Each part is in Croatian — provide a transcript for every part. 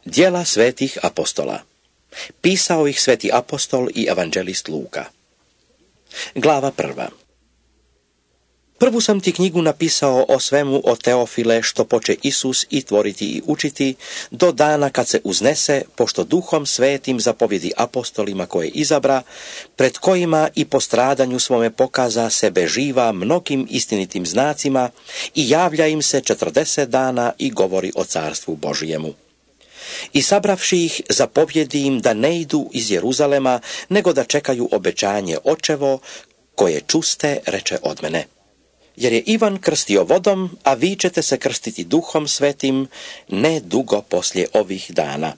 Djela svetih apostola. Pisao ih sveti apostol i evanđelist Luka. Glava 1. Prvu sam ti knjigu napisao o svemu o Teofile što poče Isus i tvoriti i učiti do dana kad se uznese, pošto Duhom Svetim zapovjedi apostolima koje izabra, pred kojima i po stradanju svome pokaza sebe živa mnogim istinitim znacima i javlja im se 40 dana i govori o carstvu Božijemu. I sabravši ih, zapovjedi im da ne idu iz Jeruzalema, nego da čekaju obećanje Očevo, koje čuste, reče od mene. Jer je Ivan krstio vodom, a vi ćete se krstiti Duhom Svetim ne dugo poslije ovih dana.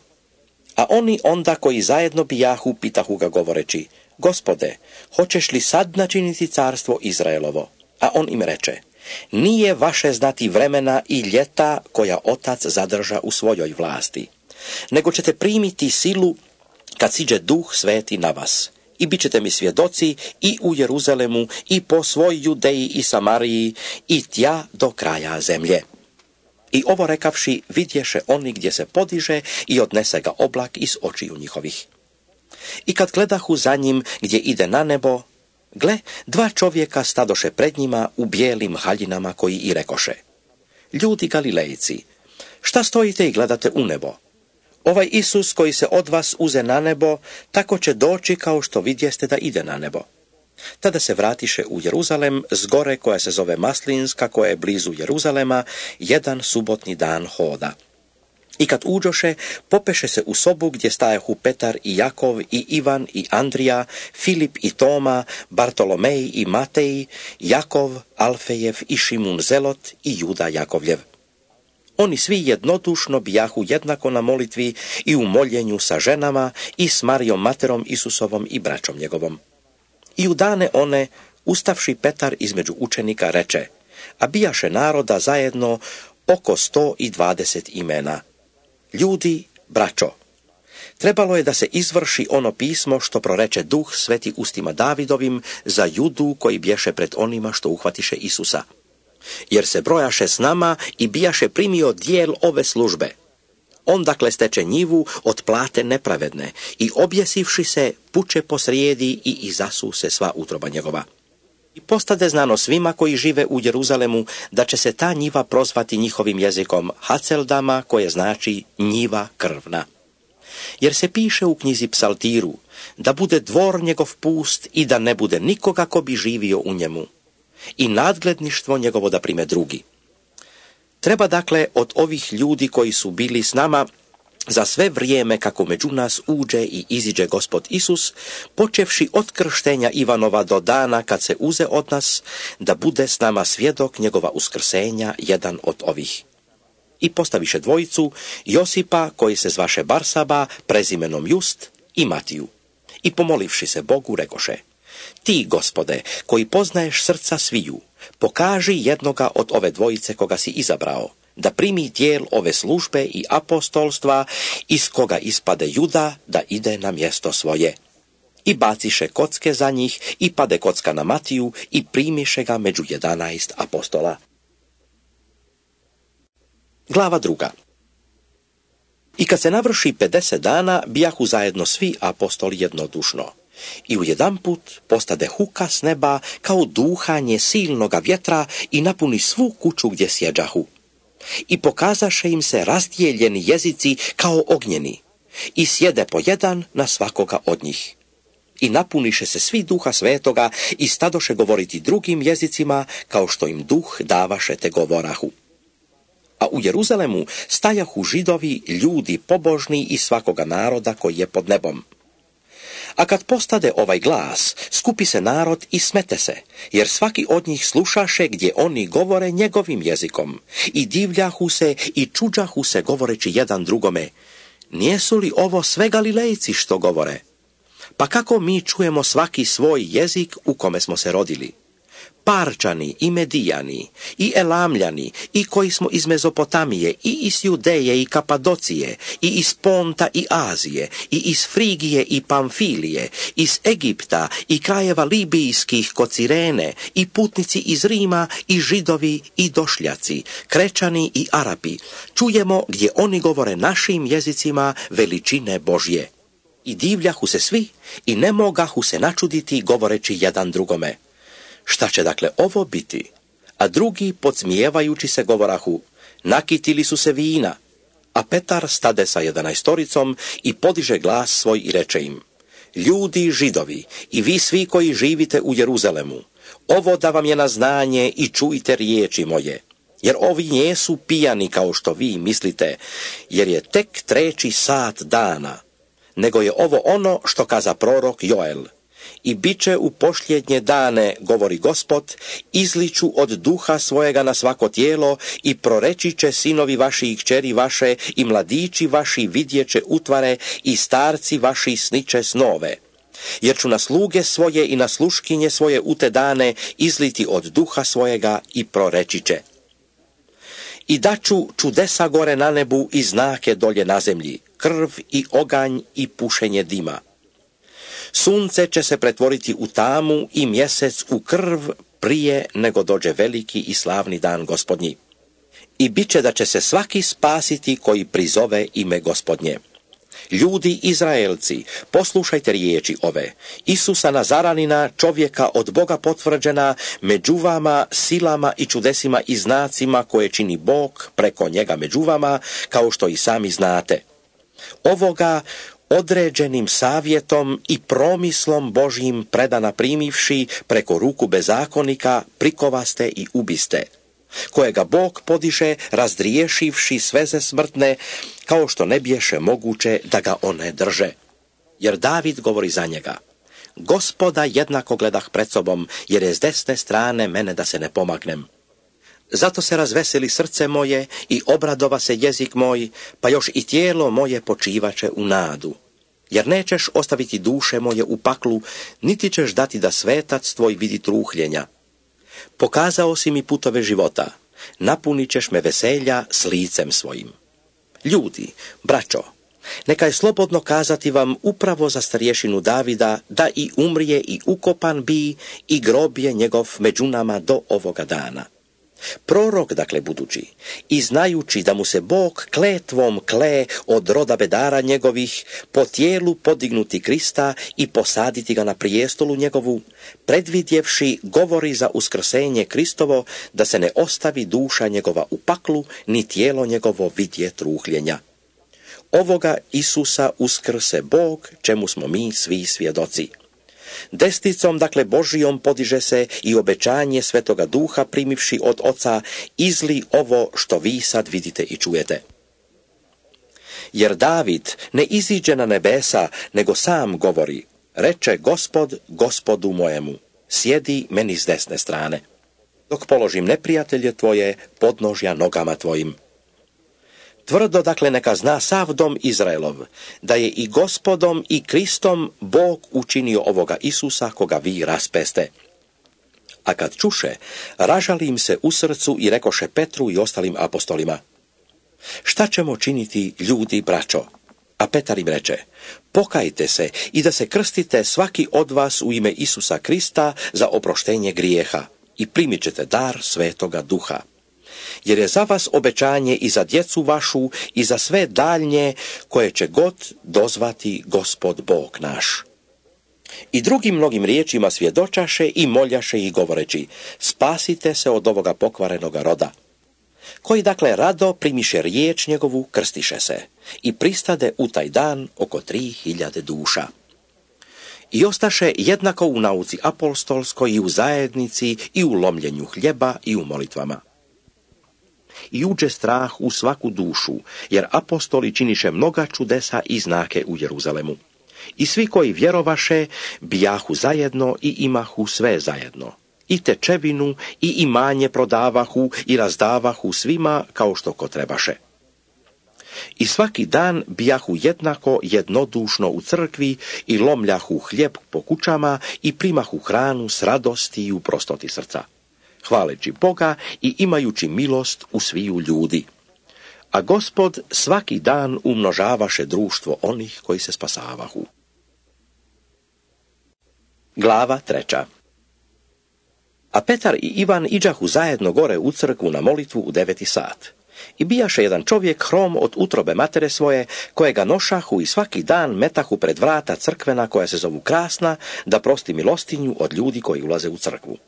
A oni onda koji zajedno bijahu, pitahu ga govoreći, Gospode, hoćeš li sad načiniti carstvo Izraelovo? A on im reče, nije vaše znati vremena i ljeta koja Otac zadrža u svojoj vlasti, nego ćete primiti silu kad siđe Duh Sveti na vas. I bit ćete mi svjedoci i u Jeruzalemu i po svoj Judeji i Samariji i tja do kraja zemlje. I ovo rekavši, vidješe oni gdje se podiže i odnese ga oblak iz očiju njihovih. I kad gledahu za njim gdje ide na nebo, gle, 2 čovjeka stadoše pred njima u bijelim haljinama koji i rekoše, ljudi Galilejci, šta stojite i gledate u nebo? Ovaj Isus koji se od vas uze na nebo, tako će doći kao što vidjeste da ide na nebo. Tada se vratiše u Jeruzalem s gore koja se zove Maslinska, koja je blizu Jeruzalema, jedan subotni dan hoda. I kad uđoše, popeše se u sobu gdje stajahu Petar i Jakov i Ivan i Andrija, Filip i Toma, Bartolomej i Matej, Jakov, Alfejev i Šimun Zelot i Juda Jakovljev. Oni svi jednodušno bijahu jednako na molitvi i u moljenju sa ženama i s Marijom materom Isusovom i braćom njegovom. I u dane one, ustavši Petar između učenika, reče, a bijaše naroda zajedno oko 120 imena. Ljudi, braćo, trebalo je da se izvrši ono pismo što proreče Duh Sveti ustima Davidovim za Judu koji bješe pred onima što uhvatiše Isusa. Jer se brojaše s nama i bijaše primio dijel ove službe. On dakle steče njivu od plate nepravedne i objesivši se puče posrijedi i izasu se sva utroba njegova. I postade znano svima koji žive u Jeruzalemu da će se ta njiva prozvati njihovim jezikom Haceldama, koje znači njiva krvna. Jer se piše u knjizi Psaltiru da bude dvor njegov pust i da ne bude nikoga ko bi živio u njemu. I nadgledništvo njegovo da prime drugi. Treba dakle od ovih ljudi koji su bili s nama za sve vrijeme kako među nas uđe i iziđe Gospod Isus, počevši od krštenja Ivanova do dana kad se uze od nas, da bude s nama svjedok njegova uskrsenja jedan od ovih. I postaviše dvojicu, Josipa koji se zvaše Barsaba, prezimenom Just, i Matiju. I pomolivši se Bogu rekoše, ti, Gospode, koji poznaješ srca sviju, pokaži jednoga od ove dvojice koga si izabrao, da primi dijel ove službe i apostolstva, iz koga ispade Juda da ide na mjesto svoje. I baciše kocke za njih i pade kocka na Matiju i primiše ga među 11 apostola. Glava 2. I kad se navrši 50 dana, bijahu zajedno svi apostoli jednodušno. I ujedanput postade huka s neba kao duhanje silnoga vjetra i napuni svu kuću gdje sjeđahu. I pokazaše im se razdijeljeni jezici kao ognjeni i sjede po jedan na svakoga od njih. I napuniše se svi Duha Svetoga i stadoše govoriti drugim jezicima kao što im Duh davaše te govorahu. A u Jeruzalemu stajahu Židovi, ljudi pobožni iz svakoga naroda koji je pod nebom. A kad postade ovaj glas, skupi se narod i smete se, jer svaki od njih slušaše gdje oni govore njegovim jezikom, i divljahu se i čuđahu se govoreći jedan drugome, nijesu li ovo sve Galilejci što govore? Pa kako mi čujemo svaki svoj jezik u kome smo se rodili? Parčani i Medijani, i Elamljani, i koji smo iz Mezopotamije, i iz Judeje i Kapadocije, i iz Ponta i Azije, i iz Frigije i Pamfilije, iz Egipta i krajeva libijskih kod Cirene, i putnici iz Rima, i Židovi i Došljaci, Krečani i Arapi, čujemo gdje oni govore našim jezicima veličine Božje. I divljahu se svi i ne mogahu se načuditi govoreći jedan drugome: šta će dakle ovo biti? A drugi, podsmijevajući se, govorahu: nakitili su se vina. A Petar stade sa 11 i podiže glas svoj i reče im: ljudi Židovi i vi svi koji živite u Jeruzalemu, ovo da vam je na znanje i čujte riječi moje. Jer ovi nisu pijani kao što vi mislite, jer je tek 3. sat dana, nego je ovo ono što kaza prorok Joel. I bit će u posljednje dane, govori Gospod, izliču od duha svojega na svako tijelo i proreći će sinovi vaši i kćeri vaše i mladići vaši vidjeće utvare i starci vaši sniće snove. Jer ću na sluge svoje i na sluškinje svoje u te dane izliti od duha svojega i proreći će. I daću čudesa gore na nebu i znake dolje na zemlji, krv i oganj i pušenje dima. Sunce će se pretvoriti u tamu i mjesec u krv prije nego dođe veliki i slavni dan Gospodnji. I bit će da će se svaki spasiti koji prizove ime Gospodnje. Ljudi Izraelci, poslušajte riječi ove: Isusa Nazaranina, čovjeka od Boga potvrđena, među vama silama i čudesima i znacima koje čini Bog preko njega među vama, kao što i sami znate. Ovoga određenim savjetom i promislom Božjim predana primivši preko ruku bezakonika prikovaste i ubiste, kojega Bog podiže razdriješivši sveze smrtne, kao što ne biješe moguće da ga one drže. Jer David govori za njega: Gospoda jednako gledah pred sobom, jer je s desne strane mene da se ne pomagnem. Zato se razveseli srce moje i obradova se jezik moj, pa još i tijelo moje počivaće u nadu. Jer nećeš ostaviti duše moje u paklu, niti ćeš dati da svetac tvoj vidi truhljenja. Pokazao si mi putove života, napunit ćeš me veselja s licem svojim. Ljudi, braćo, neka je slobodno kazati vam upravo za starješinu Davida, da i umrije i ukopan bi i grob je njegov među nama do ovoga dana. Prorok, dakle, budući, i znajući da mu se Bog kletvom kle od roda bedara njegovih po tijelu podignuti Krista i posaditi ga na prijestolu njegovu, predvidjevši govori za uskrsenje Kristovo, da se ne ostavi duša njegova u paklu, ni tijelo njegovo vidje truhljenja. Ovoga Isusa uskrse Bog, čemu smo mi svi svjedoci. Desnicom, dakle Božijom, podiže se i obećanje Svetoga Duha primivši od Oca, izli ovo što vi sad vidite i čujete. Jer David ne iziđe na nebesa, nego sam govori: reče Gospod Gospodu mojemu, sjedi meni s desne strane, dok položim neprijatelje tvoje podnožja nogama tvojim. Tvrdo, dakle, neka zna sav dom Izraelov, da je i Gospodom i Kristom Bog učinio ovoga Isusa koga vi raspeste. A kad čuše, ražali im se u srcu i rekoše Petru i ostalim apostolima: šta ćemo činiti, ljudi, braćo? A Petar im reče: pokajte se i da se krstite svaki od vas u ime Isusa Krista za oproštenje grijeha i primit ćete dar Svetoga Duha. Jer je za vas obećanje i za djecu vašu i za sve daljnje koje će god dozvati Gospod Bog naš. I drugim mnogim riječima svjedočaše i moljaše i govoreći: spasite se od ovoga pokvarenoga roda. Koji dakle rado primiše riječ njegovu, krstiše se i pristade u taj dan oko 3000 duša. I ostaše jednako u nauci apostolskoj i u zajednici i u lomljenju hljeba i u molitvama. I uđe strah u svaku dušu, jer apostoli činiše mnoga čudesa i znake u Jeruzalemu. I svi koji vjerovaše bijahu zajedno i imahu sve zajedno. I tečevinu i imanje prodavahu i razdavahu svima kao što ko trebaše. I svaki dan bijahu jednako jednodušno u crkvi i lomljahu hljeb po kućama i primahu hranu s radosti i u prostoti srca. hvaleći Boga i imajući milost u sviju ljudi. A Gospod svaki dan umnožavaše društvo onih koji se spasavahu. Glava 3. A Petar i Ivan iđahu zajedno gore u crkvu na molitvu u 9 sat. I bijaše jedan čovjek hrom od utrobe matere svoje, kojega nošahu i svaki dan metahu pred vrata crkvena koja se zovu Krasna, da prosti milostinju od ljudi koji ulaze u crkvu.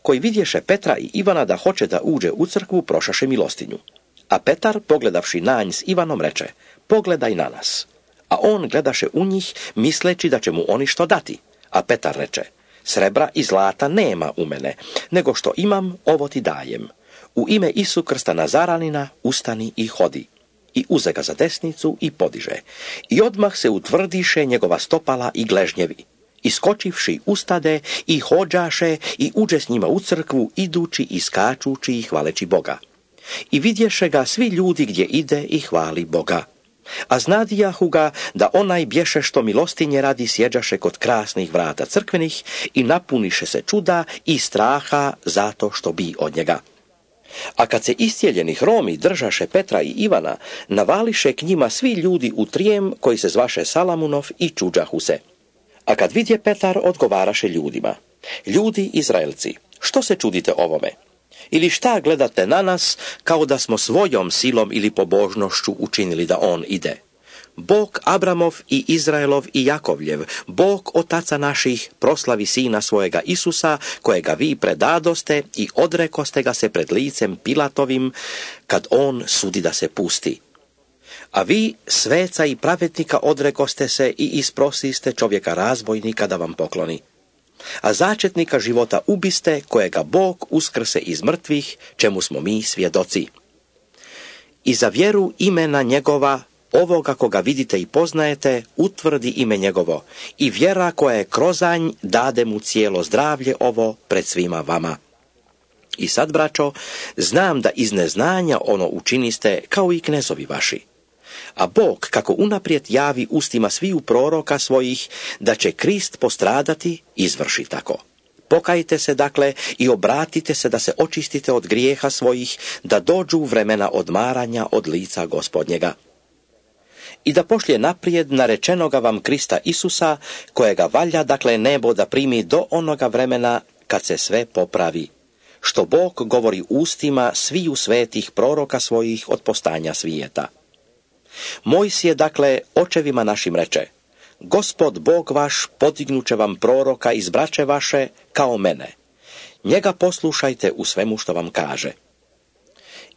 Koji vidješe Petra i Ivana da hoće da uđe u crkvu, prošaše milostinju. A Petar, pogledavši na nj s Ivanom, reče: pogledaj na nas. A on gledaše u njih, misleći da će mu oni što dati. A Petar reče: srebra i zlata nema u mene, nego što imam, ovo ti dajem. U ime Isu Krsta Nazaranina ustani i hodi. I uze ga za desnicu i podiže. I odmah se utvrdiše njegova stopala i gležnjevi. Iskočivši ustade i hođaše i uđe s njima u crkvu, idući i skačući i hvaleći Boga. I vidješe ga svi ljudi gdje ide i hvali Boga. A znadijahu ga da onaj bješe što milostinje radi sjeđaše kod krasnih vrata crkvenih i napuniše se čuda i straha zato što bi od njega. A kad se iscijeljeni hromi držaše Petra i Ivana, navališe k njima svi ljudi u trijem koji se zvaše Salamunov i čuđahu se. A kad vidje Petar, odgovaraše ljudima: ljudi Izraelci, što se čudite ovome? Ili šta gledate na nas, kao da smo svojom silom ili pobožnošću učinili da on ide? Bog Abramov i Izraelov i Jakovljev, Bog otaca naših, proslavi sina svojega Isusa, kojega vi predadoste i odrekoste ga se pred licem Pilatovim, kad on sudi da se pusti. A vi, sveca i pravednika, odrekoste se i isprosiste čovjeka razbojnika da vam pokloni. A začetnika života ubiste, kojega Bog uskrse iz mrtvih, čemu smo mi svjedoci. I za vjeru imena njegova, ovoga koga vidite i poznajete, utvrdi ime njegovo, i vjera koja je krozanj dade mu cijelo zdravlje ovo pred svima vama. I sad, braćo, znam da iz neznanja ono učiniste kao i knezovi vaši. A Bog, kako unaprijed javi ustima sviju proroka svojih, da će Krist postradati, izvrši tako. Pokajte se dakle i obratite se da se očistite od grijeha svojih, da dođu vremena odmaranja od lica Gospodnjega. I da pošlje naprijed narečenoga vam Krista Isusa, kojega valja dakle nebo da primi do onoga vremena kad se sve popravi, što Bog govori ustima sviju svetih proroka svojih od postanja svijeta. Mojsije dakle očevima našim reče: Gospod Bog vaš podignuće vam proroka iz braće vaše kao mene. Njega poslušajte u svemu što vam kaže.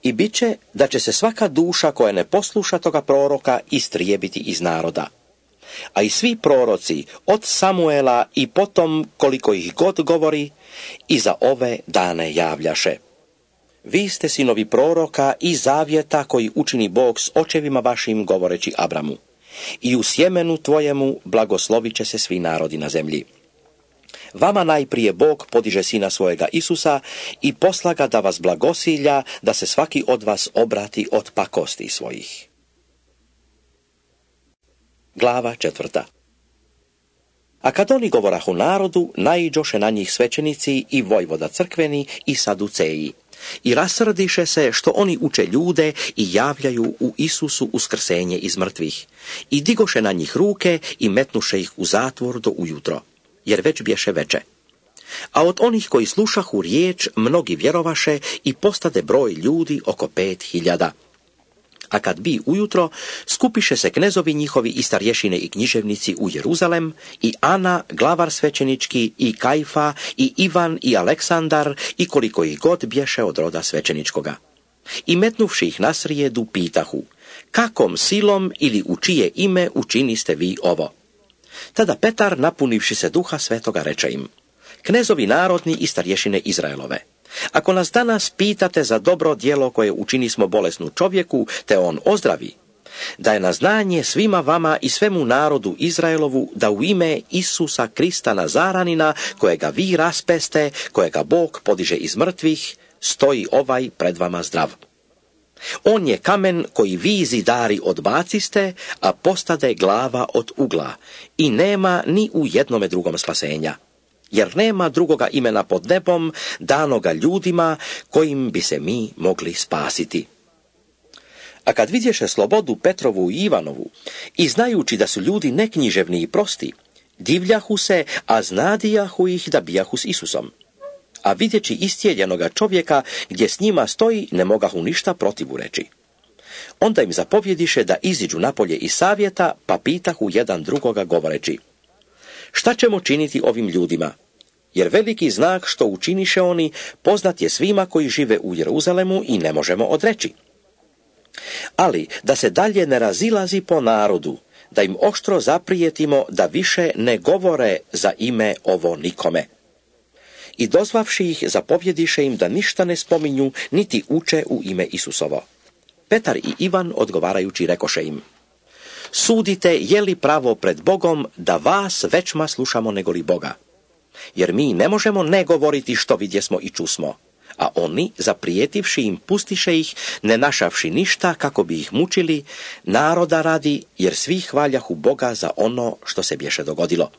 I bit će da će se svaka duša koja ne posluša toga proroka istrijebiti iz naroda. A i svi proroci od Samuela i potom koliko ih god govori, i za ove dane javljaše. Vi ste sinovi proroka i zavjeta koji učini Bog s očevima vašim, govoreći Abramu: i u sjemenu tvojemu blagoslovit će se svi narodi na zemlji. Vama najprije Bog podiže sina svojega Isusa i posla ga da vas blagosilja, da se svaki od vas obrati od pakosti svojih. Glava 4. A kad oni govorahu narodu, naiđoše na njih svećenici i vojvoda crkveni i saduceji. I rasrdiše se što oni uče ljude i javljaju u Isusu uskrsenje iz mrtvih. I digoše na njih ruke i metnuše ih u zatvor do ujutro, jer već bješe veče. A od onih koji slušahu riječ, mnogi vjerovaše i postade broj ljudi oko 5.000. A kad bi ujutro, skupiše se knezovi njihovi i starješine i književnici u Jeruzalem, i Ana, glavar svećenički, i Kajfa, i Ivan, i Aleksandar, i koliko ih god bješe od roda svećeničkoga. I metnuvši ih na srijedu, pitahu: kakom silom ili u čije ime učiniste vi ovo? Tada Petar, napunivši se Duha Svetoga, reče im: knezovi narodni i starješine Izraelove, ako nas danas pitate za dobro djelo koje učinismo bolesnu čovjeku, te on ozdravi, da je na znanje svima vama i svemu narodu Izraelovu da u ime Isusa Krista Nazaranina, kojega vi raspeste, kojega Bog podiže iz mrtvih, stoji ovaj pred vama zdrav. On je kamen koji vi zidari odbaciste, a postade glava od ugla, i nema ni u jednome drugom spasenja. jer nema drugoga imena pod nebom danoga ljudima kojim bi se mi mogli spasiti. A kad vidješe slobodu Petrovu i Ivanovu i znajući da su ljudi neknjiževni i prosti, divljahu se, a znadijahu ih da bijahu s Isusom. A vidjeći istjeljenoga čovjeka gdje s njima stoji, ne mogahu ništa protivu reći. Onda im zapovjediše da iziđu napolje iz savjeta, pa pitahu jedan drugoga govoreći: šta ćemo činiti ovim ljudima? Jer veliki znak što učiniše oni poznat je svima koji žive u Jeruzalemu i ne možemo odreći. Ali da se dalje ne razilazi po narodu, da im oštro zaprijetimo da više ne govore za ime ovo nikome. I dozvavši ih, zapovjediše im da ništa ne spominju, niti uče u ime Isusovo. Petar i Ivan odgovarajući rekoše im: sudite je li pravo pred Bogom da vas većma slušamo nego li Boga? Jer mi ne možemo ne govoriti što vidjesmo i čusmo. A oni, zaprijetivši im, pustiše ih, ne našavši ništa kako bi ih mučili, naroda radi, jer svi hvaljahu Boga za ono što se bješe dogodilo.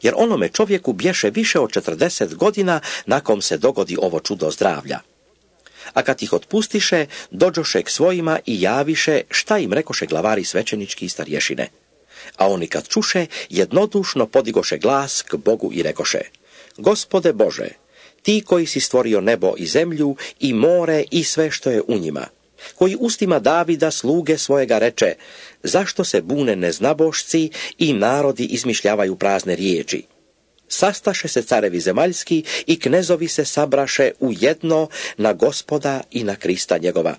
Jer onome čovjeku bješe više od 40 godina nakon se dogodi ovo čudo zdravlja. A kad ih otpustiše, dođoše k svojima i javiše šta im rekoše glavari svećenički i starješine. A oni kad čuše, jednodušno podigoše glas k Bogu i rekoše: Gospode Bože, ti koji si stvorio nebo i zemlju i more i sve što je u njima, koji ustima Davida sluge svojega reče: zašto se bune neznabošci i narodi izmišljavaju prazne riječi? Sastaše se carevi zemaljski i knezovi se sabraše u jedno na Gospoda i na Krista njegova.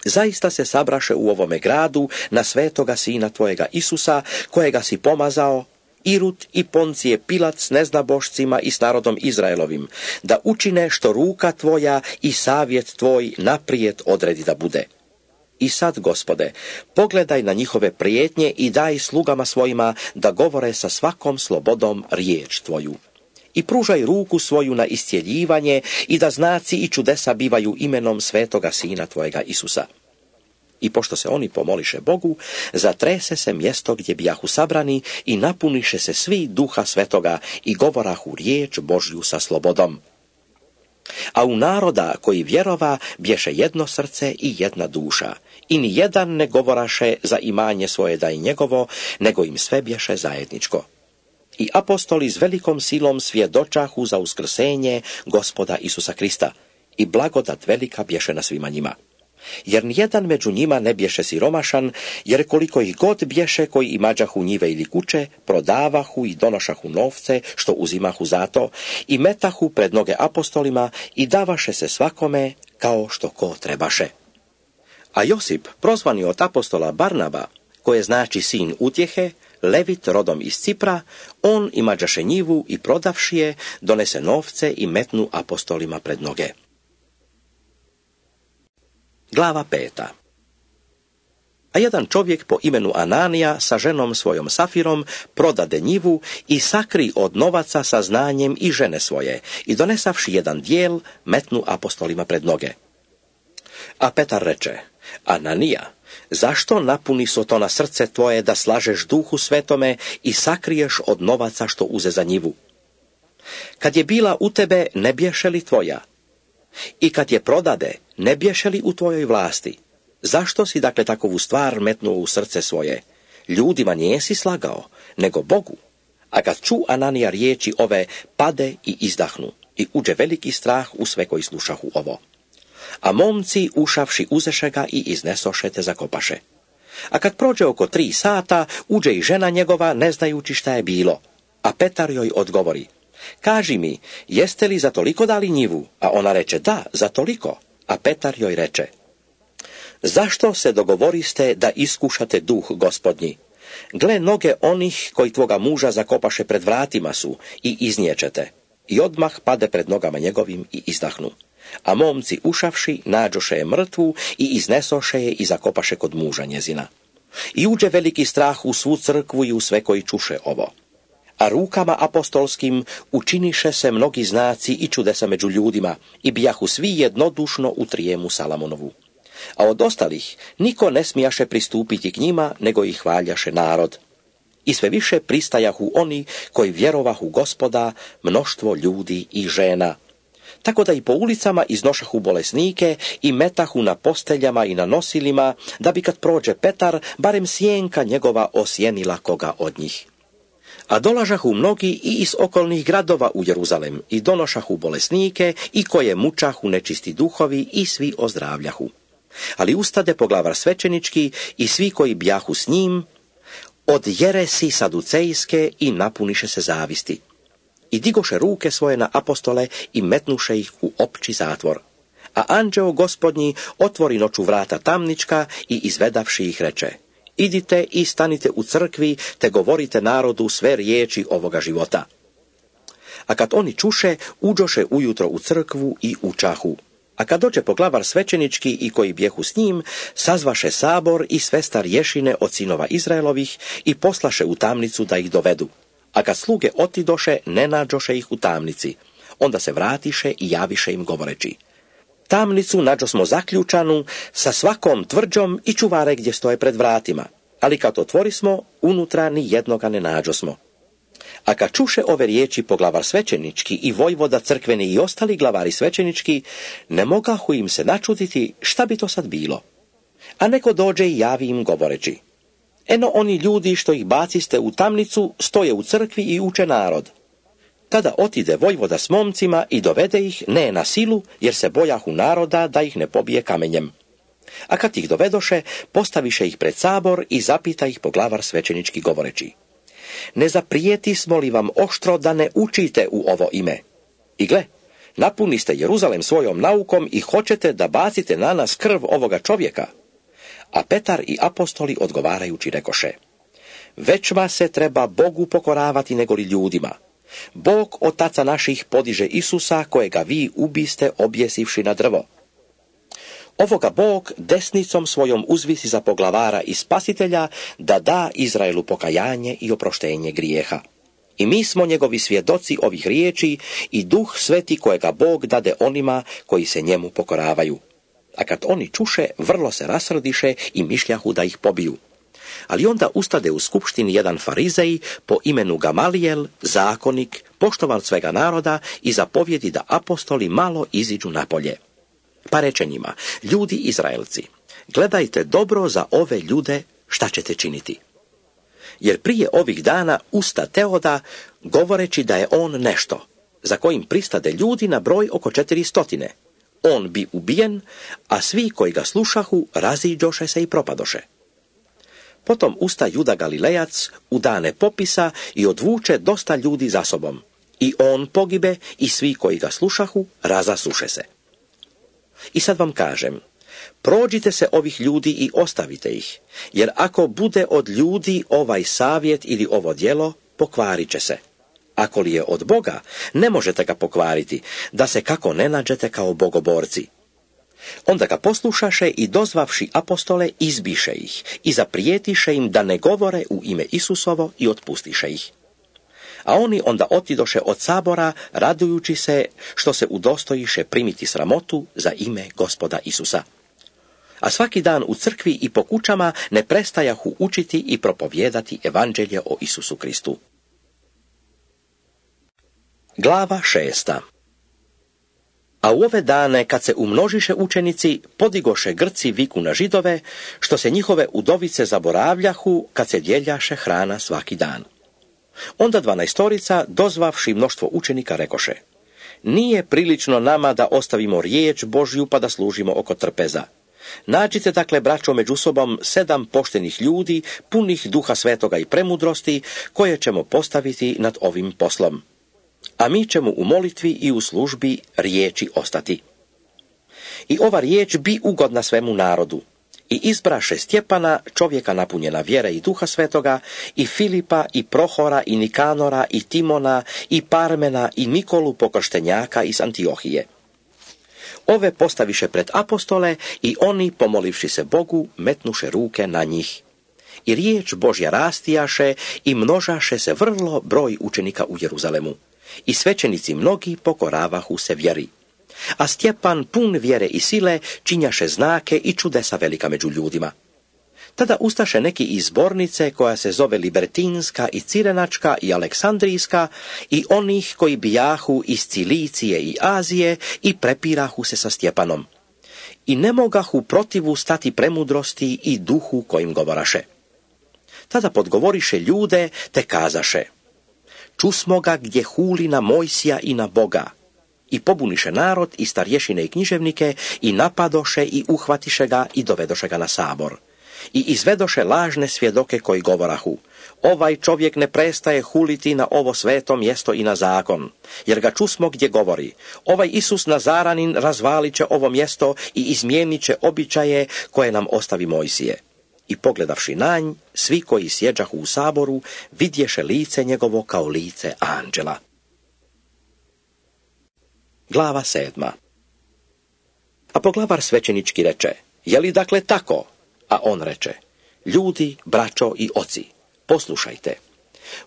Zaista se sabraše u ovome gradu na svetoga sina tvojega Isusa, kojega si pomazao, Irut i Poncije Pilat s neznabošcima i s narodom Izraelovim, da učine što ruka tvoja i savjet tvoj naprijed odredi da bude. I sad, Gospode, pogledaj na njihove prijetnje i daj slugama svojima da govore sa svakom slobodom riječ tvoju. I pružaj ruku svoju na iscjeljivanje i da znaci i čudesa bivaju imenom svetoga sina tvojega Isusa. I pošto se oni pomoliše Bogu, zatrese se mjesto gdje bijahu sabrani i napuniše se svi duha svetoga i govorahu riječ Božju sa slobodom. A u naroda koji vjerova bješe jedno srce i jedna duša, i ni jedan ne govoraše za imanje svoje da je njegovo, nego im sve bješe zajedničko. I apostoli s velikom silom svjedočahu za uskrsenje Gospoda Isusa Krista, i blagodat velika bješe na svima njima. Jer nijedan među njima ne bješe siromašan, jer koliko ih god bješe koji imađahu njive ili kuće, prodavahu i donošahu novce, što uzimahu zato, i metahu pred noge apostolima i davaše se svakome kao što ko trebaše. A Josip, prozvani od apostola Barnaba, koje znači sin utjehe, Levit rodom iz Cipra, on imađaše njivu i prodavši je, donese novce i metnu apostolima pred noge. Glava 5. A jedan čovjek po imenu Ananija sa ženom svojom Safirom prodade njivu i sakri od novaca sa znanjem i žene svoje i donesavši jedan dijel metnu apostolima pred noge. A Petar reče: Ananija, zašto napuni so to na srce tvoje da slažeš Duhu Svetome i sakriješ od novaca što uze za njivu? Kad je bila u tebe, ne bješe li tvoja? I kad je prodade, ne bješe li u tvojoj vlasti? Zašto si dakle takovu stvar metnuo u srce svoje? Ljudima nijesi slagao, nego Bogu. A kad ču Ananija riječi ove, pade i izdahnu, i uđe veliki strah u sve koji slušahu ovo. A momci, ušavši, uzeše ga i iznesoše te zakopaše. A kad prođe oko 3 sata, uđe i žena njegova, ne znajući šta je bilo. A Petar joj odgovori: kaži mi, jeste li za toliko dali njivu? A ona reče: da, za toliko. A Petar joj reče: zašto se dogovoriste da iskušate duh Gospodnji? Gle, noge onih koji tvoga muža zakopaše pred vratima su i izniječete. I odmah pade pred nogama njegovim i izdahnu. A momci ušavši, nađoše je mrtvu i iznesoše je i zakopaše kod muža njezina. I uđe veliki strah u svu crkvu i u sve koji čuše ovo. A rukama apostolskim učiniše se mnogi znaci i čudesa među ljudima i bijahu svi jednodušno u trijemu Salamonovu. A od ostalih niko ne smijaše pristupiti k njima, nego ih hvaljaše narod. I sve više pristajahu oni koji vjerovahu Gospoda, mnoštvo ljudi i žena. Tako da i po ulicama iznošahu bolesnike i metahu na posteljama i na nosilima, da bi kad prođe Petar, barem sjenka njegova osjenila koga od njih. A dolažahu mnogi i iz okolnih gradova u Jeruzalem i donošahu bolesnike i koje mučahu nečisti duhovi i svi ozdravljahu. Ali ustade poglavar svećenički i svi koji bjahu s njim, od jeresi saducejske i napuniše se zavisti. I digoše ruke svoje na apostole i metnuše ih u opći zatvor. A anđeo Gospodnji otvori noću vrata tamnička i izvedavši ih reče: idite i stanite u crkvi, te govorite narodu sve riječi ovoga života. A kad oni čuše, uđoše ujutro u crkvu i učahu. A kad dođe poglavar svećenički i koji bjehu s njim, sazvaše sabor i sve starješine od sinova Izraelovih i poslaše u tamnicu da ih dovedu. A kad sluge otidoše, ne nađoše ih u tamnici. Onda se vratiše i javiše im govoreći: tamnicu nađosmo zaključanu sa svakom tvrđom i čuvare gdje stoje pred vratima, ali kad otvorismo, unutra ni jednoga ne nađosmo. A kad čuše ove riječi poglavar svećenički i vojvoda crkveni i ostali glavari svećenički, ne mogahu im se načuditi šta bi to sad bilo. A neko dođe i javi im govoreći: eno oni ljudi što ih baciste u tamnicu stoje u crkvi i uče narod. Tada otide vojvoda s momcima i dovede ih ne na silu, jer se bojahu naroda da ih ne pobije kamenjem. A kad ih dovedoše, postaviše ih pred sabor i zapita ih poglavar svećenički govoreći: ne zaprijetismo li vam oštro da ne učite u ovo ime? I gle, napuniste Jeruzalem svojom naukom i hoćete da bacite na nas krv ovoga čovjeka. A Petar i apostoli odgovarajući rekoše: većma se treba Bogu pokoravati nego li ljudima. Bog otaca naših podiže Isusa, kojega vi ubiste objesivši na drvo. Ovoga Bog desnicom svojom uzvisi za poglavara i spasitelja, da da Izraelu pokajanje i oproštenje grijeha. I mi smo njegovi svjedoci ovih riječi i Duh Sveti kojega Bog dade onima koji se njemu pokoravaju. A kad oni čuše, vrlo se rasrdiše i mišljahu da ih pobiju. Ali onda ustade u skupštini jedan farizej po imenu Gamalijel, zakonik, poštovan svega naroda, i zapovjedi da apostoli malo iziđu napolje. Pa reče njima: ljudi Izraelci, gledajte dobro za ove ljude šta ćete činiti. Jer prije ovih dana usta Teoda, govoreći da je on nešto, za kojim pristade ljudi na broj oko 400. On bi ubijen, a svi koji ga slušahu raziđoše se i propadoše. Potom usta Juda Galilejac u dane popisa i odvuče dosta ljudi za sobom. I on pogibe i svi koji ga slušahu razasuše se. I sad vam kažem, prođite se ovih ljudi i ostavite ih, jer ako bude od ljudi ovaj savjet ili ovo djelo, pokvarit će se. Ako li je od Boga, ne možete ga pokvariti, da se kako ne nađete kao bogoborci. Onda ga poslušaše i dozvavši apostole izbiše ih i zaprijetiše im da ne govore u ime Isusovo i otpustiše ih. A oni onda otidoše od sabora, radujući se što se udostojiše primiti sramotu za ime Gospoda Isusa. A svaki dan u crkvi i po kućama ne prestajahu učiti i propovijedati evanđelje o Isusu Kristu. Glava 6. A u ove dane, kad se umnožiše učenici, podigoše Grci viku na Židove, što se njihove udovice zaboravljahu, kad se dijeljaše hrana svaki dan. Onda 12 dozvavši mnoštvo učenika, rekoše: nije prilično nama da ostavimo riječ Božju pa da služimo oko trpeza. Nađite dakle, braćo, među sobom 7 poštenih ljudi, punih Duha Svetoga i premudrosti, koje ćemo postaviti nad ovim poslom. A mi ćemo u molitvi i u službi riječi ostati. I ova riječ bi ugodna svemu narodu. I izbraše Stjepana, čovjeka napunjena vjere i Duha Svetoga, i Filipa, i Prohora, i Nikanora, i Timona, i Parmena, i Nikolu pokrštenjaka iz Antiohije. Ove postaviše pred apostole i oni, pomolivši se Bogu, metnuše ruke na njih. I riječ Božja rastijaše i množaše se vrlo broj učenika u Jeruzalemu. I svećenici mnogi pokoravahu se vjeri. A Stjepan, pun vjere i sile, činjaše znake i čudesa velika među ljudima. Tada ustaše neki iz zbornice koja se zove Libertinska i Cirenačka i Aleksandrijska i onih koji bijahu iz Cilicije i Azije i prepirahu se sa Stjepanom. I ne mogahu protivu stati premudrosti i duhu kojim govoraše. Tada podgovoriše ljude te kazaše: čusmo ga gdje huli na Mojsija i na Boga. I pobuniše narod i starješine i književnike i napadoše i uhvatiše ga i dovedoše ga na sabor. I izvedoše lažne svjedoke koji govorahu: ovaj čovjek ne prestaje huliti na ovo sveto mjesto i na zakon, jer ga čusmo gdje govori: ovaj Isus Nazaranin razvalit će ovo mjesto i izmijenit će običaje koje nam ostavi Mojsije. I pogledavši na nj, svi koji sjeđahu u saboru vidješe lice njegovo kao lice anđela. Glava 7. A poglavar svećenički reče: je li dakle tako? A on reče: ljudi, braćo i oci, poslušajte.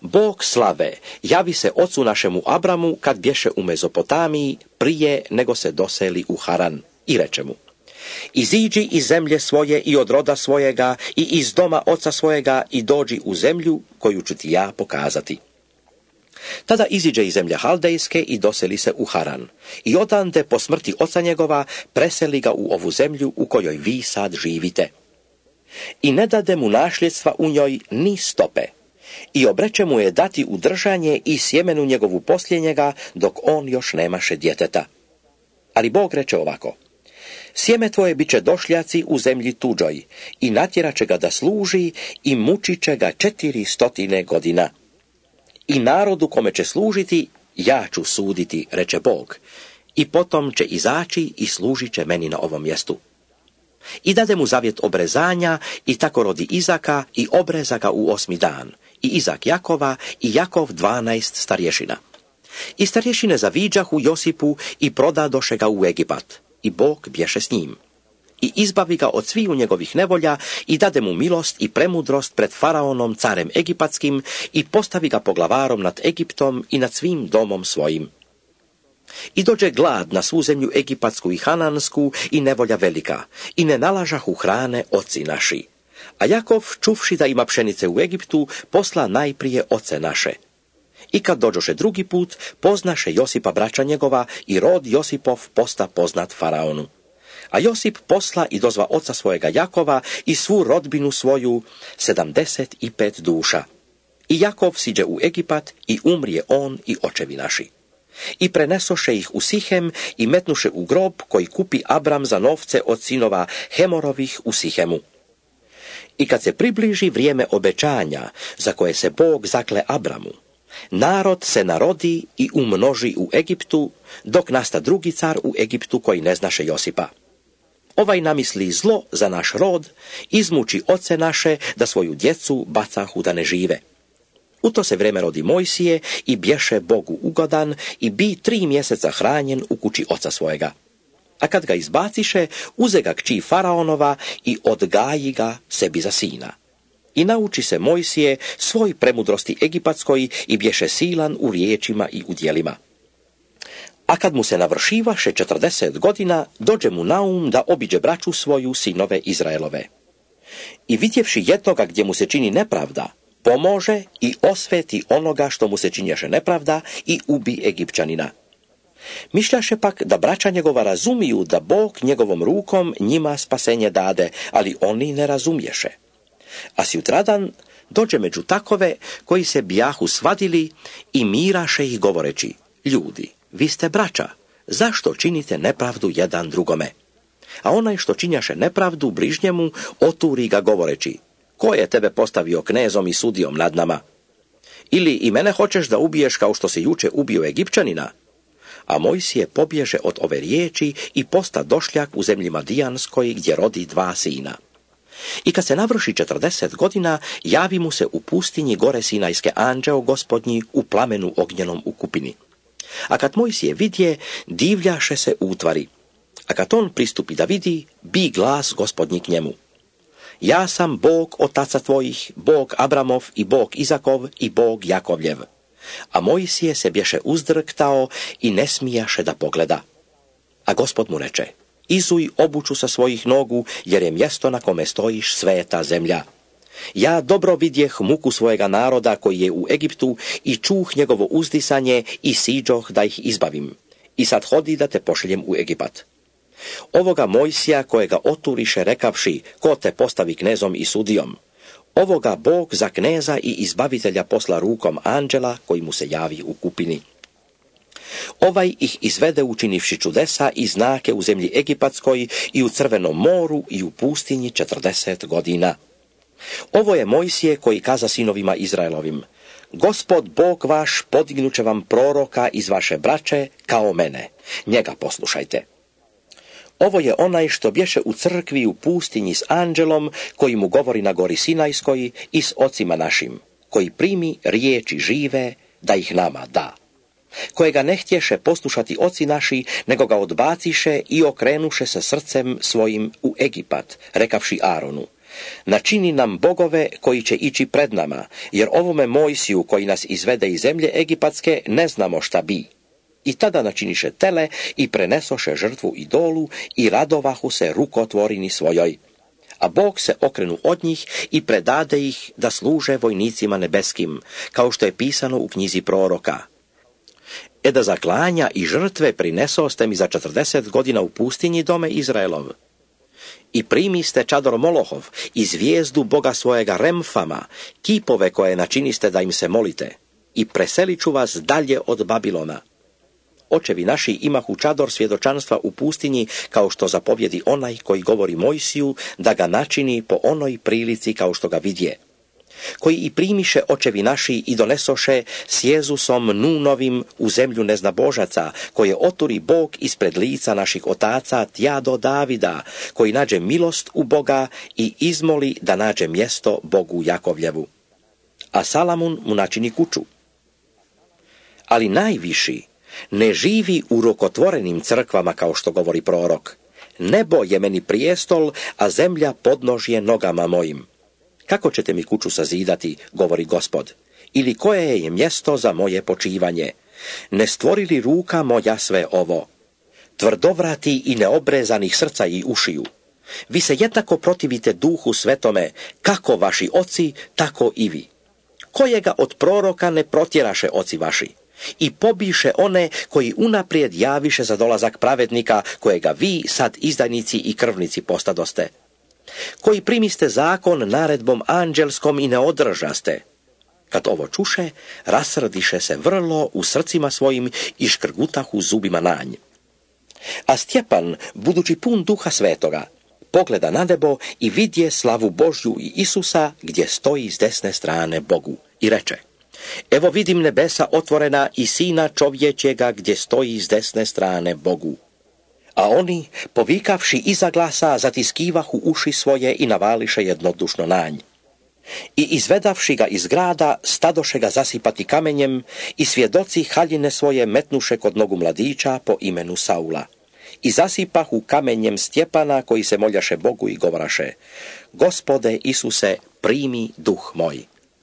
Bog slave javi se ocu našemu Abramu kad bješe u Mezopotamiji prije nego se doseli u Haran i reče mu: iziđi iz zemlje svoje i od roda svojega i iz doma oca svojega i dođi u zemlju koju ću ti ja pokazati. Tada iziđe iz zemlje Haldejske i doseli se u Haran i odande po smrti oca njegova preseli ga u ovu zemlju u kojoj vi sad živite. I ne dade mu nasljedstva u njoj ni stope i obreče mu je dati u držanje i sjemenu njegovu poslije njega dok on još nemaše djeteta. Ali Bog reče ovako: sjeme tvoje bit će došljaci u zemlji tuđoj i natjerat će ga da služi i mučit će ga 400 godina. I narodu kome će služiti ja ću suditi, reče Bog, i potom će izaći i služit će meni na ovom mjestu. I dade mu zavjet obrezanja i tako rodi Izaka i obreza ga u 8. dan, i Izak Jakova i Jakov 12 starješina. I starješine zaviđahu Josipu i prodadoše ga u Egipat, i Bog bješe s njim. I izbavi ga od sviju njegovih nevolja i dade mu milost i premudrost pred faraonom carem egipatskim i postavi ga poglavarom nad Egiptom i nad svim domom svojim. I dođe glad na svu zemlju egipatsku i hanansku i nevolja velika i ne nalažahu hrane oci naši. A Jakov, čuvši da ima pšenice u Egiptu, posla najprije oce naše. I kad dođoše drugi put, poznaše Josipa braća njegova i rod Josipov posta poznat faraonu. A Josip posla i dozva oca svojega Jakova i svu rodbinu svoju 75 duša. I Jakov siđe u Egipat i umrije on i očevi naši. I prenesoše ih u Sihem i metnuše u grob koji kupi Abram za novce od sinova Hemorovih u Sihemu. I kad se približi vrijeme obećanja za koje se Bog zakle Abramu, narod se narodi i umnoži u Egiptu, dok nasta drugi car u Egiptu koji ne znaše Josipa. Ovaj namisli zlo za naš rod, izmuči oce naše da svoju djecu bacahu da ne žive. U to se vreme rodi Mojsije i bješe Bogu ugodan i bi 3 mjeseca hranjen u kući oca svojega. A kad ga izbaciše, uze ga kći faraonova i odgaji ga sebi za sina. I nauči se Mojsije svoj premudrosti egipatskoj i bješe silan u riječima i u djelima. A kad mu se navršivaše 40 godina, dođe mu na um da obiđe braću svoju, sinove Izraelove. I vidjevši jednoga gdje mu se čini nepravda, pomože i osveti onoga što mu se činješe nepravda i ubi Egipćanina. Mišljaše pak da braća njegova razumiju da Bog njegovom rukom njima spasenje dade, ali oni ne razumješe. A sjutradan dođe među takove koji se bijahu svadili i miraše ih govoreći: ljudi, vi ste braća, zašto činite nepravdu jedan drugome? A onaj što činjaše nepravdu bližnjemu oturi ga govoreći: ko je tebe postavio knezom i sudijom nad nama? Ili i mene hoćeš da ubiješ kao što si juče ubio Egipćanina? A Mojsije pobježe od ove riječi i posta došljak u zemlji Madijanskoj gdje rodi 2 sina. I kad se navrši 40 godina, javi mu se u pustinji gore Sinajske anđeo Gospodnji u plamenu ognjenom u kupini. A kad Mojsije vidje, divljaše se utvari. A kad on pristupi da vidi, bi glas Gospodnji k njemu: ja sam Bog otaca tvojih, Bog Abramov i Bog Izakov i Bog Jakovljev. A Mojsije se bješe uzdrktao i ne smijaše da pogleda. A Gospod mu reče: izuj obuću sa svojih nogu, jer je mjesto na kome stojiš sveta zemlja. Ja dobro vidjeh muku svojega naroda koji je u Egiptu i čuh njegovo uzdisanje i siđoh da ih izbavim. I sad hodi da te pošaljem u Egipat. Ovoga Mojsija kojega oturiše rekavši, ko te postavi knezom i sudijom. Ovoga Bog za kneza i izbavitelja posla rukom anđela koji mu se javi u kupini. Ovaj ih izvede učinivši čudesa i znake u zemlji Egipatskoj i u Crvenom moru i u pustinji 40 godina. Ovo je Mojsije koji kaza sinovima Izraelovim. Gospod Bog vaš podignuće vam proroka iz vaše braće kao mene. Njega poslušajte. Ovo je onaj što bješe u crkvi u pustinji s anđelom koji mu govori na gori Sinajskoj i s ocima našim, koji primi riječi žive da ih nama da. Kojega ne htješe poslušati oci naši, nego ga odbaciše i okrenuše se srcem svojim u Egipat, rekavši Aronu. Načini nam bogove koji će ići pred nama, jer ovome Mojsiju koji nas izvede iz zemlje Egipatske ne znamo šta bi. I tada načiniše tele i prenesoše žrtvu idolu i radovahu se rukotvorini svojoj. A Bog se okrenu od njih i predade ih da služe vojnicima nebeskim, kao što je pisano u knjizi proroka. Da zaklanja i žrtve prinesoste mi za 40 godina u pustinji dome Izraelov. I primiste čador Molohov i zvijezdu Boga svojega Remfama, kipove koje načiniste da im se molite, i preselit ću vas dalje od Babilona. Očevi naši imahu čador svjedočanstva u pustinji, kao što zapovjedi onaj koji govori Mojsiju, da ga načini po onoj prilici kao što ga vidje. Koji i primiše očevi naši i donesoše s Jezusom Nunovim u zemlju neznabožaca, koje oturi Bog ispred lica naših otaca tja do Davida, koji nađe milost u Boga i izmoli da nađe mjesto Bogu Jakovljevu. A Salamun mu načini kuću. Ali najviši ne živi u rukotvorenim crkvama kao što govori prorok. Nebo je meni prijestol, a zemlja podnožje nogama mojim. Kako ćete mi kuću sazidati, govori Gospod, ili koje je mjesto za moje počivanje? Ne stvorili ruka moja sve ovo? Tvrdovrati i neobrezanih srca i ušiju. Vi se jednako protivite duhu svetome, kako vaši oci, tako i vi. Kojega od proroka ne protjeraše oci vaši? I pobiše one koji unaprijed javiše za dolazak pravednika, kojega vi sad izdajnici i krvnici postadoste. Koji primiste zakon naredbom anđelskom i ne održaste. Kad ovo čuše, rasrdiše se vrlo u srcima svojim i škrgutahu zubima nanj. A Stjepan, budući pun duha svetoga, pogleda na nebo i vidje slavu Božju i Isusa gdje stoji s desne strane Bogu i reče: Evo vidim nebesa otvorena i sina čovječjega gdje stoji s desne strane Bogu. A oni, povikavši iza glasa, zatiskivahu uši svoje i navališe jednodušno nanj. I izvedavši ga iz grada, stadoše ga zasipati kamenjem i svjedoci haljine svoje metnuše kod nogu mladića po imenu Saula. I zasipahu kamenjem Stjepana koji se moljaše Bogu i govoraše: Gospode Isuse, primi duh moj.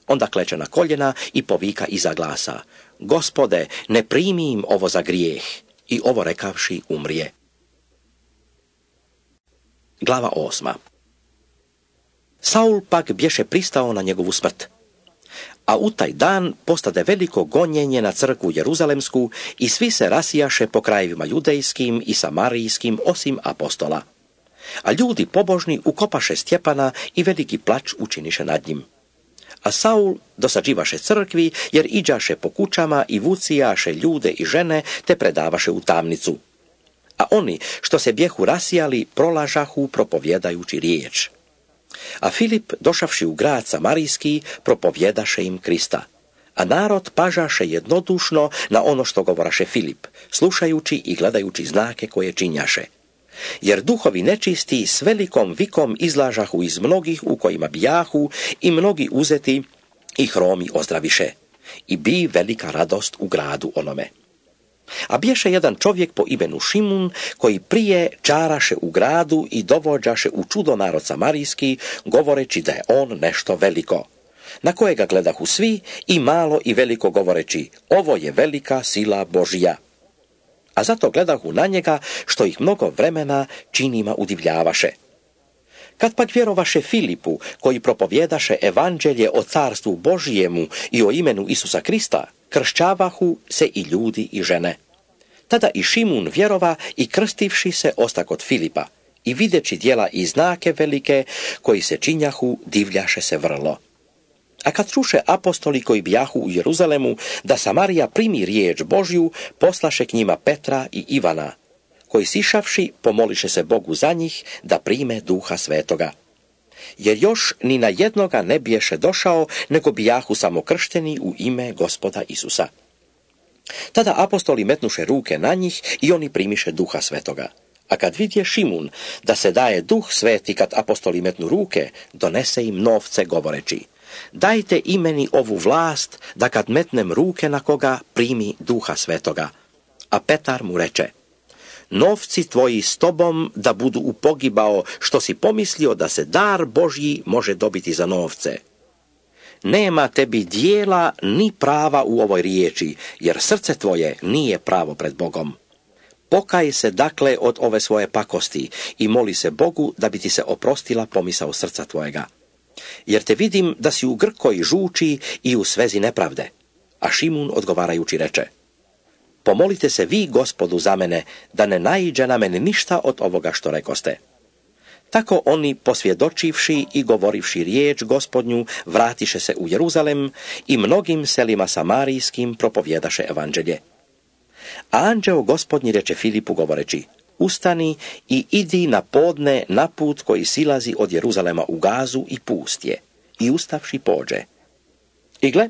Onda kleče na koljena i povika iza glasa: Gospode, ne primi im ovo za grijeh. I ovo rekavši umrije. Glava 8. Saul pak bješe pristao na njegovu smrt. A u taj dan postade veliko gonjenje na crkvu Jeruzalemsku i svi se rasijaše po krajevima judejskim i samarijskim osim apostola. A ljudi pobožni ukopaše Stjepana i veliki plač učiniše nad njim. A Saul dosađivaše crkvi jer iđaše po kućama i vucijaše ljude i žene te predavaše u tamnicu. A oni što se bjehu rasijali prolažahu propovjedajući riječ. A Filip, došavši u grad Samarijski, propovjedaše im Krista. A narod pažaše jednodušno na ono što govoraše Filip, slušajući i gledajući znake koje činjaše. Jer duhovi nečisti s velikom vikom izlažahu iz mnogih u kojima bijahu i mnogi uzeti i hromi ozdraviše. I bi velika radost u gradu onome. A bješe jedan čovjek po imenu Šimun, koji prije čaraše u gradu i dovođaše u čudo narod samarijski, govoreći da je on nešto veliko. Na kojega gledahu svi, i malo i veliko govoreći: ovo je velika sila Božja. a zato gledahu na njega, što ih mnogo vremena činima udivljavaše. Kad pak vjerovaše Filipu, koji propovjedaše evanđelje o carstvu Božijemu i o imenu Isusa Krista, kršćavahu se i ljudi i žene. Tada i Šimun vjerova i krstivši se osta kod Filipa i videći djela i znake velike koji se činjahu, divljaše se vrlo. A kad čuše apostoli koji bijahu u Jeruzalemu da Samarija primi riječ Božju, poslaše k njima Petra i Ivana, koji sišavši pomoliše se Bogu za njih da prime Duha Svetoga. Jer još ni na jednoga ne biješe došao, nego bijahu samo kršteni u ime Gospoda Isusa. Tada apostoli metnuše ruke na njih i oni primiše Duha Svetoga. A kad vidje Šimun da se daje Duh Sveti kad apostoli metnu ruke, donese im novce govoreći: dajte i meni ovu vlast da kad metnem ruke na koga primi Duha Svetoga. A Petar mu reče: novci tvoji s tobom da budu upogibao, što si pomislio da se dar Božji može dobiti za novce. Nema tebi dijela ni prava u ovoj riječi, jer srce tvoje nije pravo pred Bogom. Pokaj se dakle od ove svoje pakosti i moli se Bogu da bi ti se oprostila pomisao srca tvojega. Jer te vidim da si u grkoj žuči i u svezi nepravde. A Šimun odgovarajući reče: pomolite se vi Gospodu za mene, da ne naiđe na mene ništa od ovoga što rekoste. Tako oni, posvjedočivši i govorivši riječ Gospodnju, vratiše se u Jeruzalem i mnogim selima samarijskim propovjedaše evanđelje. A anđeo Gospodnji reče Filipu govoreći: ustani i idi na podne na put koji silazi od Jeruzalema u Gazu i pust je. I ustavši pođe. I gle,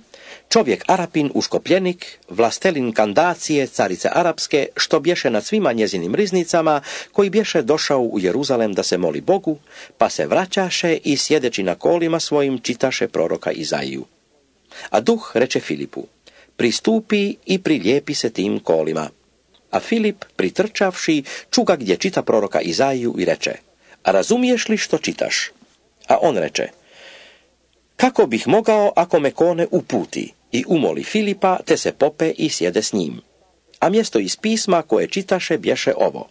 čovjek Arapin uškopljenik, vlastelin Kandacije, carice Arapske, što bješe nad svima njezinim riznicama, koji bješe došao u Jeruzalem da se moli Bogu, pa se vraćaše i sjedeći na kolima svojim čitaše proroka Izaiju. A duh reče Filipu: pristupi i prilijepi se tim kolima. A Filip, pritrčavši, čuga gdje čita proroka Izaiju i reče: a razumiješ li što čitaš? A on reče: kako bih mogao ako me kone uputi? I umoli Filipa, te se pope i sjede s njim. A mjesto iz pisma koje čitaše bješe ovo: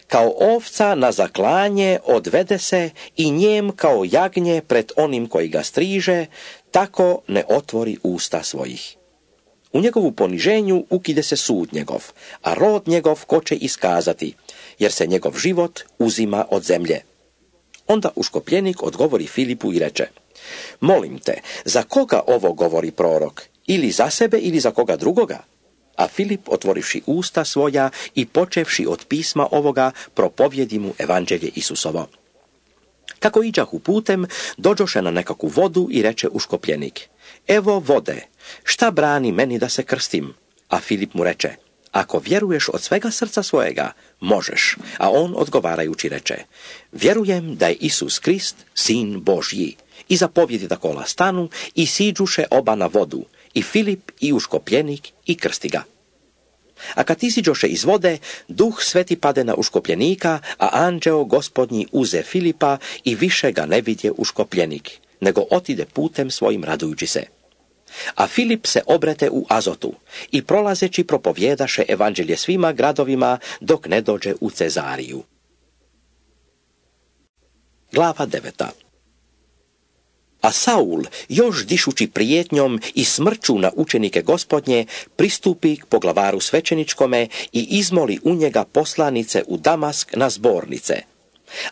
kao ovca na zaklanje odvede se i njem kao jagnje pred onim koji ga striže, tako ne otvori usta svojih. U njegovu poniženju ukide se sud njegov, a rod njegov ko će iskazati, jer se njegov život uzima od zemlje. Onda uškopljenik odgovori Filipu i reče: molim te, za koga ovo govori prorok? Ili za sebe ili za koga drugoga? A Filip, otvorivši usta svoja i počevši od pisma ovoga, propovjedi mu evanđelje Isusovo. Kako iđahu putem, dođoše na nekakvu vodu i reče uškopljenik: evo vode, šta brani meni da se krstim? A Filip mu reče: ako vjeruješ od svega srca svojega, možeš. A on odgovarajući reče: vjerujem da je Isus Krist, sin Božji. I zapovjedi da kola stanu i siđuše oba na vodu, i Filip i uškopljenik i krsti ga. A kad iziđoše iz vode, Duh Sveti pade na uškopljenika, a anđeo Gospodnji uze Filipa i više ga ne vidje uškopljenik, nego otide putem svojim radujući se. A Filip se obrete u Azotu i prolazeći propovjedaše evanđelje svima gradovima dok ne dođe u Cezariju. Glava 9. A Saul, još dišući prijetnjom i smrću na učenike Gospodnje, pristupi k poglavaru svećeničkome i izmoli u njega poslanice u Damask na zbornice.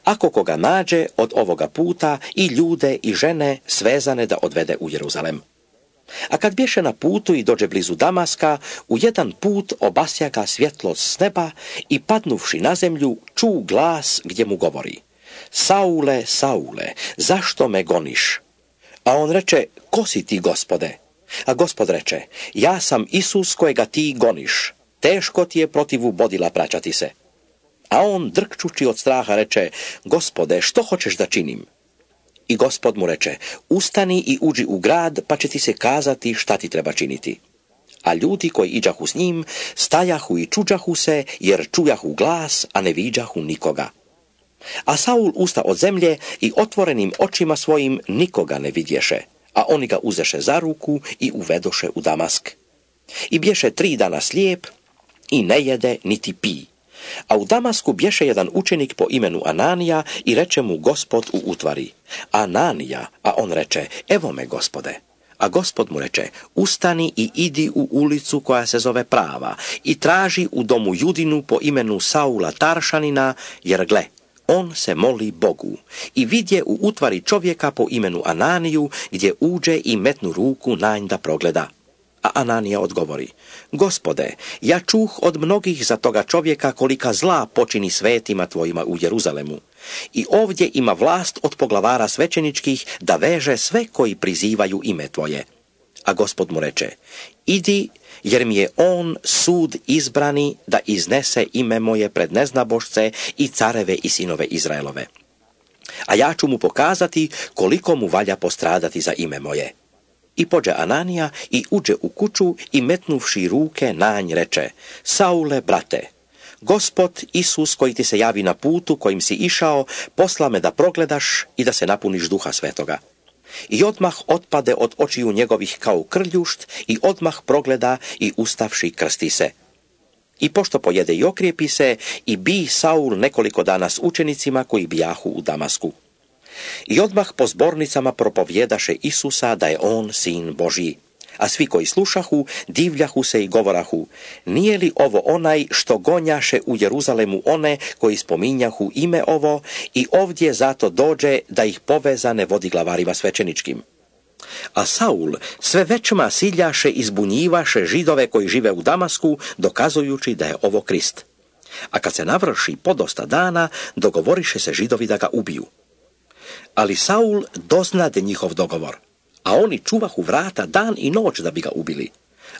Ako koga nađe od ovoga puta i ljude i žene svezane da odvede u Jeruzalem. A kad bješe na putu i dođe blizu Damaska, u jedan put obasja ga svjetlost s neba i padnuvši na zemlju ču glas gdje mu govori: Saule, Saule, zašto me goniš? A on reče: ko si ti, Gospode? A Gospod reče: ja sam Isus kojega ti goniš. Teško ti je protivu bodila praćati se. A on, drkčući od straha, reče: Gospode, što hoćeš da činim? I Gospod mu reče: ustani i uđi u grad, pa će ti se kazati šta ti treba činiti. A ljudi koji iđahu s njim stajahu i čuđahu se, jer čujahu glas, a ne viđahu nikoga. A Saul usta od zemlje i otvorenim očima svojim nikoga ne vidješe, a oni ga uzeše za ruku i uvedoše u Damask. I bješe 3 dana slijep i ne jede niti pi. A u Damasku bješe jedan učenik po imenu Ananija i reče mu Gospod u utvari: Ananija, a on reče: Evo me, Gospode. A Gospod mu reče: Ustani i idi u ulicu koja se zove Prava i traži u domu Judinu po imenu Saula Taršanina, jer gle, on se moli Bogu. I vidje u utvari čovjeka po imenu Ananiju, gdje uđe i metnu ruku na nj da progleda. A Ananija odgovori: Gospode, ja čuh od mnogih za toga čovjeka kolika zla počini svetima tvojima u Jeruzalemu. I ovdje ima vlast od poglavara svećeničkih da veže sve koji prizivaju ime tvoje. A Gospod mu reče: Idi, jer mi je on sud izbrani da iznese ime moje pred neznabošce i careve i sinove Izraelove. A ja ću mu pokazati koliko mu valja postradati za ime moje. I pođe Ananija i uđe u kuću i metnuvši ruke na nj reče: Saule, brate, Gospod Isus koji ti se javi na putu kojim si išao, posla me da progledaš i da se napuniš Duha Svetoga. I odmah otpade od očiju njegovih kao krljušt i odmah progleda i ustavši krsti se. I pošto pojede i okrijepi se, i bi Saul nekoliko dana s učenicima koji bijahu u Damasku. I odmah po zbornicama propovjedaše Isusa da je on sin Božji. A svi koji slušahu, divljahu se i govorahu: Nije li ovo onaj što gonjaše u Jeruzalemu one koji spominjahu ime ovo i ovdje zato dođe da ih povezane vodi glavarima svećeničkim? A Saul sve većma siljaše i zbunjivaše Židove koji žive u Damasku, dokazujući da je ovo Krist. A kad se navrši podosta dana, dogovoriše se Židovi da ga ubiju. Ali Saul doznade njihov dogovor, a oni čuvahu vrata dan i noć da bi ga ubili.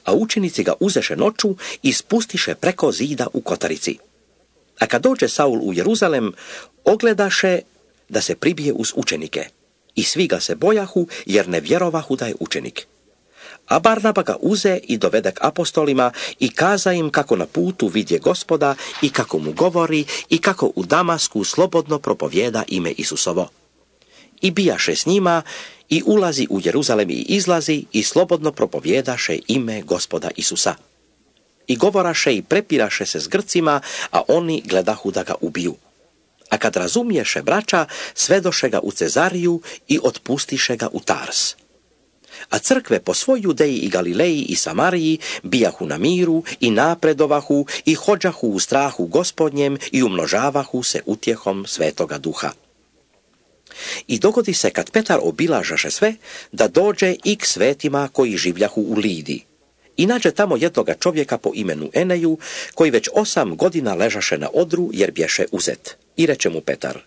A učenici ga uzeše noću i spustiše preko zida u kotarici. A kad dođe Saul u Jeruzalem, ogledaše da se pribije uz učenike. I svi ga se bojahu, jer ne vjerovahu da je učenik. A Barnaba ga uze i dovede k apostolima i kaza im kako na putu vidje Gospoda i kako mu govori i kako u Damasku slobodno propovjeda ime Isusovo. I bijaše s njima i ulazi u Jeruzalem i izlazi i slobodno propovjedaše ime Gospoda Isusa. I govoraše i prepiraše se s Grcima, a oni gledahu da ga ubiju. A kad razumiješe braća, svedoše ga u Cezariju i otpustiše ga u Tars. A crkve po svoj Judeji i Galileji i Samariji bijahu na miru i napredovahu i hođahu u strahu Gospodnjem i umnožavahu se utjehom Svetoga Duha. I dogodi se kad Petar obilažaše sve, da dođe i k svetima koji življahu u Lidi. I nađe tamo jednoga čovjeka po imenu Eneju, koji već 8 godina ležaše na odru jer bješe uzet. I reče mu Petar: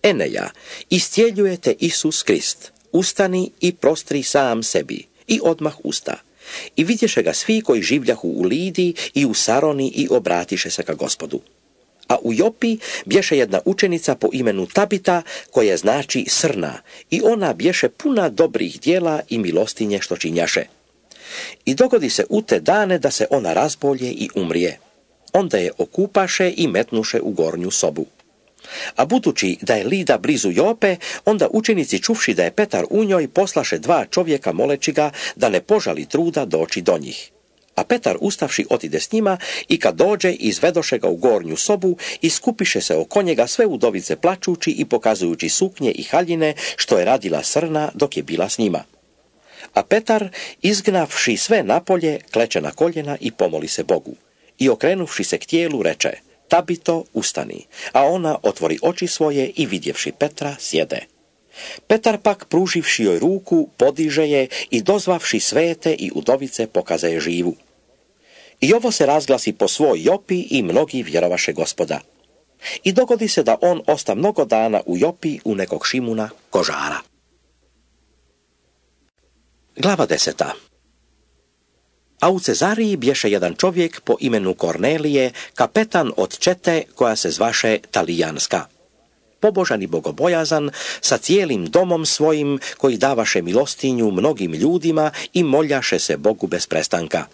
Eneja, istjeljujete Isus Krist, ustani i prostri sam sebi. I odmah usta. I vidješe ga svi koji življahu u Lidi i u Saroni i obratiše se ka Gospodu. A u Jopi bješe jedna učenica po imenu Tabita, koja znači srna, i ona bješe puna dobrih djela i milostinje što činjaše. I dogodi se u te dane da se ona razbolje i umrije. Onda je okupaše i metnuše u gornju sobu. A budući da je Lida blizu Jope, onda učenici čuvši da je Petar u njoj, poslaše 2 čovjeka moleći ga da ne požali truda doći do njih. A Petar ustavši otide s njima i kad dođe izvedoše ga u gornju sobu i skupiše se oko njega sve udovice plačući i pokazujući suknje i haljine što je radila srna dok je bila s njima. A Petar, izgnavši sve napolje, kleče na koljena i pomoli se Bogu. I okrenuvši se k tijelu reče: Tabito, ustani. A ona otvori oči svoje i vidjevši Petra sjede. Petar pak, pruživši joj ruku, podiže je i dozvavši svete i udovice pokaza je živu. I ovo se razglasi po svoj Jopi i mnogi vjerovaše Gospoda. I dogodi se da on osta mnogo dana u Jopi u nekog Šimuna kožara. Glava 10. A u Cezariji bješe jedan čovjek po imenu Kornelije, kapetan od čete koja se zvaše Talijanska. Pobožan i bogobojazan, sa cijelim domom svojim koji davaše milostinju mnogim ljudima i moljaše se Bogu bez prestanka.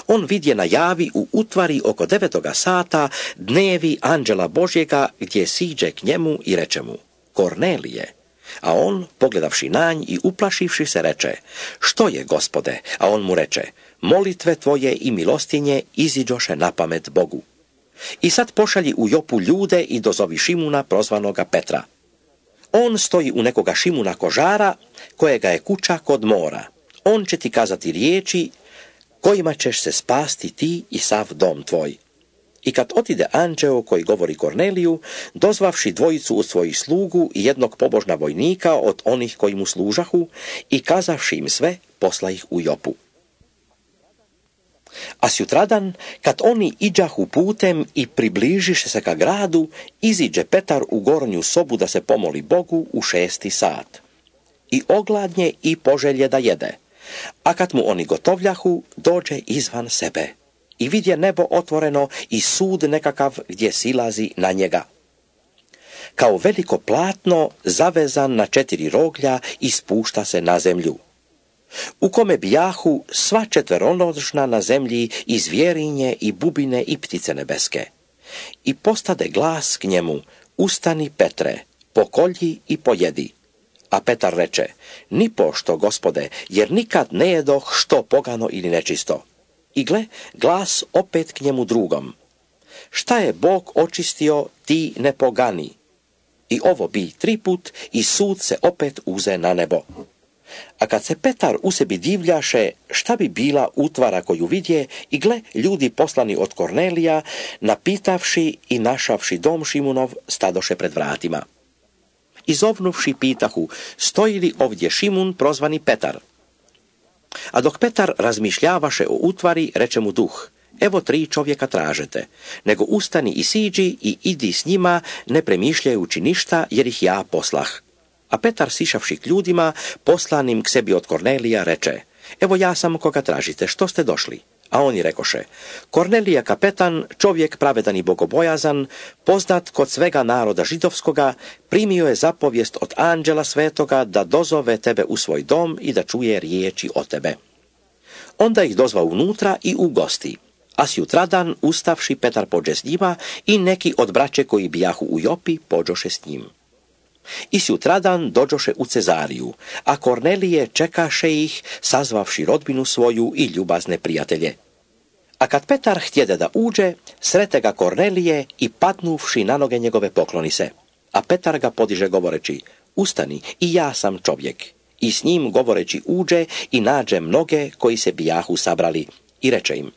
On vidje na javi u utvari oko 9. sata dnevi anđela Božjega gdje siđe k njemu i reče mu: Kornelije. A on, pogledavši na nj i uplašivši se, reče: Što je, Gospode? A on mu reče: molitve tvoje i milostinje iziđoše na pamet Bogu. I sad pošalji u Jopu ljude i dozovi Šimuna prozvanoga Petra. On stoji u nekoga Šimuna kožara, kojega je kuća kod mora. On će ti kazati riječi kojima ćeš se spasti ti i sav dom tvoj. I kad otide anđeo koji govori Korneliju, dozvavši dvojicu od svojih slugu i jednog pobožna vojnika od onih koji mu služahu i kazavši im sve, posla ih u Jopu. A sjutradan, kad oni iđahu putem i približiše se ka gradu, iziđe Petar u gornju sobu da se pomoli Bogu u 6. sat. I ogladnje i poželje da jede. A kad mu oni gotovljahu, dođe izvan sebe. I vidje nebo otvoreno i sud nekakav gdje silazi na njega. Kao veliko platno, zavezan na 4 roglja i spušta se na zemlju. U kome bijahu sva četveronožna na zemlji i zvjerinje i bubine i ptice nebeske. I postade glas k njemu, ustani Petre, pokolji i pojedi. A Petar reče, nipošto, Gospode, jer nikad ne jedoh što pogano ili nečisto. I gle, glas opet k njemu drugom. Šta je Bog očistio, ti ne pogani. I ovo bi 3 put i sud se opet uze na nebo. A kad se Petar u sebi divljaše, šta bi bila utvara koju vidje, i gle, ljudi poslani od Kornelija, napitavši i našavši dom Šimunov, stadoše pred vratima. Izovnuvši pitahu, stoji li ovdje Šimun prozvani Petar? A dok Petar razmišljavaše o utvari, reče mu duh, evo 3 čovjeka tražete, nego ustani i siđi i idi s njima, ne premišljajući ništa, jer ih ja poslah. A Petar, sišavši k ljudima, poslanim k sebi od Kornelija, reče, evo ja sam koga tražite, što ste došli? A oni rekoše, Kornelija kapetan, čovjek pravedan i bogobojazan, poznat kod svega naroda židovskoga, primio je zapovijest od anđela svetoga da dozove tebe u svoj dom i da čuje riječi o tebe. Onda ih dozva unutra i ugosti. A sjutradan, ustavši, Petar pođe s njima i neki od braće koji bijahu u Jopi pođoše s njim. I sjutradan dođoše u Cezariju, a Kornelije čekaše ih, sazvavši rodbinu svoju i ljubazne prijatelje. A kad Petar htjede da uđe, srete ga Kornelije i padnuvši na noge njegove pokloni se. A Petar ga podiže govoreći, ustani, i ja sam čovjek. I s njim govoreći uđe i nađe mnoge koji se bijahu sabrali. I reče im,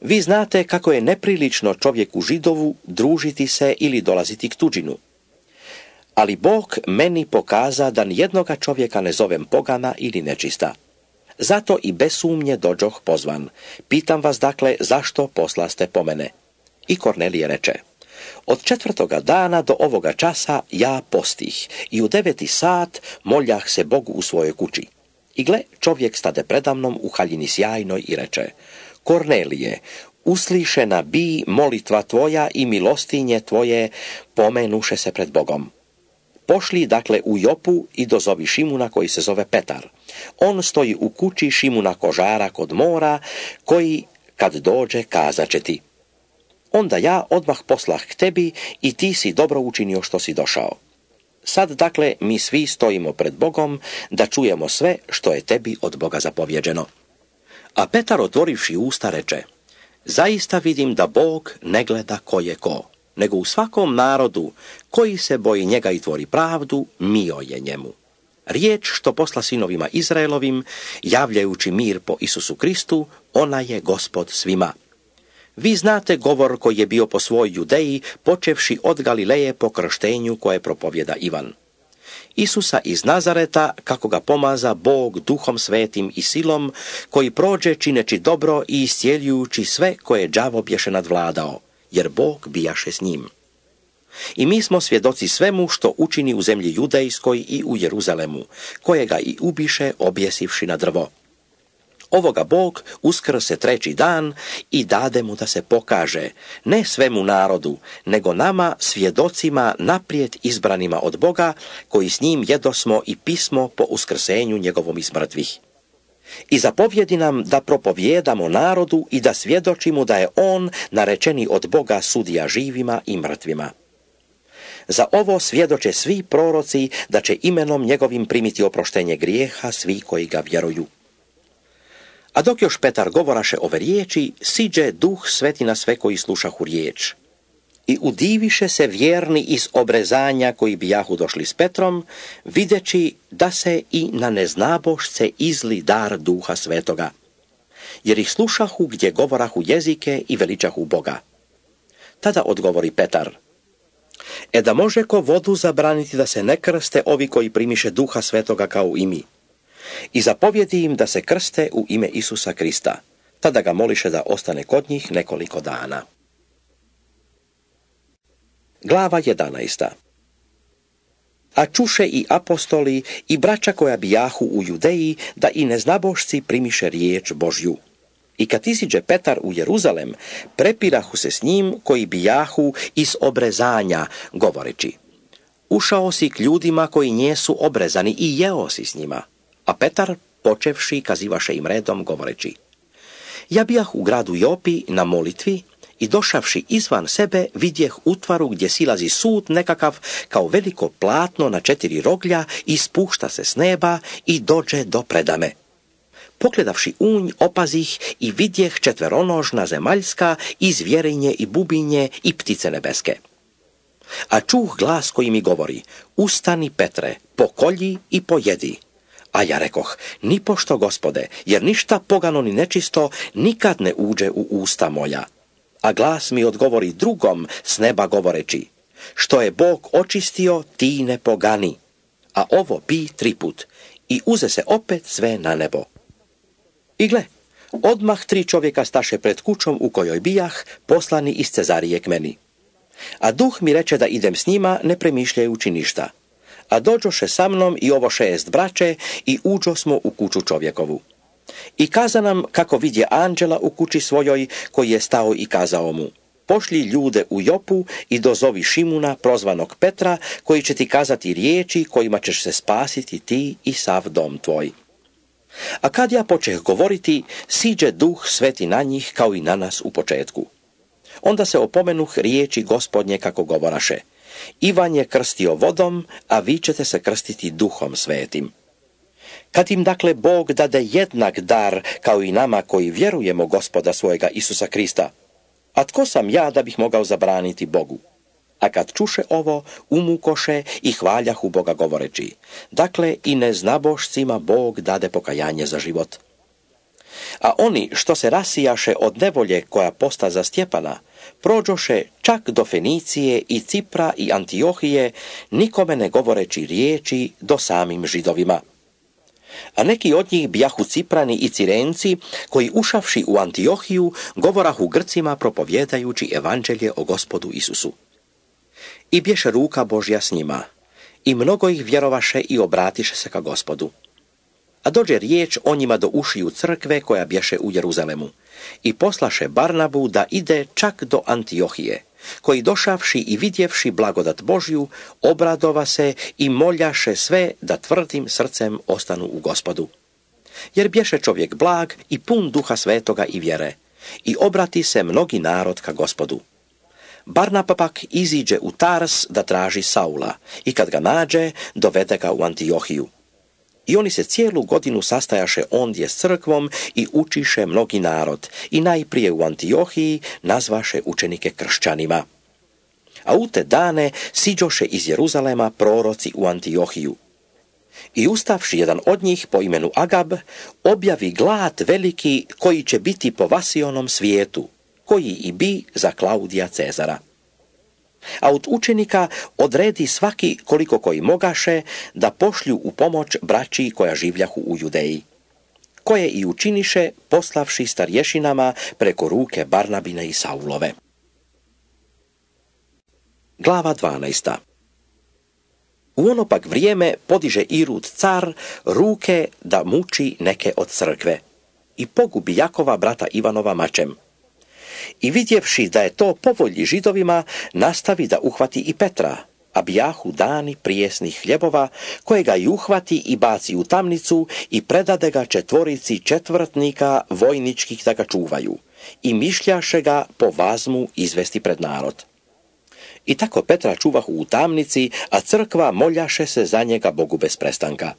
vi znate kako je neprilično čovjeku Židovu družiti se ili dolaziti k tuđinu. Ali Bog meni pokaza da nijednoga čovjeka ne zovem pogana ili nečista. Zato i bez sumnje dođoh pozvan. Pitam vas dakle, zašto poslaste po mene? I Kornelije reče, od 4. dana do ovoga časa ja postih i u 9. sat moljah se Bogu u svojoj kući. I gle, čovjek stade predamnom u haljini sjajnoj i reče, Kornelije, uslišena bi molitva tvoja i milostinje tvoje pomenuše se pred Bogom. Pošli dakle u Jopu i dozovi Šimuna koji se zove Petar. On stoji u kući Šimuna kožara kod mora, koji kad dođe kazaće ti. Onda ja odmah poslah k tebi i ti si dobro učinio što si došao. Sad dakle mi svi stojimo pred Bogom da čujemo sve što je tebi od Boga zapovjeđeno. A Petar otvorivši usta reče, zaista vidim da Bog ne gleda ko je ko, nego u svakom narodu koji se boji njega i tvori pravdu, mio je njemu. Riječ što posla sinovima Izraelovim, javljajući mir po Isusu Kristu, ona je Gospod svima. Vi znate govor koji je bio po svoj Judeji, počevši od Galileje po krštenju koje propovjeda Ivan. Isusa iz Nazareta, kako ga pomaza Bog duhom svetim i silom, koji prođe čineći dobro i iscijeljujući sve koje đavo bješe nadvladao, jer Bog bijaše s njim. I mi smo svjedoci svemu što učini u zemlji Judejskoj i u Jeruzalemu, kojega i ubiše objesivši na drvo. Ovoga Bog uskrse 3. dan i dade mu da se pokaže, ne svemu narodu, nego nama svjedocima naprijed izbranima od Boga, koji s njim jedosmo i pismo po uskrsenju njegovom iz mrtvih. I zapovjedi nam da propovijedamo narodu i da svjedočimo da je on narečeni od Boga sudija živima i mrtvima. Za ovo svjedoče svi proroci da će imenom njegovim primiti oproštenje grijeha svi koji ga vjeruju. A dok još Petar govoraše ove riječi, siđe Duh Sveti na sve koji slušahu riječ. I udiviše se vjerni iz obrezanja koji bijahu došli s Petrom, videći da se i na neznabošce izli dar Duha Svetoga. Jer ih slušahu gdje govorahu jezike i veličahu Boga. Tada odgovori Petar: da može ko vodu zabraniti da se ne krste ovi koji primiše Duha Svetoga kao i mi. I zapovjedi im da se krste u ime Isusa Krista. Tada ga moliše da ostane kod njih nekoliko dana. Glava 11. A čuše i apostoli i braća koja bijahu u Judeji da i neznabošci primiše riječ Božju. I kad iziđe Petar u Jeruzalem, prepirahu se s njim koji bijahu iz obrezanja, govoreći: ušao si k ljudima koji njesu obrezani i jeo si s njima. A Petar, počevši, kazivaše im redom, govoreći: ja bijah u gradu Jopi na molitvi i došavši izvan sebe vidjeh utvaru gdje silazi sud nekakav kao veliko platno na 4 roglja i spušta se s neba i dođe do predame. Pogledavši unj, opazih i vidjeh 4 zemaljska i zvjerinje i bubinje i ptice nebeske. A čuh glas koji mi govori: ustani, Petre, pokolji i pojedi. A ja rekoh: nipošto, Gospode, jer ništa pogano ni nečisto nikad ne uđe u usta moja. A glas mi odgovori drugom s neba govoreći: što je Bog očistio, ti ne pogani. A ovo bi 3 put i uze se opet sve na nebo. I gle, odmah 3 čovjeka staše pred kućom u kojoj bijah, poslani iz Cezarije k meni. A Duh mi reče da idem s njima, ne premišljajući ništa. A dođoše sa mnom i ovo 6 braće i uđo smo u kuću čovjekovu. I kaza nam kako vidje anđela u kući svojoj, koji je stao i kazao mu: pošlji ljude u Jopu i dozovi Šimuna, prozvanog Petra, koji će ti kazati riječi kojima ćeš se spasiti ti i sav dom tvoj. A kad ja počeh govoriti, siđe Duh Sveti na njih kao i na nas u početku. Onda se opomenuh riječi Gospodnje kako govoraše: Ivan je krstio vodom, a vi ćete se krstiti Duhom Svetim. Kad im dakle Bog dade jednak dar kao i nama koji vjerujemo Gospoda svojega Isusa Krista, a tko sam ja da bih mogao zabraniti Bogu? A kad čuše ovo, umukoše i hvaljahu Boga govoreći: dakle i neznabošcima Bog dade pokajanje za život. A oni što se rasijaše od nevolje koja posta za Stjepana, prođoše čak do Fenicije i Cipra i Antiohije, nikome ne govoreći riječi do samim Židovima. A neki od njih bijahu Ciprani i Cirenci, koji ušavši u Antiohiju, govorahu Grcima propovjedajući evanđelje o Gospodu Isusu. I bješe ruka Božja s njima, i mnogo ih vjerovaše i obratiše se ka Gospodu. A dođe riječ o njima do ušiju crkve koja bješe u Jeruzalemu, i poslaše Barnabu da ide čak do Antiohije, koji došavši i vidjevši blagodat Božju, obradova se i moljaše sve da tvrdim srcem ostanu u Gospodu. Jer bješe čovjek blag i pun Duha Svetoga i vjere, i obrati se mnogi narod ka Gospodu. Barnaba pak iziđe u Tars da traži Saula, i kad ga nađe, dovede ga u Antiohiju. I oni se cijelu godinu sastajaše ondje s crkvom i učiše mnogi narod, i najprije u Antiohiji nazvaše učenike kršćanima. A u te dane siđoše iz Jeruzalema proroci u Antiohiju. I ustavši jedan od njih po imenu Agab, objavi glad veliki koji će biti po Vasionom svijetu, koji i bi za Klaudija Cezara. A od učenika odredi svaki koliko koji mogaše da pošlju u pomoć braći koja življahu u Judeji, koje i učiniše poslavši starješinama preko ruke Barnabine i Saulove. Glava 12. U ono pak vrijeme podiže Irud car ruke da muči neke od crkve i pogubi Jakova brata Ivanova mačem. I vidjevši da je to po volji Židovima, nastavi da uhvati i Petra, a bijahu dani prijesnih hljebova, kojega i uhvati i baci u tamnicu i predade ga 4 četvrtnika vojničkih da ga čuvaju, i mišljaše ga po vazmu izvesti pred narod. I tako Petra čuvahu u tamnici, a crkva moljaše se za njega Bogu bez prestanka.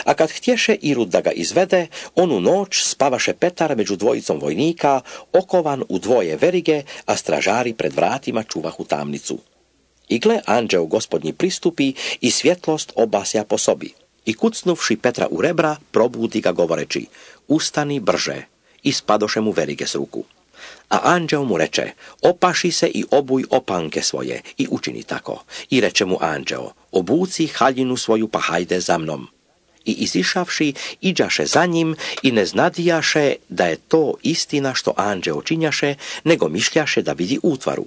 A kad htješe Irud da ga izvede, onu noć spavaše Petar među dvojicom vojnika, okovan u dvoje verige, a stražari pred vratima čuvahu tamnicu. I gle, anđeo gospodnji pristupi i svjetlost obasja po sobi. I kucnuvši Petra u rebra, probudi ga govoreći: ustani brže, i spadoše mu verige s ruku. A anđeo mu reče: opaši se i obuj opanke svoje, i učini tako. I reče mu anđeo: obuci haljinu svoju, pa hajde za mnom. I izišavši, iđaše za njim i ne znadijaše da je to istina što anđeo činjaše, nego mišljaše da vidi utvaru.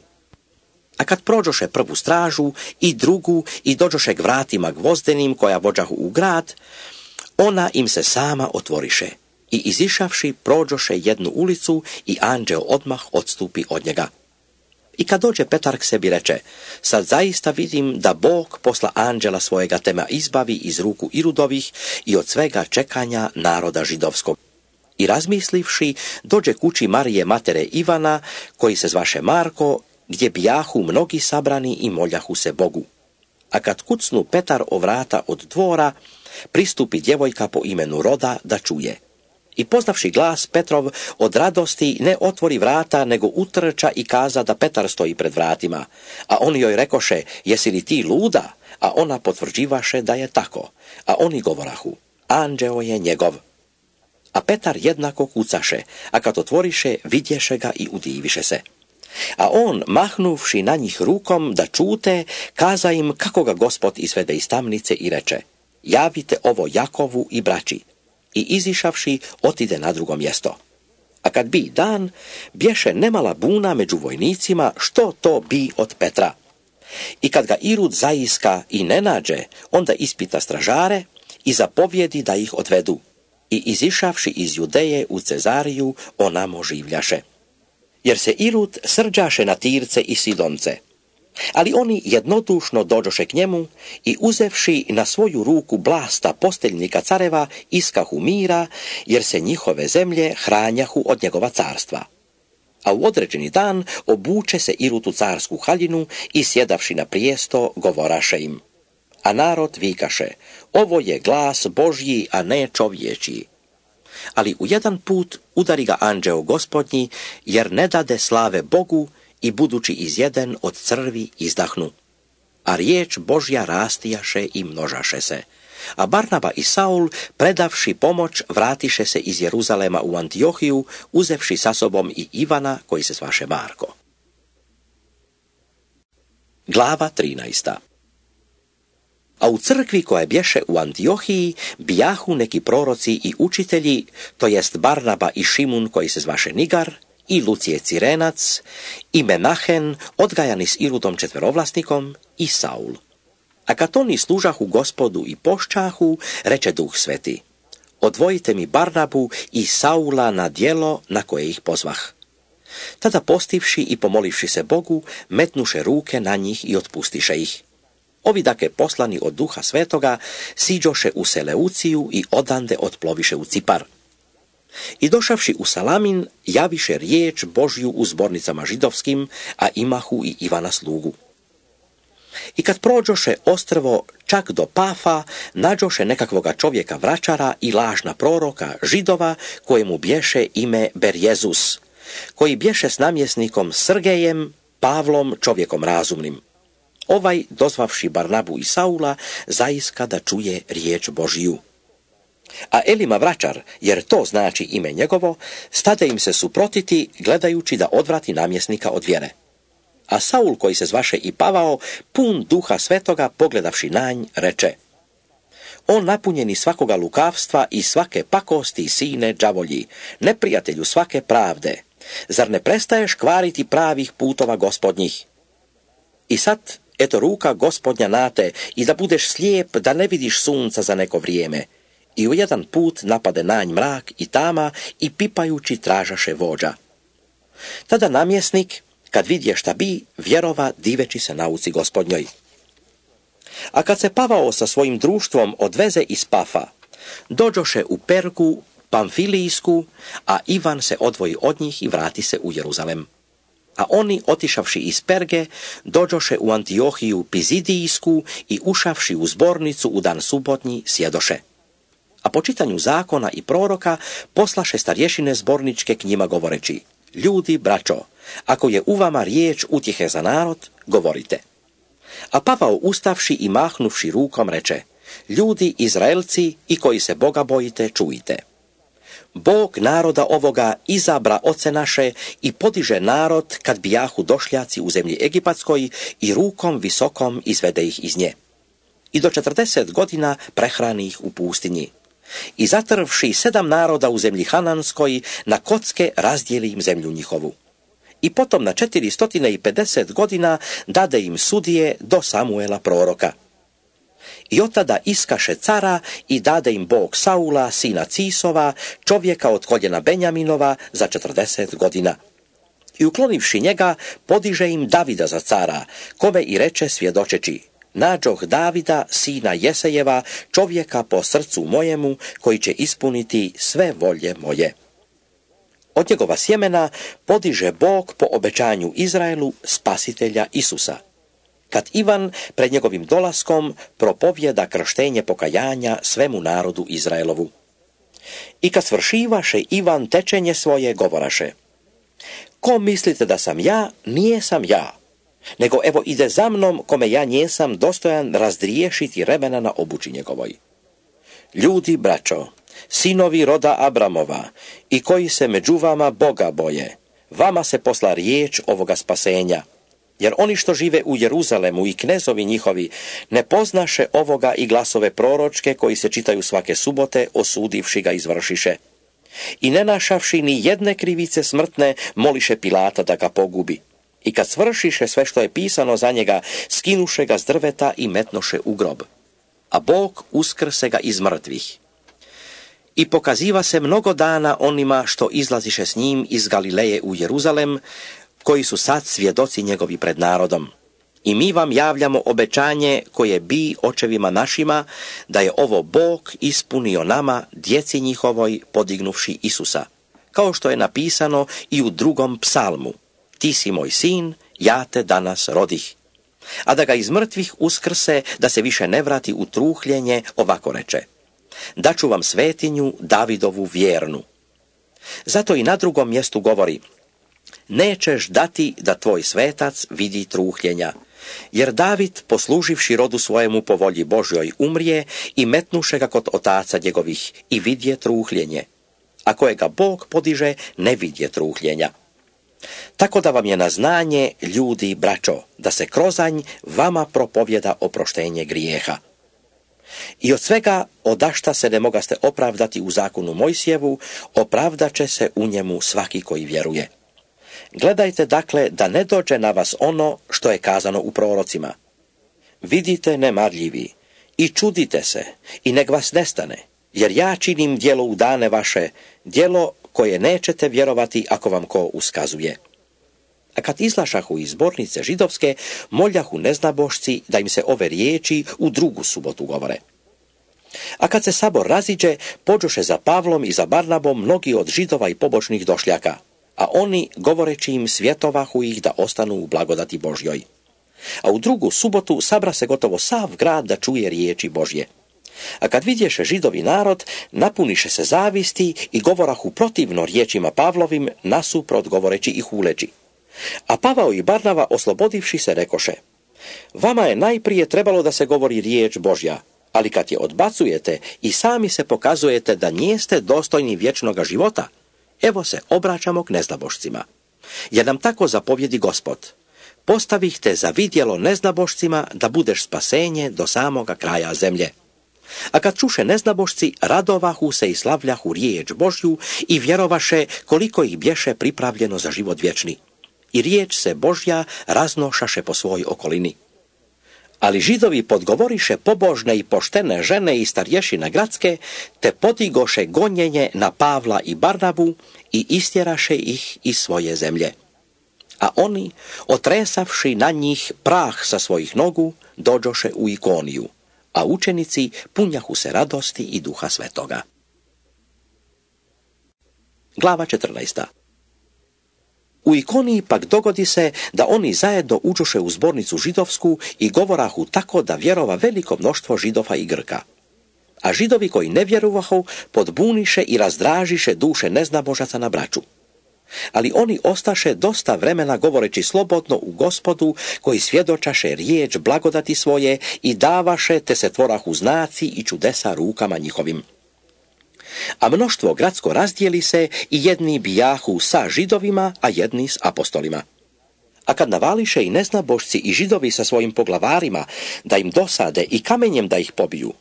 A kad prođoše prvu stražu i drugu i dođoše k vratima gvozdenim koja vođahu u grad, ona im se sama otvoriše. I izišavši, prođoše jednu ulicu i anđeo odmah odstupi od njega. I kad dođe Petar k sebi reče: sad zaista vidim da Bog posla anđela svojega te me izbavi iz ruku Irudovih i od svega čekanja naroda židovskog. I razmislivši, dođe kući Marije matere Ivana, koji se zvaše Marko, gdje bijahu mnogi sabrani i moljahu se Bogu. A kad kucnu Petar o vrata od dvora, pristupi djevojka po imenu Roda da čuje. I poznavši glas Petrov, od radosti ne otvori vrata, nego utrča i kaza da Petar stoji pred vratima. A oni joj rekoše: jesi li ti luda? A ona potvrđivaše da je tako. A oni govorahu: anđeo je njegov. A Petar jednako kucaše, a kad otvoriše, vidješe ga i udiviše se. A on, mahnuvši na njih rukom da čute, kaza im kako ga Gospod izvede iz tamnice i reče: javite ovo Jakovu i braći. I izišavši, otide na drugo mjesto. A kad bi dan, bješe nemala buna među vojnicima što to bi od Petra. I kad ga Irud zaiska i ne nađe, onda ispita stražare i zapovjedi da ih odvedu. I izišavši iz Judeje u Cezariju, onamo življaše. Jer se Irud srđaše na Tirce i Sidonce. Ali oni jednodušno dođoše k njemu i uzevši na svoju ruku Blasta posteljnika careva, iskahu mira, jer se njihove zemlje hranjahu od njegova carstva. A u određeni dan obuče se Irud u carsku haljinu i sjedavši na prijesto, govoraše im. A narod vikaše: ovo je glas Božji, a ne čovječji. Ali u jedan put udari ga anđeo gospodnji, jer ne dade slave Bogu, i budući izjeden od crvi izdahnu. A riječ Božja rastijaše i množaše se. A Barnaba i Saul, predavši pomoć, vratiše se iz Jeruzalema u Antiohiju, uzevši sa sobom i Ivana, koji se zvaše Marko. Glava 13. A u crkvi koja bješe u Antiohiji bijahu neki proroci i učitelji, to jest Barnaba i Šimun, koji se zvaše Nigar, i Lucije Cirenac, i Menahen, odgajani s Irudom četverovlasnikom, i Saul. A kad oni služahu Gospodu i pošćahu, reče Duh Sveti: odvojite mi Barnabu i Saula na djelo na koje ih pozvah. Tada postivši i pomolivši se Bogu, metnuše ruke na njih i otpustiše ih. Ovi dake poslani od Duha Svetoga siđoše u Seleuciju i odande otploviše u Cipar. I došavši u Salamin, javiše riječ Božju u zbornicama židovskim, a imahu i Ivana slugu. I kad prođoše ostrvo čak do Pafa, nađoše nekakvoga čovjeka vračara i lažna proroka Židova, kojemu bješe ime Berjezus, koji bješe s namjesnikom Srgejem, Pavlom, čovjekom razumnim. Ovaj, dozvavši Barnabu i Saula, zaiska da čuje riječ Božju. A Elima vračar, jer to znači ime njegovo, stade im se suprotiti, gledajući da odvrati namjesnika od vjere. A Saul, koji se zvaše i Pavao, pun Duha Svetoga, pogledavši na nj, reče: on napunjeni svakoga lukavstva i svake pakosti, sine đavolji, neprijatelju svake pravde, zar ne prestaješ kvariti pravih putova gospodnjih? I sad, eto ruka gospodnja na te, i da budeš slijep, da ne vidiš sunca za neko vrijeme. I u jedan put napade na nj mrak i tama i pipajući tražaše vođa. Tada namjesnik, kad vidje šta bi, vjerova diveći se nauci gospodnjoj. A kad se Pavao sa svojim društvom odveze iz Pafa, dođoše u Pergu Pamfilijsku, a Ivan se odvoji od njih i vrati se u Jeruzalem. A oni, otišavši iz Perge, dođoše u Antiohiju Pizidijsku i ušavši u zbornicu u dan subotnji, sjedoše. po čitanju zakona i proroka poslaše starješine zborničke k njima govoreći: ljudi, braćo, ako je u vama riječ utjehe za narod, govorite. A Pavao ustavši i mahnuvši rukom reče: ljudi, Izraelci i koji se Boga bojite, čujte. Bog naroda ovoga izabra oce naše i podiže narod kad bijahu došljaci u zemlji Egipatskoj i rukom visokom izvede ih iz nje. I do 40 godina prehrani ih u pustinji. I zatrvši 7 naroda u zemlji Hananskoj, na kocke razdijeli im zemlju njihovu. I potom na 450 godina dade im sudije do Samuela proroka. I od tada iskaše cara i dade im Bog Saula, sina Cisova, čovjeka od koljena Benjaminova, za 40 godina. I uklonivši njega, podiže im Davida za cara, kome i reče svjedočeći: nađoh Davida, sina Jesejeva, čovjeka po srcu mojemu, koji će ispuniti sve volje moje. Od njegova sjemena podiže Bog po obećanju Izraelu spasitelja Isusa, kad Ivan pred njegovim dolaskom propovjeda krštenje pokajanja svemu narodu Izraelovu. I kad svršivaše Ivan tečenje svoje, govoraše: ko mislite da sam ja, nije sam ja, nego evo ide za mnom, kome ja njesam dostojan razdriješiti remena na obući njegovoj. Ljudi, braćo, sinovi roda Abramova i koji se među vama Boga boje, vama se posla riječ ovoga spasenja, jer oni što žive u Jeruzalemu i knezovi njihovi ne poznaše ovoga i glasove proročke koji se čitaju svake subote, osudivši ga izvršiše. I ne našavši ni jedne krivice smrtne, moliše Pilata da ga pogubi. I kad svršiše sve što je pisano za njega, skinuše ga s drveta i metnoše u grob. A Bog uskrse ga iz mrtvih. I pokaziva se mnogo dana onima što izlaziše s njim iz Galileje u Jeruzalem, koji su sad svjedoci njegovi pred narodom. I mi vam javljamo obećanje koje bi očevima našima, da je ovo Bog ispunio nama, djeci njihovoj, podignuvši Isusa, kao što je napisano i u 2. psalmu: ti si moj sin, ja te danas rodih. A da ga iz mrtvih uskrse, da se više ne vrati u truhljenje, ovako reče: daću vam svetinju Davidovu vjernu. Zato i na 2. mjestu govori: nećeš dati da tvoj svetac vidi truhljenja, jer David, posluživši rodu svojemu po volji Božjoj, umrije i metnuše ga kod otaca njegovih i vidje truhljenje, a kojega Bog podiže, ne vidje truhljenja. Tako da vam je na znanje, ljudi, braćo, da se krozanj vama propovjeda oproštenje grijeha. I od svega odašta se ne mogaste opravdati u zakonu Mojsijevu, opravdat će se u njemu svaki koji vjeruje. Gledajte dakle da ne dođe na vas ono što je kazano u prorocima: vidite nemarljivi i čudite se i nek vas nestane, jer ja činim djelo u dane vaše, djelo koje nećete vjerovati ako vam ko uskazuje. A kad izlašahu iz zbornice židovske, moljahu neznabošci da im se ove riječi u 2. subotu govore. A kad se sabor raziđe, pođoše za Pavlom i za Barnabom mnogi od Židova i pobočnih došljaka, a oni, govoreći im, svjetovahu ih da ostanu u blagodati Božjoj. A u 2. subotu sabra se gotovo sav grad da čuje riječi Božje. A kad vidješe Židovi narod, napuniše se zavisti i govorahu protivno riječima Pavlovim, nasuprot govoreći i huleći. A Pavao i Barnava, oslobodivši se, rekoše: vama je najprije trebalo da se govori riječ Božja, ali kad je odbacujete i sami se pokazujete da nijeste dostojni vječnoga života, evo se obraćamo k neznabošcima. Jer nam tako zapovjedi Gospod: postavih te za vidjelo neznabošcima da budeš spasenje do samoga kraja zemlje. A kad čuše neznabošci, radovahu se i slavljahu riječ Božju i vjerovaše koliko ih bješe pripravljeno za život vječni. I riječ se Božja raznošaše po svoj okolini. Ali Židovi podgovoriše pobožne i poštene žene i starješine gradske, te podigoše gonjenje na Pavla i Barnabu i istjeraše ih iz svoje zemlje. A oni, otresavši na njih prah sa svojih nogu, dođoše u Ikoniju, a učenici punjahu se radosti i Duha Svetoga. Glava 14. U Ikoniji pak dogodi se da oni zajedno uđoše u zbornicu židovsku i govorahu tako da vjerova veliko mnoštvo Židova i Grka. A Židovi koji ne vjerovahu podbuniše i razdražiše duše neznabožaca na braću. Ali oni ostaše dosta vremena govoreći slobodno u Gospodu, koji svjedočaše riječ blagodati svoje i davaše, te se tvorahu znaci i čudesa rukama njihovim. A mnoštvo gradsko razdijeli se i jedni bijahu sa Židovima, a jedni s apostolima. A kad navališe i neznabošci i Židovi sa svojim poglavarima da im dosade i kamenjem da ih pobiju,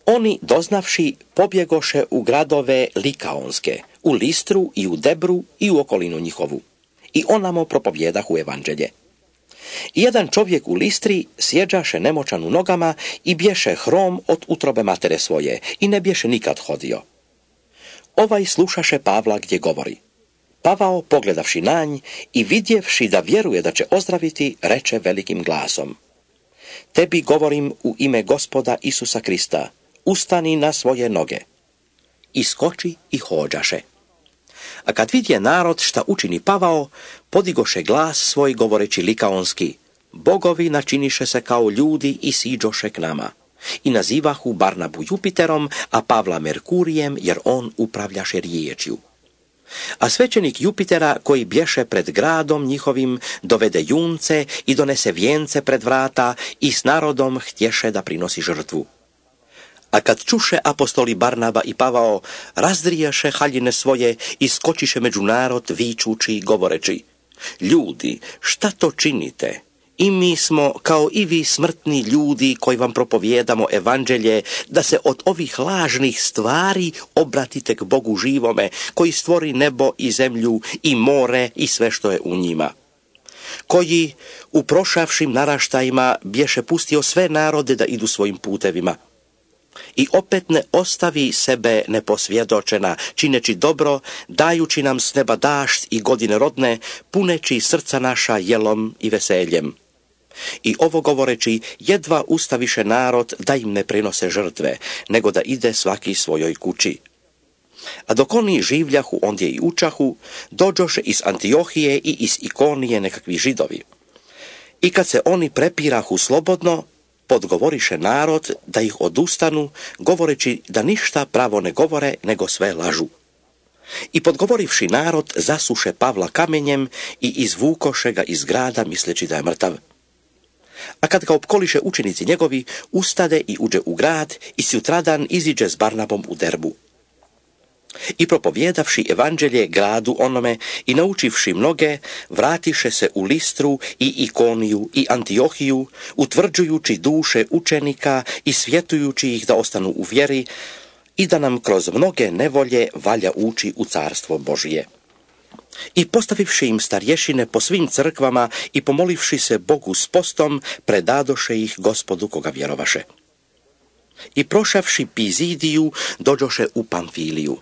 oni, doznavši, pobjegoše u gradove Likaonske, u Listru i u Debru i u okolinu njihovu. I onamo propovjedahu evanđelje. I jedan čovjek u Listri sjeđaše nemoćan u nogama i bješe hrom od utrobe matere svoje i ne bješe nikad hodio. Ovaj slušaše Pavla gdje govori. Pavao, pogledavši na nj i vidjevši da vjeruje da će ozdraviti, reče velikim glasom: Tebi govorim u ime Gospoda Isusa Krista, ustani na svoje noge. I skoči i hođaše. A kad vidje narod šta učini Pavao, podigoše glas svoj govoreći likaonski: Bogovi načiniše se kao ljudi i siđoše k nama. I nazivahu Barnabu Jupiterom, a Pavla Merkurijem, jer on upravljaše riječju. A svećenik Jupitera, koji bješe pred gradom njihovim, dovede junce i donese vijence pred vrata i s narodom htješe da prinosi žrtvu. A kad čuše apostoli Barnaba i Pavao, razdrijaše haljine svoje i skočiše među narod vičući i govoreći: Ljudi, šta to činite? I mi smo, kao i vi, smrtni ljudi koji vam propovijedamo evanđelje, da se od ovih lažnih stvari obratite k Bogu živome, koji stvori nebo i zemlju i more i sve što je u njima. Koji u prošavšim naraštajima bješe pustio sve narode da idu svojim putevima. I opet ne ostavi sebe neposvjedočena, čineći dobro, dajući nam s neba dašt i godine rodne, puneći srca naša jelom i veseljem. I ovo govoreći, jedva ustaviše narod da im ne prinose žrtve, nego da ide svaki svojoj kući. A dok oni življahu ondje i učahu, dođoše iz Antiohije i iz Ikonije nekakvi Židovi. I kad se oni prepirahu slobodno, podgovoriše narod da ih odustanu, govoreći da ništa pravo ne govore, nego sve lažu. I podgovorivši narod, zasuše Pavla kamenjem i izvukoše ga iz grada, misleći da je mrtav. A kad ga opkoliše učenici njegovi, ustade i uđe u grad i sutradan iziđe s Barnabom u Derbu. I propovjedavši evanđelje gradu onome i naučivši mnoge, vratiše se u Listru i Ikoniju i Antiohiju, utvrđujući duše učenika i svjetujući ih da ostanu u vjeri i da nam kroz mnoge nevolje valja ući u carstvo Božije. I postavivši im starješine po svim crkvama i pomolivši se Bogu s postom, predadoše ih Gospodu koga vjerovaše. I prošavši Pizidiju, dođoše u Pamfiliju.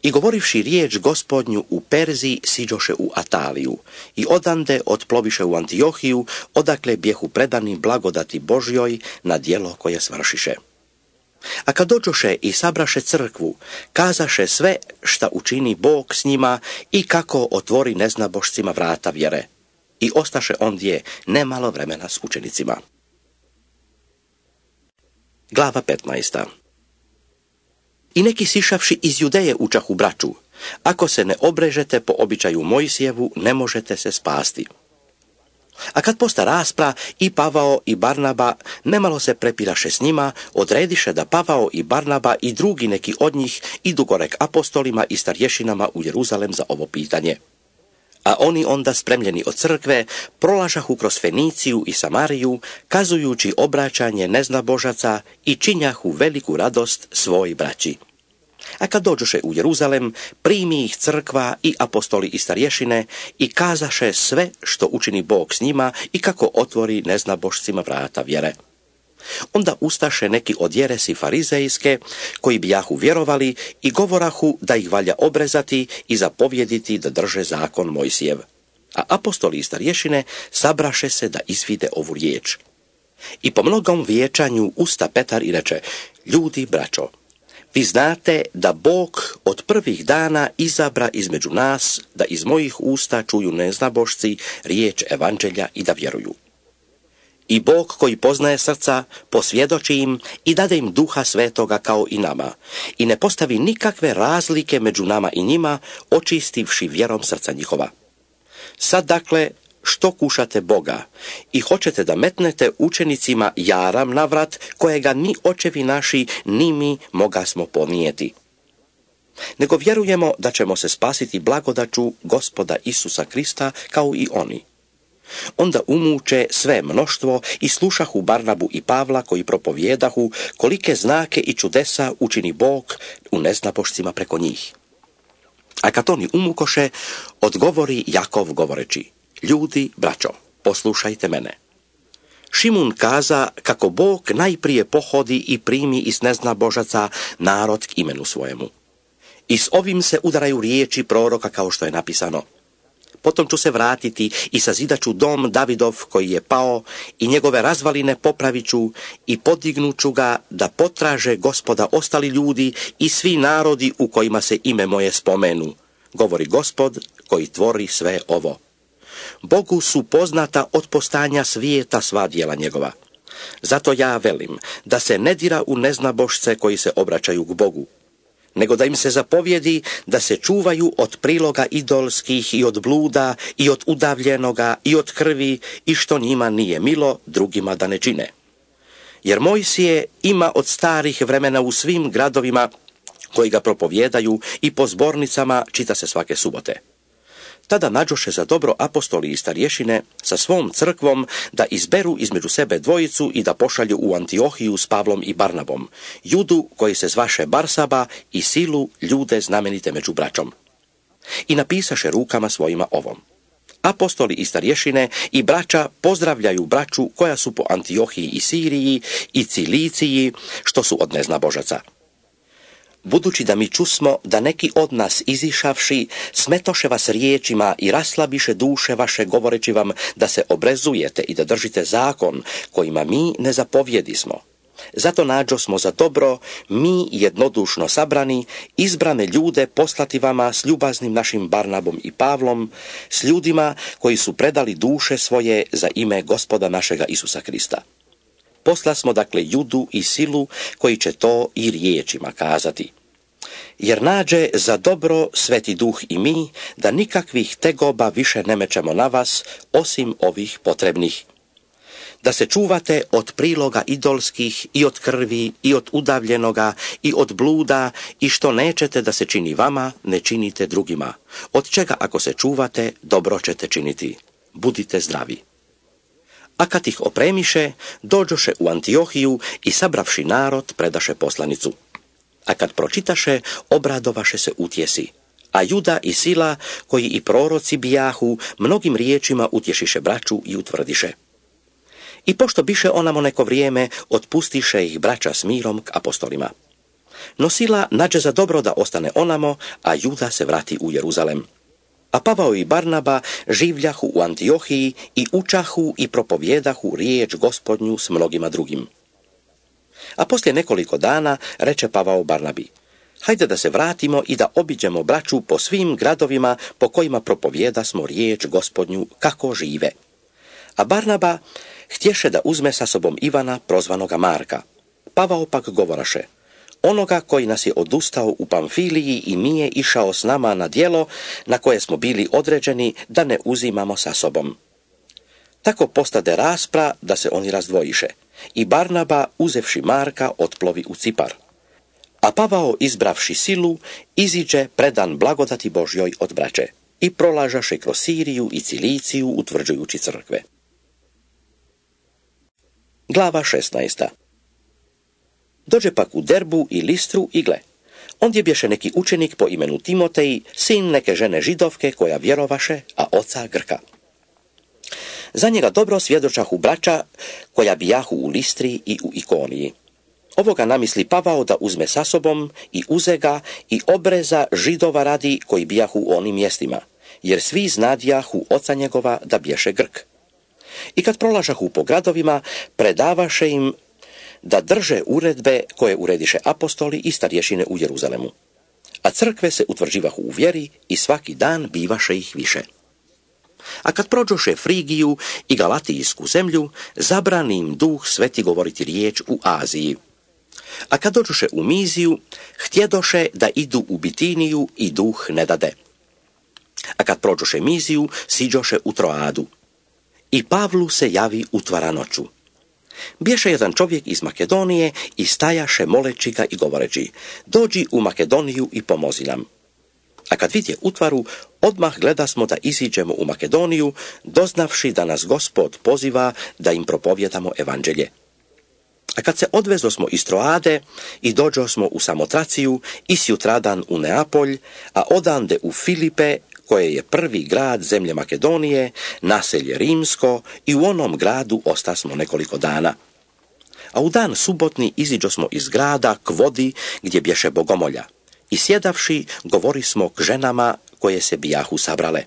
I govorivši riječ Gospodnju u Perziji, siđoše u Ataliju. I odande otploviše u Antiohiju, odakle bjehu predani blagodati Božjoj na djelo koje svršiše. A kad dođoše i sabraše crkvu, kazaše sve šta učini Bog s njima i kako otvori neznabošcima vrata vjere. I ostaše ondje nemalo vremena s učenicima. Glava 15. I neki sišavši iz Judeje učahu braću: Ako se ne obrežete po običaju Mojsijevu, ne možete se spasti. A kad posta raspra, i Pavao i Barnaba nemalo se prepiraše s njima, odrediše da Pavao i Barnaba i drugi neki od njih idu gore k apostolima i starješinama u Jeruzalem za ovo pitanje. A oni onda, spremljeni od crkve, prolažahu kroz Feniciju i Samariju, kazujući obraćanje neznabožaca i činjahu veliku radost svoj braći. A kad dođoše u Jeruzalem, primi ih crkva i apostoli i starješine i kazaše sve što učini Bog s njima i kako otvori neznabošcima vrata vjere. Onda ustaše neki od jeresi farizejske, koji bijahu vjerovali i govorahu da ih valja obrezati i zapovjediti da drže zakon Mojsijev. A apostoli i starješine sabraše se da izvide ovu riječ. I po mnogom vijećanju usta Petar i reče: Ljudi, braćo, vi znate da Bog od prvih dana izabra između nas da iz mojih usta čuju neznabošci riječ evanđelja i da vjeruju. I Bog koji poznaje srca, posvjedoči im i dade im Duha Svetoga kao i nama. I ne postavi nikakve razlike među nama i njima, očistivši vjerom srca njihova. Sad dakle, što kušate Boga i hoćete da metnete učenicima jaram na vrat, kojega ni očevi naši, ni mi mogasmo ponijeti. Nego vjerujemo da ćemo se spasiti blagodaću Gospoda Isusa Krista kao i oni. Onda umuče sve mnoštvo i slušahu Barnabu i Pavla koji propovjedahu kolike znake i čudesa učini Bog u neznabošcima preko njih. A kad oni umukoše, odgovori Jakov govoreći: ljudi, braćo, poslušajte mene. Šimun kaza kako Bog najprije pohodi i primi iz neznabožaca narod k imenu svojemu. I s ovim se udaraju riječi proroka kao što je napisano: potom ću se vratiti i sazidaću dom Davidov koji je pao i njegove razvaline popraviću i podignuću ga da potraže Gospoda ostali ljudi i svi narodi u kojima se ime moje spomenu, govori Gospod koji tvori sve ovo. Bogu su poznata od postanja svijeta sva djela njegova. Zato ja velim da se ne dira u neznabošce koji se obraćaju k Bogu, nego da im se zapovjedi da se čuvaju od priloga idolskih i od bluda i od udavljenoga i od krvi i što njima nije milo, drugima da ne čine. Jer Mojsije ima od starih vremena u svim gradovima koji ga propovjedaju i po zbornicama čita se svake subote. Tada nađoše za dobro apostoli i starješine sa svom crkvom da izberu između sebe dvojicu i da pošalju u Antiohiju s Pavlom i Barnabom, Judu koji se zvaše Barsaba i Silu, ljude znamenite među braćom. I napisaše rukama svojima ovom: apostoli i starješine i braća pozdravljaju braću koja su po Antiohiji i Siriji i Ciliciji, što su od neznabožaca. Budući da mi čusmo da neki od nas izišavši smetoše vas riječima i raslabiše duše vaše govoreći vam da se obrezujete i da držite zakon kojima mi ne zapovjedismo. Zato nađo smo za dobro, mi jednodušno sabrani, izbrane ljude poslati vama s ljubaznim našim Barnabom i Pavlom, s ljudima koji su predali duše svoje za ime Gospoda našega Isusa Krista. Posla smo dakle Judu i Silu koji će to i riječima kazati. Jer nađe za dobro Sveti Duh i mi da nikakvih tegoba više ne mečemo na vas osim ovih potrebnih. Da se čuvate od priloga idolskih i od krvi i od udavljenoga i od bluda i što nećete da se čini vama, ne činite drugima. Od čega ako se čuvate, dobro ćete činiti. Budite zdravi. A kad ih opremiše, dođoše u Antiohiju i sabravši narod predaše poslanicu. A kad pročitaše, obradovaše se utjesi. A Juda i Sila, koji i proroci bijahu, mnogim riječima utješiše braću i utvrdiše. I pošto biše onamo neko vrijeme, otpustiše ih braća s mirom k apostolima. No Sila nađe za dobro da ostane onamo, a Juda se vrati u Jeruzalem. A Pavao i Barnaba življahu u Antiohiji i učahu i propovjedahu riječ Gospodnju s mnogima drugim. A poslije nekoliko dana reče Pavao Barnabi: hajde da se vratimo i da obiđemo braću po svim gradovima po kojima propovjedasmo riječ Gospodnju kako žive. A Barnaba htješe da uzme sa sobom Ivana, prozvanoga Marka. Pavao pak govoraše: onoga koji nas je odustao u Pamfiliji i nije išao s nama na djelo na koje smo bili određeni da ne uzimamo sa sobom. Tako postade raspra da se oni razdvojiše i Barnaba, uzevši Marka, otplovi u Cipar. A Pavao, izbravši Silu, iziđe predan blagodati Božjoj od braće i prolažaše kroz Siriju i Ciliciju utvrđujući crkve. Glava 16. Dođe pak u Derbu i Listru i gle, ondje bješe neki učenik po imenu Timotej, sin neke žene židovke koja vjerovaše, a oca Grka. Za njega dobro svjedočahu braća koja bijahu u Listri i u Ikoniji. Ovoga namisli Pavao da uzme sa sobom i uze ga i obreza Židova radi koji bijahu u onim mjestima, jer svi znadjahu oca njegova da bješe Grk. I kad prolažahu po gradovima, predavaše im da drže uredbe koje urediše apostoli i starješine u Jeruzalemu. A crkve se utvrđivahu u vjeri i svaki dan bivaše ih više. A kad prođoše Frigiju i Galatijsku zemlju, zabrani im Duh Sveti govoriti riječ u Aziji. A kad dođoše u Miziju, htjedoše da idu u Bitiniju i Duh ne dade. A kad prođoše Miziju, siđoše u Troadu. I Pavlu se javi utvara noću. Bješe jedan čovjek iz Makedonije i stajaše moleći ga i govoreći: dođi u Makedoniju i pomozi nam. A kad vidje utvaru, odmah gledasmo da iziđemo u Makedoniju, doznavši da nas Gospod poziva da im propovjedamo evanđelje. A kad se odvezosmo iz Troade i dođosmo u Samotraciju i sjutradan u Neapolj, a odande u Filipe, koje je prvi grad zemlje Makedonije, naselje rimsko, i u onom gradu ostasmo nekoliko dana. A u dan subotni iziđosmo iz grada k vodi gdje bješe bogomolja. I sjedavši, govorismo k ženama koje se bijahu sabrale.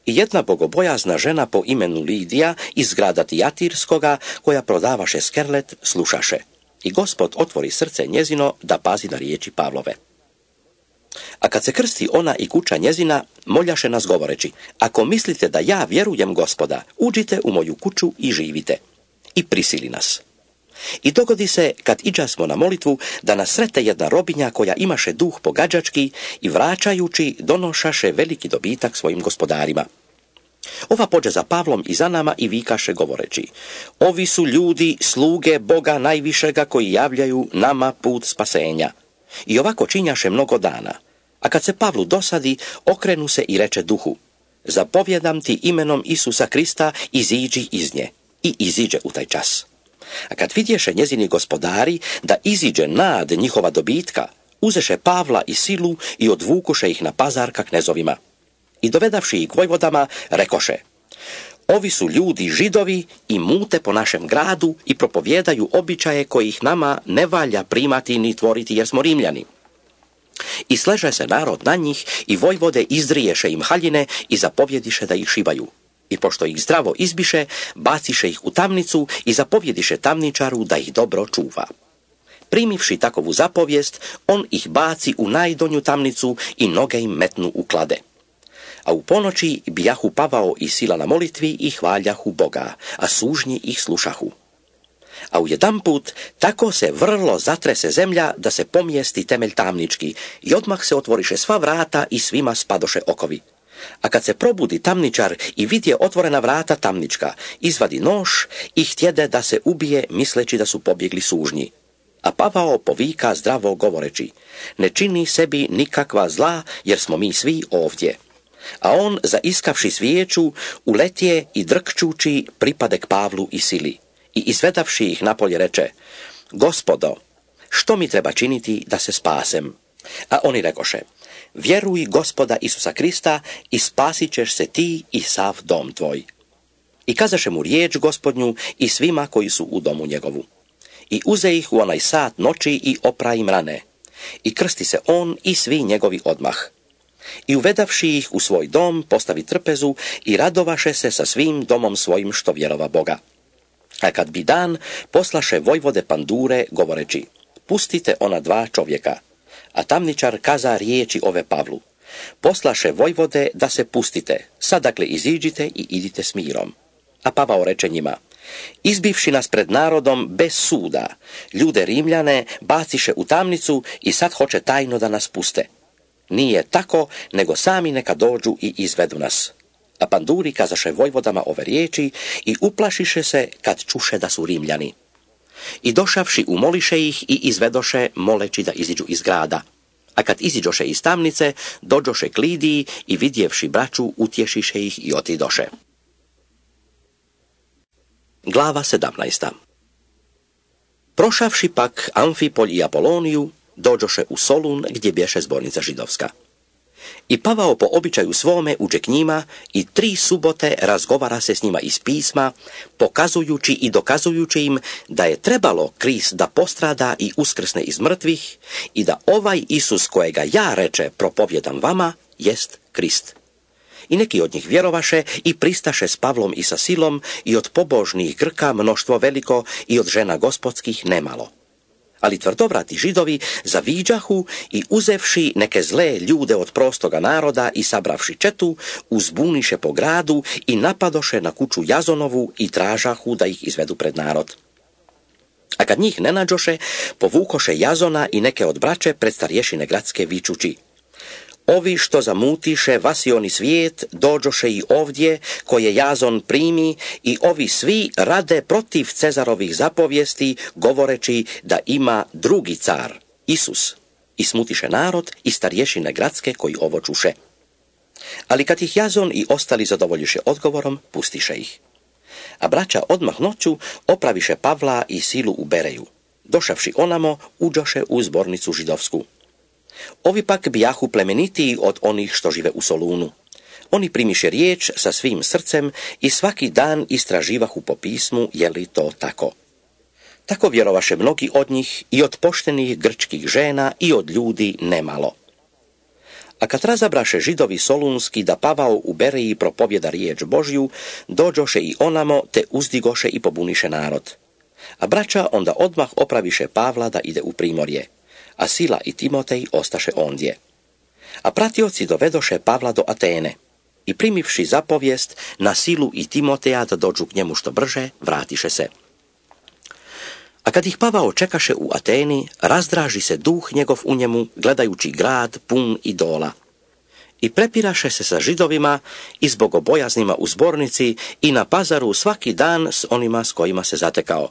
I jedna bogobojazna žena po imenu Lidija iz grada Tijatirskoga, koja prodavaše skerlet, slušaše. I Gospod otvori srce njezino da pazi na riječi Pavlove. A kad se krsti ona i kuća njezina, moljaše nas govoreći: ako mislite da ja vjerujem Gospoda, uđite u moju kuću i živite. I prisili nas. I dogodi se, kad iđasmo na molitvu, da nas srete jedna robinja koja imaše duh pogađački i vraćajući donošaše veliki dobitak svojim gospodarima. Ova pođe za Pavlom i za nama i vikaše govoreći: ovi su ljudi, sluge Boga najvišega, koji javljaju nama put spasenja. I ovako činjaše mnogo dana. A kad se Pavlu dosadi, okrenu se i reče duhu: zapovjedam ti imenom Isusa Krista, iziđi iz nje. I iziđe u taj čas. A kad vidješe njezini gospodari da iziđe nad njihova dobitka, uzeše Pavla i silu i odvukuše ih na pazar ka knezovima. I dovedavši ih k vojvodama, rekoše: ovi su ljudi Židovi i mute po našem gradu i propovjedaju običaje kojih nama ne valja primati ni tvoriti, jer smo Rimljani. I sleže se narod na njih i vojvode izriješe im haljine i zapovjediše da ih šibaju. I pošto ih zdravo izbiše, baciše ih u tamnicu i zapovjediše tamničaru da ih dobro čuva. Primivši takovu zapovijest, on ih baci u najdonju tamnicu i noge im metnu u klade. A u ponoći bijahu Pavao i Sila na molitvi i hvaljahu Boga, a sužnji ih slušahu. A ujedanput tako se vrlo zatrese zemlja da se pomijesti temelj tamnički i odmah se otvoriše sva vrata i svima spadoše okovi. A kad se probudi tamničar i vidje otvorena vrata tamnička, izvadi nož i htjede da se ubije, misleći da su pobjegli sužnji. A Pavao povika zdravo govoreći: ne čini sebi nikakva zla, jer smo mi svi ovdje. A on, zaiskavši svijeću, uletije i drkčući pripade k Pavlu i Sili. I izvedavši ih napolje reče: Gospodo, što mi treba činiti da se spasem? A oni rekoše: vjeruj Gospoda Isusa Krista i spasit ćeš se ti i sav dom tvoj. I kazaše mu riječ Gospodnju i svima koji su u domu njegovu. I uze ih u onaj sat noći i opra im rane. I krsti se on i svi njegovi odmah. I uvedavši ih u svoj dom, postavi trpezu i radovaše se sa svim domom svojim što vjerova Boga. A kad bi dan, poslaše vojvode pandure govoreći: pustite ona dva čovjeka. A tamničar kaza riječi ove Pavlu: poslaše vojvode da se pustite, sad dakle iziđite i idite s mirom. A Pavao reče njima: izbivši nas pred narodom bez suda, ljude Rimljane baciše u tamnicu i sad hoće tajno da nas puste. Nije tako, nego sami neka dođu i izvedu nas. A panduri kazaše vojvodama ove riječi i uplašiše se kad čuše da su Rimljani. I došavši umoliše ih i izvedoše, moleći da iziđu iz grada. A kad iziđoše iz tamnice, dođoše k Lidiji i vidjevši braću, utješiše ih i otidoše. Glava 17. Prošavši pak Amfipolj i Apoloniju, dođoše u Solun gdje bješe zbornica židovska. I Pavao po običaju svome uđe k njima i 3 subote razgovara se s njima iz pisma, pokazujući i dokazujući im da je trebalo Krist da postrada i uskrsne iz mrtvih i da ovaj Isus kojega ja reče propovjedam vama jest Krist. I neki od njih vjerovaše i pristaše s Pavlom i sa Silom i od pobožnih Grka mnoštvo veliko i od žena gospodskih nemalo. Ali tvrdovrati Židovi zaviđahu i uzevši neke zle ljude od prostoga naroda i sabravši četu, uzbuniše po gradu i napadoše na kuću Jazonovu i tražahu da ih izvedu pred narod. A kad njih ne nađoše, povukoše Jazona i neke od braće pred starješine gradske vičući: Ovi što zamutiše vasioni svijet, dođoše i ovdje, koje Jazon primi, i ovi svi rade protiv Cezarovih zapovijesti, govoreći da ima drugi car, Isus. I smutiše narod i starješine gradske koji ovo čuše. Ali kad ih Jazon i ostali zadovoljiše odgovorom, pustiše ih. A braća odmah noću opraviše Pavla i Silu u Bereju. Došavši onamo, uđoše u zbornicu židovsku. Ovi pak bijahu plemenitiji od onih što žive u Solunu. Oni primiše riječ sa svim srcem i svaki dan istraživahu po pismu je li to tako. Tako vjerovaše mnogi od njih, i od poštenih grčkih žena i od ljudi nemalo. A kad razabraše Židovi solunski da Pavao u Bereji propovjeda riječ Božju, dođoše i onamo te uzdigoše i pobuniše narod. A braća onda odmah opraviše Pavla da ide u primorje, a Sila i Timotej ostaše ondje. A pratioci dovedoše Pavla do Atene i primivši zapovijest na Silu i Timoteja da dođu k njemu što brže, vratiše se. A kad ih Pavao čekaše u Ateni, razdraži se duh njegov u njemu, gledajući grad pun idola. I prepiraše se sa Židovima i s bogobojaznima u zbornici i na pazaru svaki dan s onima s kojima se zatekao.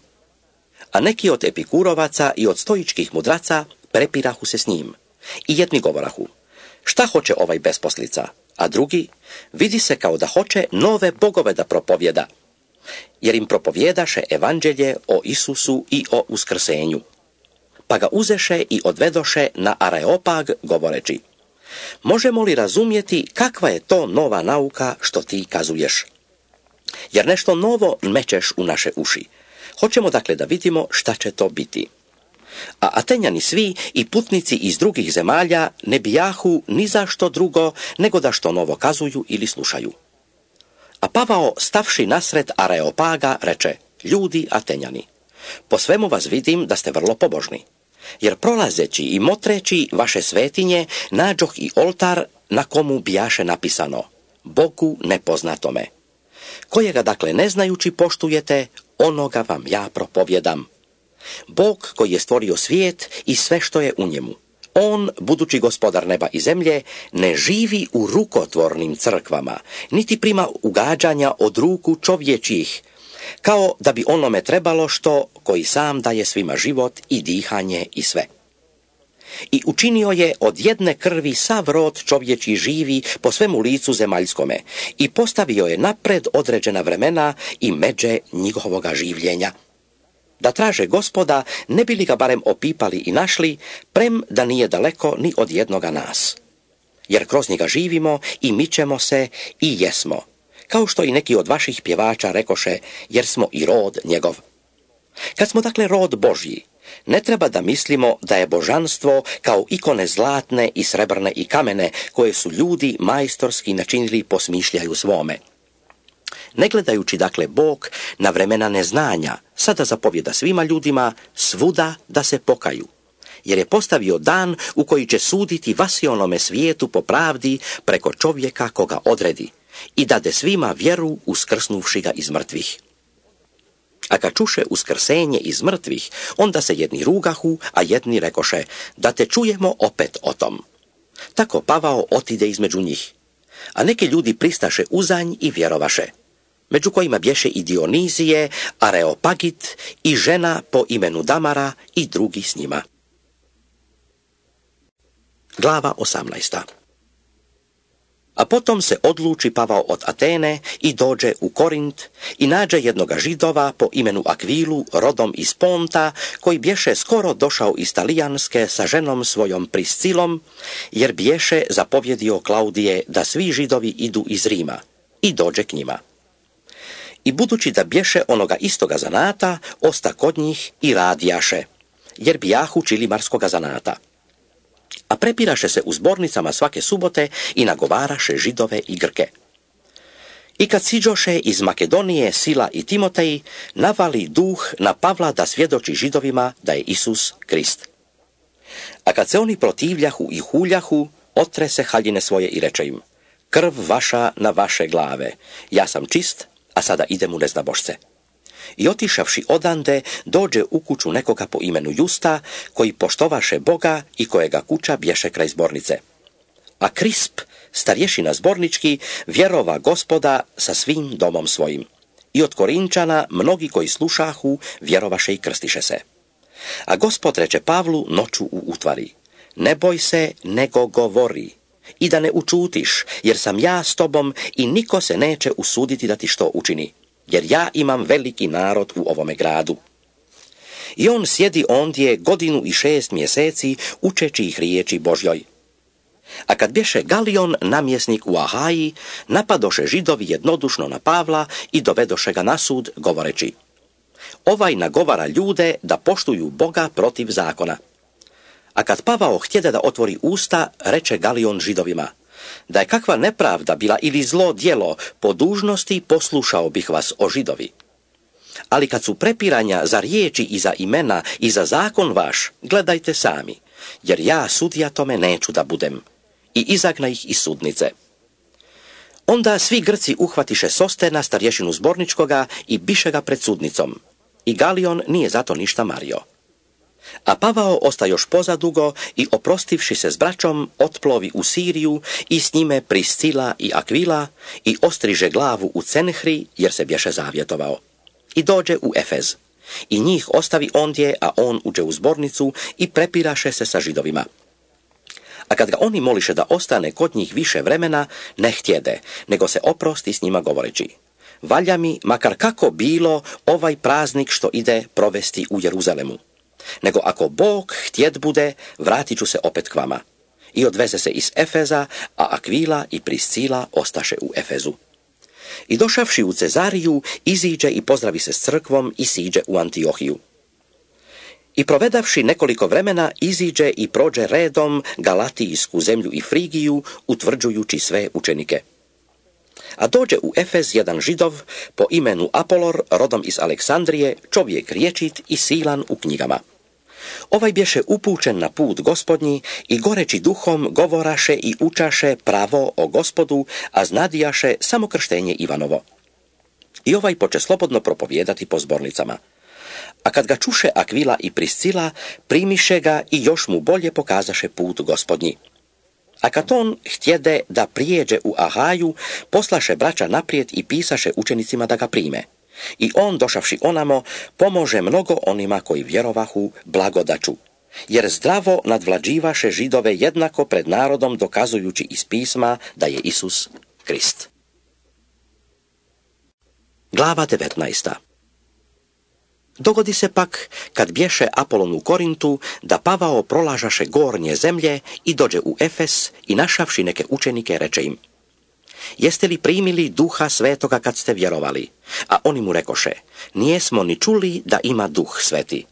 A neki od epikurovaca i od stoičkih mudraca prepirahu se s njim. I jedni govorahu: Šta hoće ovaj besposlica? A drugi: Vidi se kao da hoće nove bogove da propovjeda. Jer im propovjedaše evanđelje o Isusu i o uskrsenju. Pa ga uzeše i odvedoše na Areopag, govoreći: Možemo li razumjeti kakva je to nova nauka što ti kazuješ? Jer nešto novo mečeš u naše uši. Hoćemo dakle da vidimo šta će to biti. A Atenjani svi i putnici iz drugih zemalja ne bijahu ni za što drugo nego da što novo kazuju ili slušaju. A Pavao, stavši nasred Areopaga, reče: Ljudi Atenjani, po svemu vas vidim da ste vrlo pobožni. Jer prolazeći i motreći vaše svetinje, nađoh i oltar na komu bijaše napisano: Bogu nepoznatome. Kojega dakle ne znajući poštujete, onoga vam ja propovjedam. Bog koji je stvorio svijet i sve što je u njemu. On, budući gospodar neba i zemlje, ne živi u rukotvornim crkvama, niti prima ugađanja od ruku čovječih, kao da bi onome trebalo što koji sam daje svima život i dihanje i sve. I učinio je od jedne krvi sav rod čovječi živi po svemu licu zemaljskome i postavio je napred određena vremena i međe njihovoga življenja. Da traže Gospoda, ne bi li ga barem opipali i našli, prem da nije daleko ni od jednoga nas. Jer kroz njega živimo i mičemo se i jesmo, kao što i neki od vaših pjevača rekoše, jer smo i rod njegov. Kad smo dakle rod Božji, ne treba da mislimo da je božanstvo kao ikone zlatne i srebrne i kamene, koje su ljudi majstorski načinili po smišljaju svome. Ne gledajući dakle Bog na vremena neznanja, sada zapovjeda svima ljudima svuda da se pokaju, jer je postavio dan u koji će suditi vasionome svijetu po pravdi preko čovjeka koga odredi i dade svima vjeru uskrsnuvši ga iz mrtvih. A kad čuše uskrsenje iz mrtvih, onda se jedni rugahu, a jedni rekoše: Da te čujemo opet o tom. Tako Pavao otide između njih, a neki ljudi pristaše uzanj i vjerovaše, među kojima bješe i Dionizije, Areopagit i žena po imenu Damara i drugi s njima. Glava 18. A potom se odluči Pavao od Atene i dođe u Korint i nađe jednoga Židova po imenu Akvilu, rodom iz Ponta, koji bješe skoro došao iz Talijanske sa ženom svojom Priscilom, jer bješe zapovjedio Klaudije da svi Židovi idu iz Rima, i dođe k njima. I budući da bješe onoga istoga zanata, osta kod njih i radijaše, jer bijahu čilimarskoga zanata. A prepiraše se u zbornicama svake subote i nagovaraše Židove i Grke. I kad siđoše iz Makedonije Sila i Timotej, navali duh na Pavla da svjedoči Židovima da je Isus Krist. A kad se oni protivljahu i huljahu, otrese haljine svoje i reče im: krv vaša na vaše glave, ja sam čist, a sada idem u neznabošce. I otišavši odande, dođe u kuću nekoga po imenu Justa, koji poštovaše Boga i kojega kuća bješe kraj zbornice. A Krisp, starješina zbornički, vjerova Gospoda sa svim domom svojim. I od Korinčana mnogi koji slušahu vjerovaše i krstiše se. A Gospod reče Pavlu noću u utvari: ne boj se, nego govori, i da ne učutiš, jer sam ja s tobom i niko se neće usuditi da ti što učini, jer ja imam veliki narod u ovome gradu. I on sjedi ondje 1.6 mjeseci učeći ih riječi Božjoj. A kad bješe Galion namjesnik u Ahaji, napadoše Židovi jednodušno na Pavla i dovedoše ga na sud, govoreći: ovaj nagovara ljude da poštuju Boga protiv zakona. A kad Pavao htjede da otvori usta, reče Galion Židovima: da je kakva nepravda bila ili zlo djelo, po dužnosti poslušao bih vas, o Židovi. Ali kad su prepiranja za riječi i za imena i za zakon vaš, gledajte sami, jer ja sudija tome neću da budem. I izagna ih iz sudnice. Onda svi Grci uhvatiše Sostena, starješinu zborničkoga, i biše ga pred sudnicom. I Galion nije zato ništa mario. A Pavao osta još pozadugo i oprostivši se s braćom, otplovi u Siriju i s njime Priscila i Akvila i ostriže glavu u Cenhri, jer se bješe zavjetovao. I dođe u Efez. I njih ostavi ondje, a on uđe u zbornicu i prepiraše se sa Židovima. A kad ga oni moliše da ostane kod njih više vremena, ne htjede, nego se oprosti s njima govoreći: valja mi, makar kako bilo, ovaj praznik što ide provesti u Jeruzalemu. Nego ako Bog htjet bude, vratit ću se opet k vama. I odveze se iz Efeza, a Akvila i Priscila ostaše u Efezu. I došavši u Cezariju, iziđe i pozdravi se s crkvom i siđe u Antiohiju. I provedavši nekoliko vremena, iziđe i prođe redom Galatijsku zemlju i Frigiju, utvrđujući sve učenike. A dođe u Efez jedan Židov po imenu Apolor, rodom iz Aleksandrije, čovjek rječit i silan u knjigama. Ovaj bješe upućen na put Gospodnji i goreći duhom govoraše i učaše pravo o Gospodu, a znadijaše samo krštenje Ivanovo. I ovaj poče slobodno propovijedati po zbornicama. A kad ga čuše Akvila i Priscila, primiše ga i još mu bolje pokazaše put Gospodnji. A kad on htjede da prijeđe u Ahaju, poslaše braća naprijed i pisaše učenicima da ga prime. I on, došavši onamo, pomože mnogo onima koji vjerovahu blagodaću, jer zdravo nadvlađivaše Židove jednako pred narodom, dokazujući iz pisma da je Isus Krist. Glava 19. Dogodi se pak, kad bješe Apolon u Korintu, da Pavao prolažaše gornje zemlje i dođe u Efes i našavši neke učenike reče im: jeste li primili Duha Svetoga kad ste vjerovali? A oni mu rekoše: nijesmo ni čuli da ima Duh Sveti.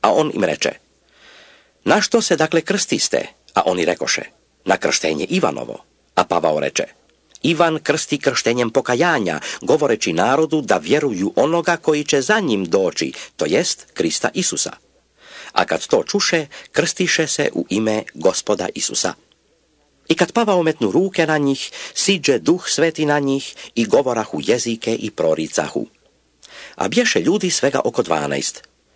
A on im reče: na što se dakle krstiste? A oni rekoše: na krštenje Ivanovo. A Pavao reče: Ivan krsti krštenjem pokajanja, govoreći narodu da vjeruju onoga koji će za njim doći, to jest Krista Isusa. A kad to čuše, krstiše se u ime Gospoda Isusa. I kad Pavao metnu ruke na njih, siđe Duh Sveti na njih i govorahu jezike i proricahu. A bješe ljudi svega oko 12.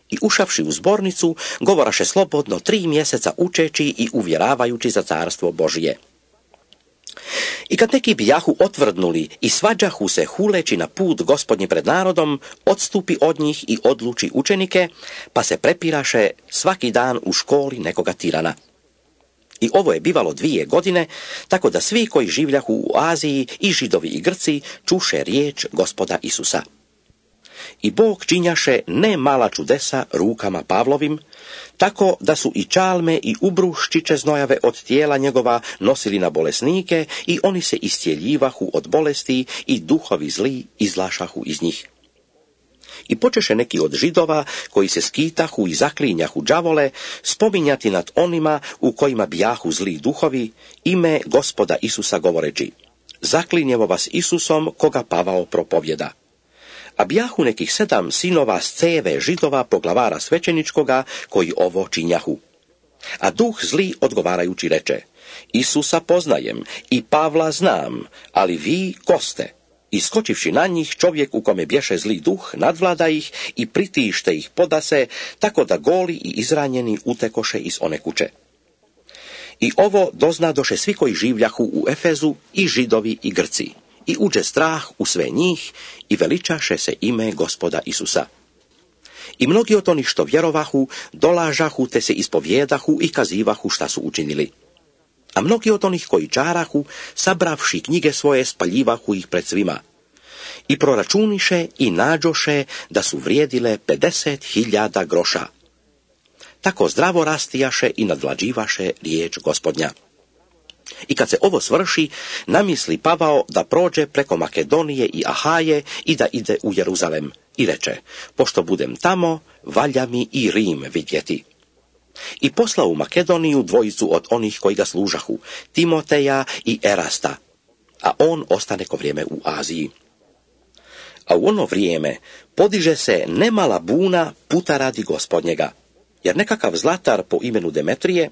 I ušavši u zbornicu, govoraše slobodno 3 mjeseca učeći i uvjeravajući za carstvo Božije. I kad neki bijahu otvrdnuli i svađahu se huleći na put Gospodnji pred narodom, odstupi od njih i odluči učenike, pa se prepiraše svaki dan u školi nekoga tirana. I ovo je bivalo 2 godine, tako da svi koji življahu u Aziji, i Židovi i Grci, čuše riječ Gospoda Isusa. I Bog činjaše ne mala čudesa rukama Pavlovim, tako da su i čalme i ubruščiće znojave od tijela njegova nosili na bolesnike i oni se iscijeljivahu od bolesti i duhovi zli izlašahu iz njih. I počeše neki od Židova, koji se skitahu i zaklinjahu đavole, spominjati nad onima u kojima bijahu zli duhovi, ime Gospoda Isusa govoreći: zaklinjevo vas Isusom, koga Pavao propovjeda. A bijahu nekih 7 sinova z céve Židova poglavara svećeničkoga, koji ovo činjahu. A duh zli odgovarajući reče: Isusa poznajem i Pavla znam, ali vi ko ste? I skočivši na njih, čovjek u kome bješe zli duh nadvlada ih i pritište ih podase, tako da goli i izranjeni utekoše iz one kuće. I ovo doznadoše svi koji življahu u Efezu, i Židovi i Grci. I uđe strah u sve njih i veličaše se ime Gospoda Isusa. I mnogi od onih što vjerovahu, dolažahu te se ispovjedahu i kazivahu šta su učinili. A mnogi od onih koji čarahu, sabravši knjige svoje, spaljivahu ih pred svima. I proračuniše i nađoše da su vrijedile 50.000 groša. Tako zdravo rastijaše i nadvlađivaše riječ Gospodnja. I kad se ovo svrši, namisli Pavao da prođe preko Makedonije i Ahaje i da ide u Jeruzalem. I reče: pošto budem tamo, valja mi i Rim vidjeti. I poslao u Makedoniju 2 od onih koji ga služahu, Timoteja i Erasta, a on ostane ko vrijeme u Aziji. A u ono vrijeme podiže se nemala buna puta radi Gospodnjega, jer nekakav zlatar po imenu Demetrije,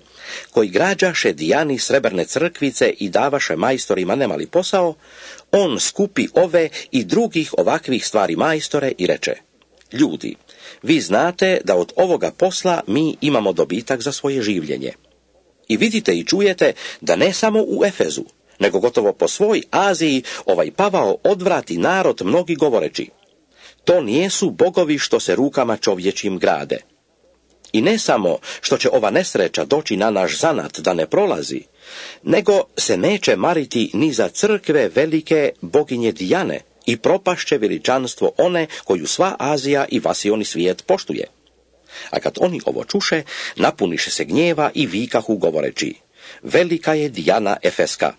koji građaše Dijani srebrne crkvice i davaše majstorima nemali posao, on skupi ove i drugih ovakvih stvari majstore i reče: ljudi, vi znate da od ovoga posla mi imamo dobitak za svoje življenje. I vidite i čujete da ne samo u Efezu, nego gotovo po svoj Aziji ovaj Pavao odvrati narod mnogi govoreći: to nijesu bogovi što se rukama čovječim grade. I ne samo što će ova nesreća doći na naš zanat da ne prolazi, nego se neće mariti ni za crkve velike boginje Dijane i propašće veličanstvo one koju sva Azija i vasioni svijet poštuje. A kad oni ovo čuše, napuniše se gnjeva i vikahu govoreći: velika je Dijana Efeska.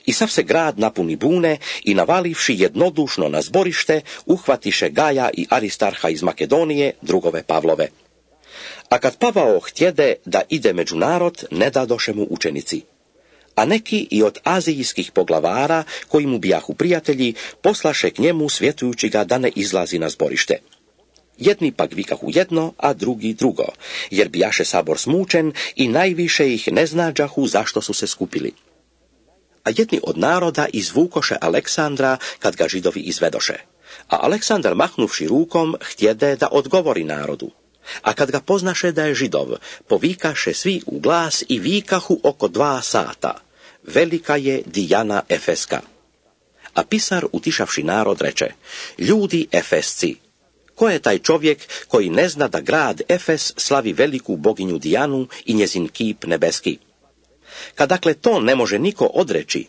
I sav se grad napuni bune i navalivši jednodušno na zborište, uhvatiše Gaja i Aristarha iz Makedonije, drugove Pavlove. A kad Pavao htjede da ide među narod, ne dadoše mu učenici. A neki i od azijskih poglavara, koji mu bijahu prijatelji, poslaše k njemu svjetujući ga da ne izlazi na zborište. Jedni pak vikahu jedno, a drugi drugo, jer bijaše sabor smučen i najviše ih ne znađahu zašto su se skupili. A jedni od naroda izvukoše Aleksandra kad ga Židovi izvedoše. A Aleksandar mahnuvši rukom htjede da odgovori narodu. A kad ga poznaše da je Židov, povikaše svi u glas i vikahu oko 2 sata: velika je Dijana Efeska. A pisar, utišavši narod, reče: ljudi Efesci, ko je taj čovjek koji ne zna da grad Efes slavi veliku boginju Dijanu i njezin kip nebeski? Kad dakle to ne može niko odreći,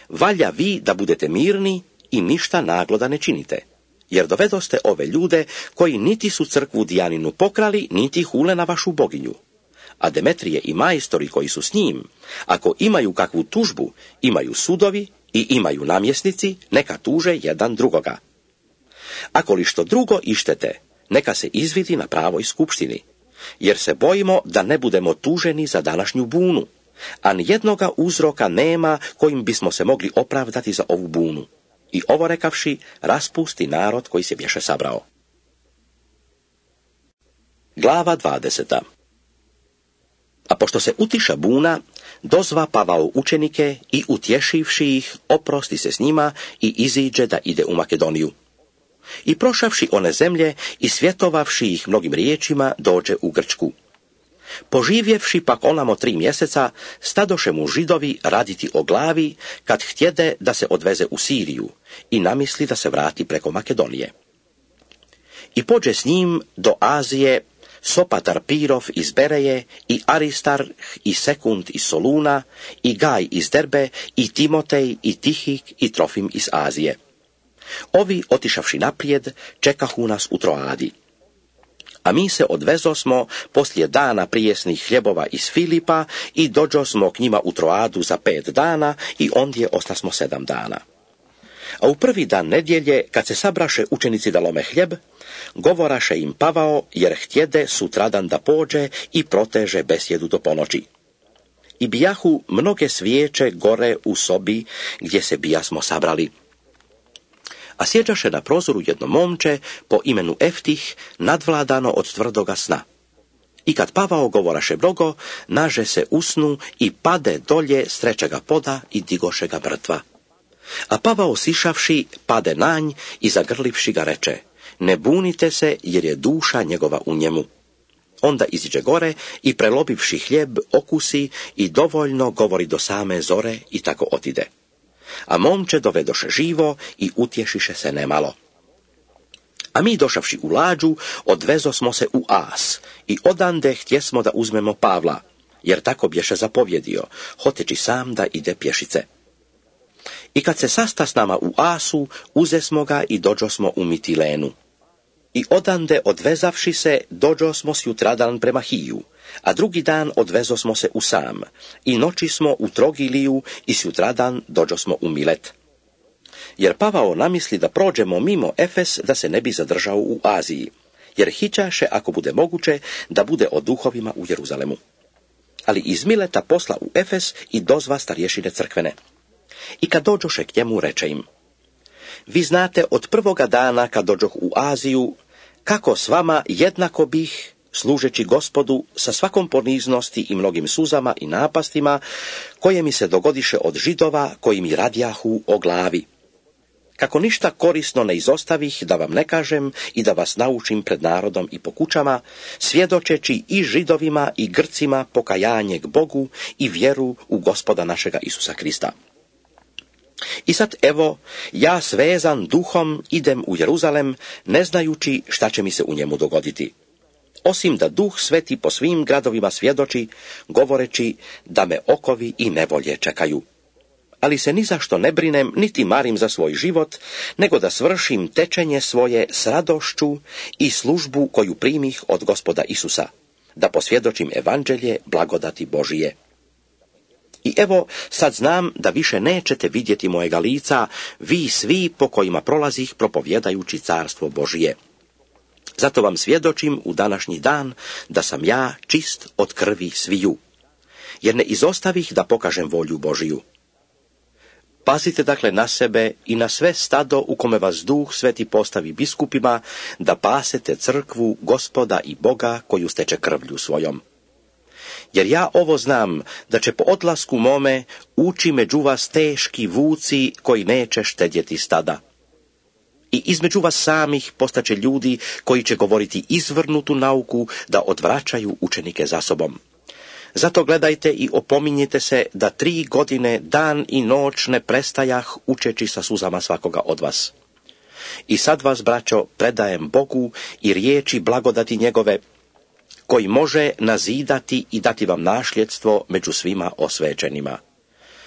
valja vi da budete mirni i ništa naglo da ne činite. Jer dovedoste ove ljude koji niti su crkvu Dijaninu pokrali, niti hule na vašu boginju. A Demetrije i majstori koji su s njim, ako imaju kakvu tužbu, imaju sudovi i imaju namjesnici, neka tuže jedan drugoga. Ako li što drugo ištete, neka se izvidi na pravoj skupštini, jer se bojimo da ne budemo tuženi za današnju bunu, a nijednoga uzroka nema kojim bismo se mogli opravdati za ovu bunu. I ovo rekavši, raspusti narod koji se bješe sabrao. Glava 20. A pošto se utiša buna, dozva Pavao učenike i utješivši ih, oprosti se s njima i iziđe da ide u Makedoniju. I prošavši one zemlje i svjetovavši ih mnogim riječima, dođe u Grčku. Poživjevši pak onamo 3 mjeseca, stadoše mu Židovi raditi o glavi, kad htjede da se odveze u Siriju i namisli da se vrati preko Makedonije. I pođe s njim do Azije Sopatar Pirov iz Bereje i Aristarh i Sekund iz Soluna i Gaj iz Derbe i Timotej i Tihik i Trofim iz Azije. Ovi, otišavši naprijed, čekahu nas u Troadi. A mi se odvezosmo poslije dana prijesnih hljebova iz Filipa i dođosmo k njima u Troadu za 5 dana i ondje ostasmo 7 dana. A u prvi dan nedjelje, kad se sabraše učenici da lome hljeb, govoraše im Pavao, jer htjede sutradan da pođe i proteže besjedu do ponoći. I bijahu mnoge svijeće gore u sobi gdje se bijasmo sabrali. A sjeđaše na prozoru jedno momče po imenu Eftih, nadvladano od tvrdoga sna. I kad Pavao govoraše mnogo, naže se usnu i pade dolje s trećega poda i digoše ga mrtva. A Pavao sišavši, pade nanj i zagrlivši ga reče: ne bunite se, jer je duša njegova u njemu. Onda iziđe gore i prelobivši hljeb okusi i dovoljno govori do same zore i tako otide. A momče dovedoše živo i utješiše se nemalo. A mi došavši u lađu, odvezosmo se u As i odande htjesmo da uzmemo Pavla, jer tako bješe zapovjedio, hoteći sam da ide pješice. I kad se sasta s nama u Asu, uzesmo ga i dođosmo u Mitilenu. I odande odvezavši se, dođosmo sjutradan prema Hiju, a drugi dan odvezosmo se u Sam, i noći smo u Trogiliju i sjutradan dođosmo u Milet. Jer Pavao namisli da prođemo mimo Efes, da se ne bi zadržao u Aziji, jer hićaše, ako bude moguće, da bude o duhovima u Jeruzalemu. Ali iz Mileta posla u Efes i dozva starješine crkvene. I kad dođoše k njemu, reče im: vi znate od prvoga dana kad dođoh u Aziju, kako s vama jednako bih, služeći Gospodu sa svakom poniznosti i mnogim suzama i napastima, koje mi se dogodiše od Židova, koji mi radjahu o glavi. Kako ništa korisno ne izostavih, da vam ne kažem i da vas naučim pred narodom i po kućama, svjedočeći i Židovima i Grcima pokajanje k Bogu i vjeru u Gospoda našega Isusa Krista. I sad evo, ja svezan duhom idem u Jeruzalem, ne znajući šta će mi se u njemu dogoditi. Osim da Duh Sveti po svim gradovima svjedoči, govoreći da me okovi i nevolje čekaju. Ali se ni zašto ne brinem, niti marim za svoj život, nego da svršim tečenje svoje s radošću i službu koju primih od Gospoda Isusa, da posvjedočim evanđelje blagodati Božije. I evo, sad znam da više nećete vidjeti mojega lica, vi svi po kojima prolazih propovjedajući carstvo Božije. Zato vam svjedočim u današnji dan da sam ja čist od krvi sviju, jer ne izostavih da pokažem volju Božiju. Pazite dakle na sebe i na sve stado u kome vas Duh Sveti postavi biskupima, da pasete crkvu Gospoda i Boga koju steče krvlju svojom. Jer ja ovo znam, da će po odlasku mome ući među vas teški vuci koji neće štedjeti stada. I između vas samih postaće ljudi koji će govoriti izvrnutu nauku da odvraćaju učenike za sobom. Zato gledajte i opominjite se da 3 godine dan i noć ne prestajah učeći sa suzama svakoga od vas. I sad vas, braćo, predajem Bogu i riječi blagodati njegove, koji može nazidati i dati vam nasljedstvo među svima osvećenima.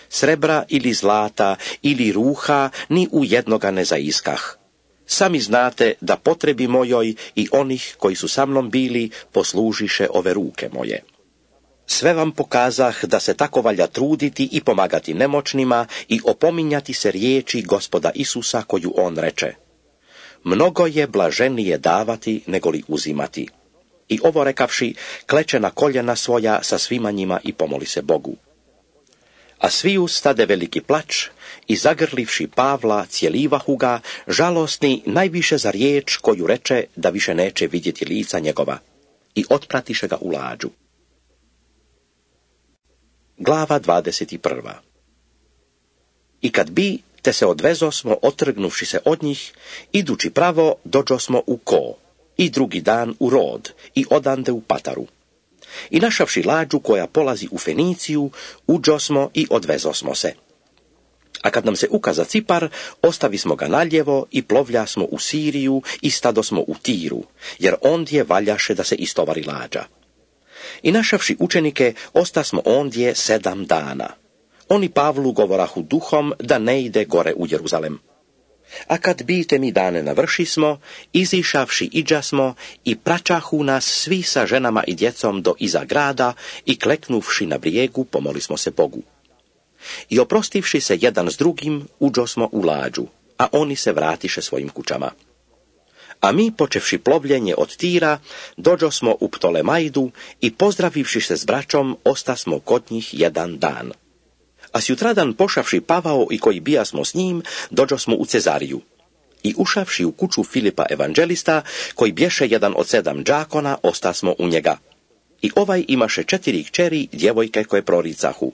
Srebra ili zlata ili ruha ni u jednoga ne zaiskah. Sami znate da potrebi mojoj i onih koji su sa mnom bili poslužiše ove ruke moje. Sve vam pokazah da se tako valja truditi i pomagati nemoćnima i opominjati se riječi Gospoda Isusa koju on reče: mnogo je blaženije davati nego li uzimati. I ovo rekavši, kleče na koljena svoja sa svima njima i pomoli se Bogu. A svi ustade veliki plač i zagrlivši Pavla cijelivahu ga, žalosni najviše za riječ koju reče da više neće vidjeti lica njegova, i otpratiše ga u lađu. Glava 21. I kad bi, te se odvezosmo otrgnuvši se od njih, idući pravo dođosmo u Ko, i drugi dan u Rod, i odande u Pataru. I našavši lađu koja polazi u Feniciju, uđosmo i odvezosmo se. A kad nam se ukaza Cipar, ostavismo ga naljevo i plovljasmo u Siriju i stadosmo u Tiru, jer ondje valjaše da se istovari lađa. I našavši učenike, ostasmo ondje 7 dana. Oni Pavlu govorahu duhom da ne ide gore u Jeruzalem. A kad bite mi dane navršismo, izišavši iđasmo i pračahu nas svi sa ženama i djecom do iza grada i kleknuvši na brijegu pomolismo se Bogu. I oprostivši se jedan s drugim, uđosmo u lađu, a oni se vratiše svojim kućama. A mi, počevši plovljenje od Týra, dođosmo u Ptolemajdu i pozdravivši se s braćom, ostasmo kod njih jedan dan. A sjutradan pošavši Pavao i koji bijasmo s njim, dođosmo u Cezariju. I ušavši u kuću Filipa evanđelista, koji bješe jedan od 7 džakona, ostasmo u njega. I ovaj imaše 4 kćeri, djevojke koje proricahu.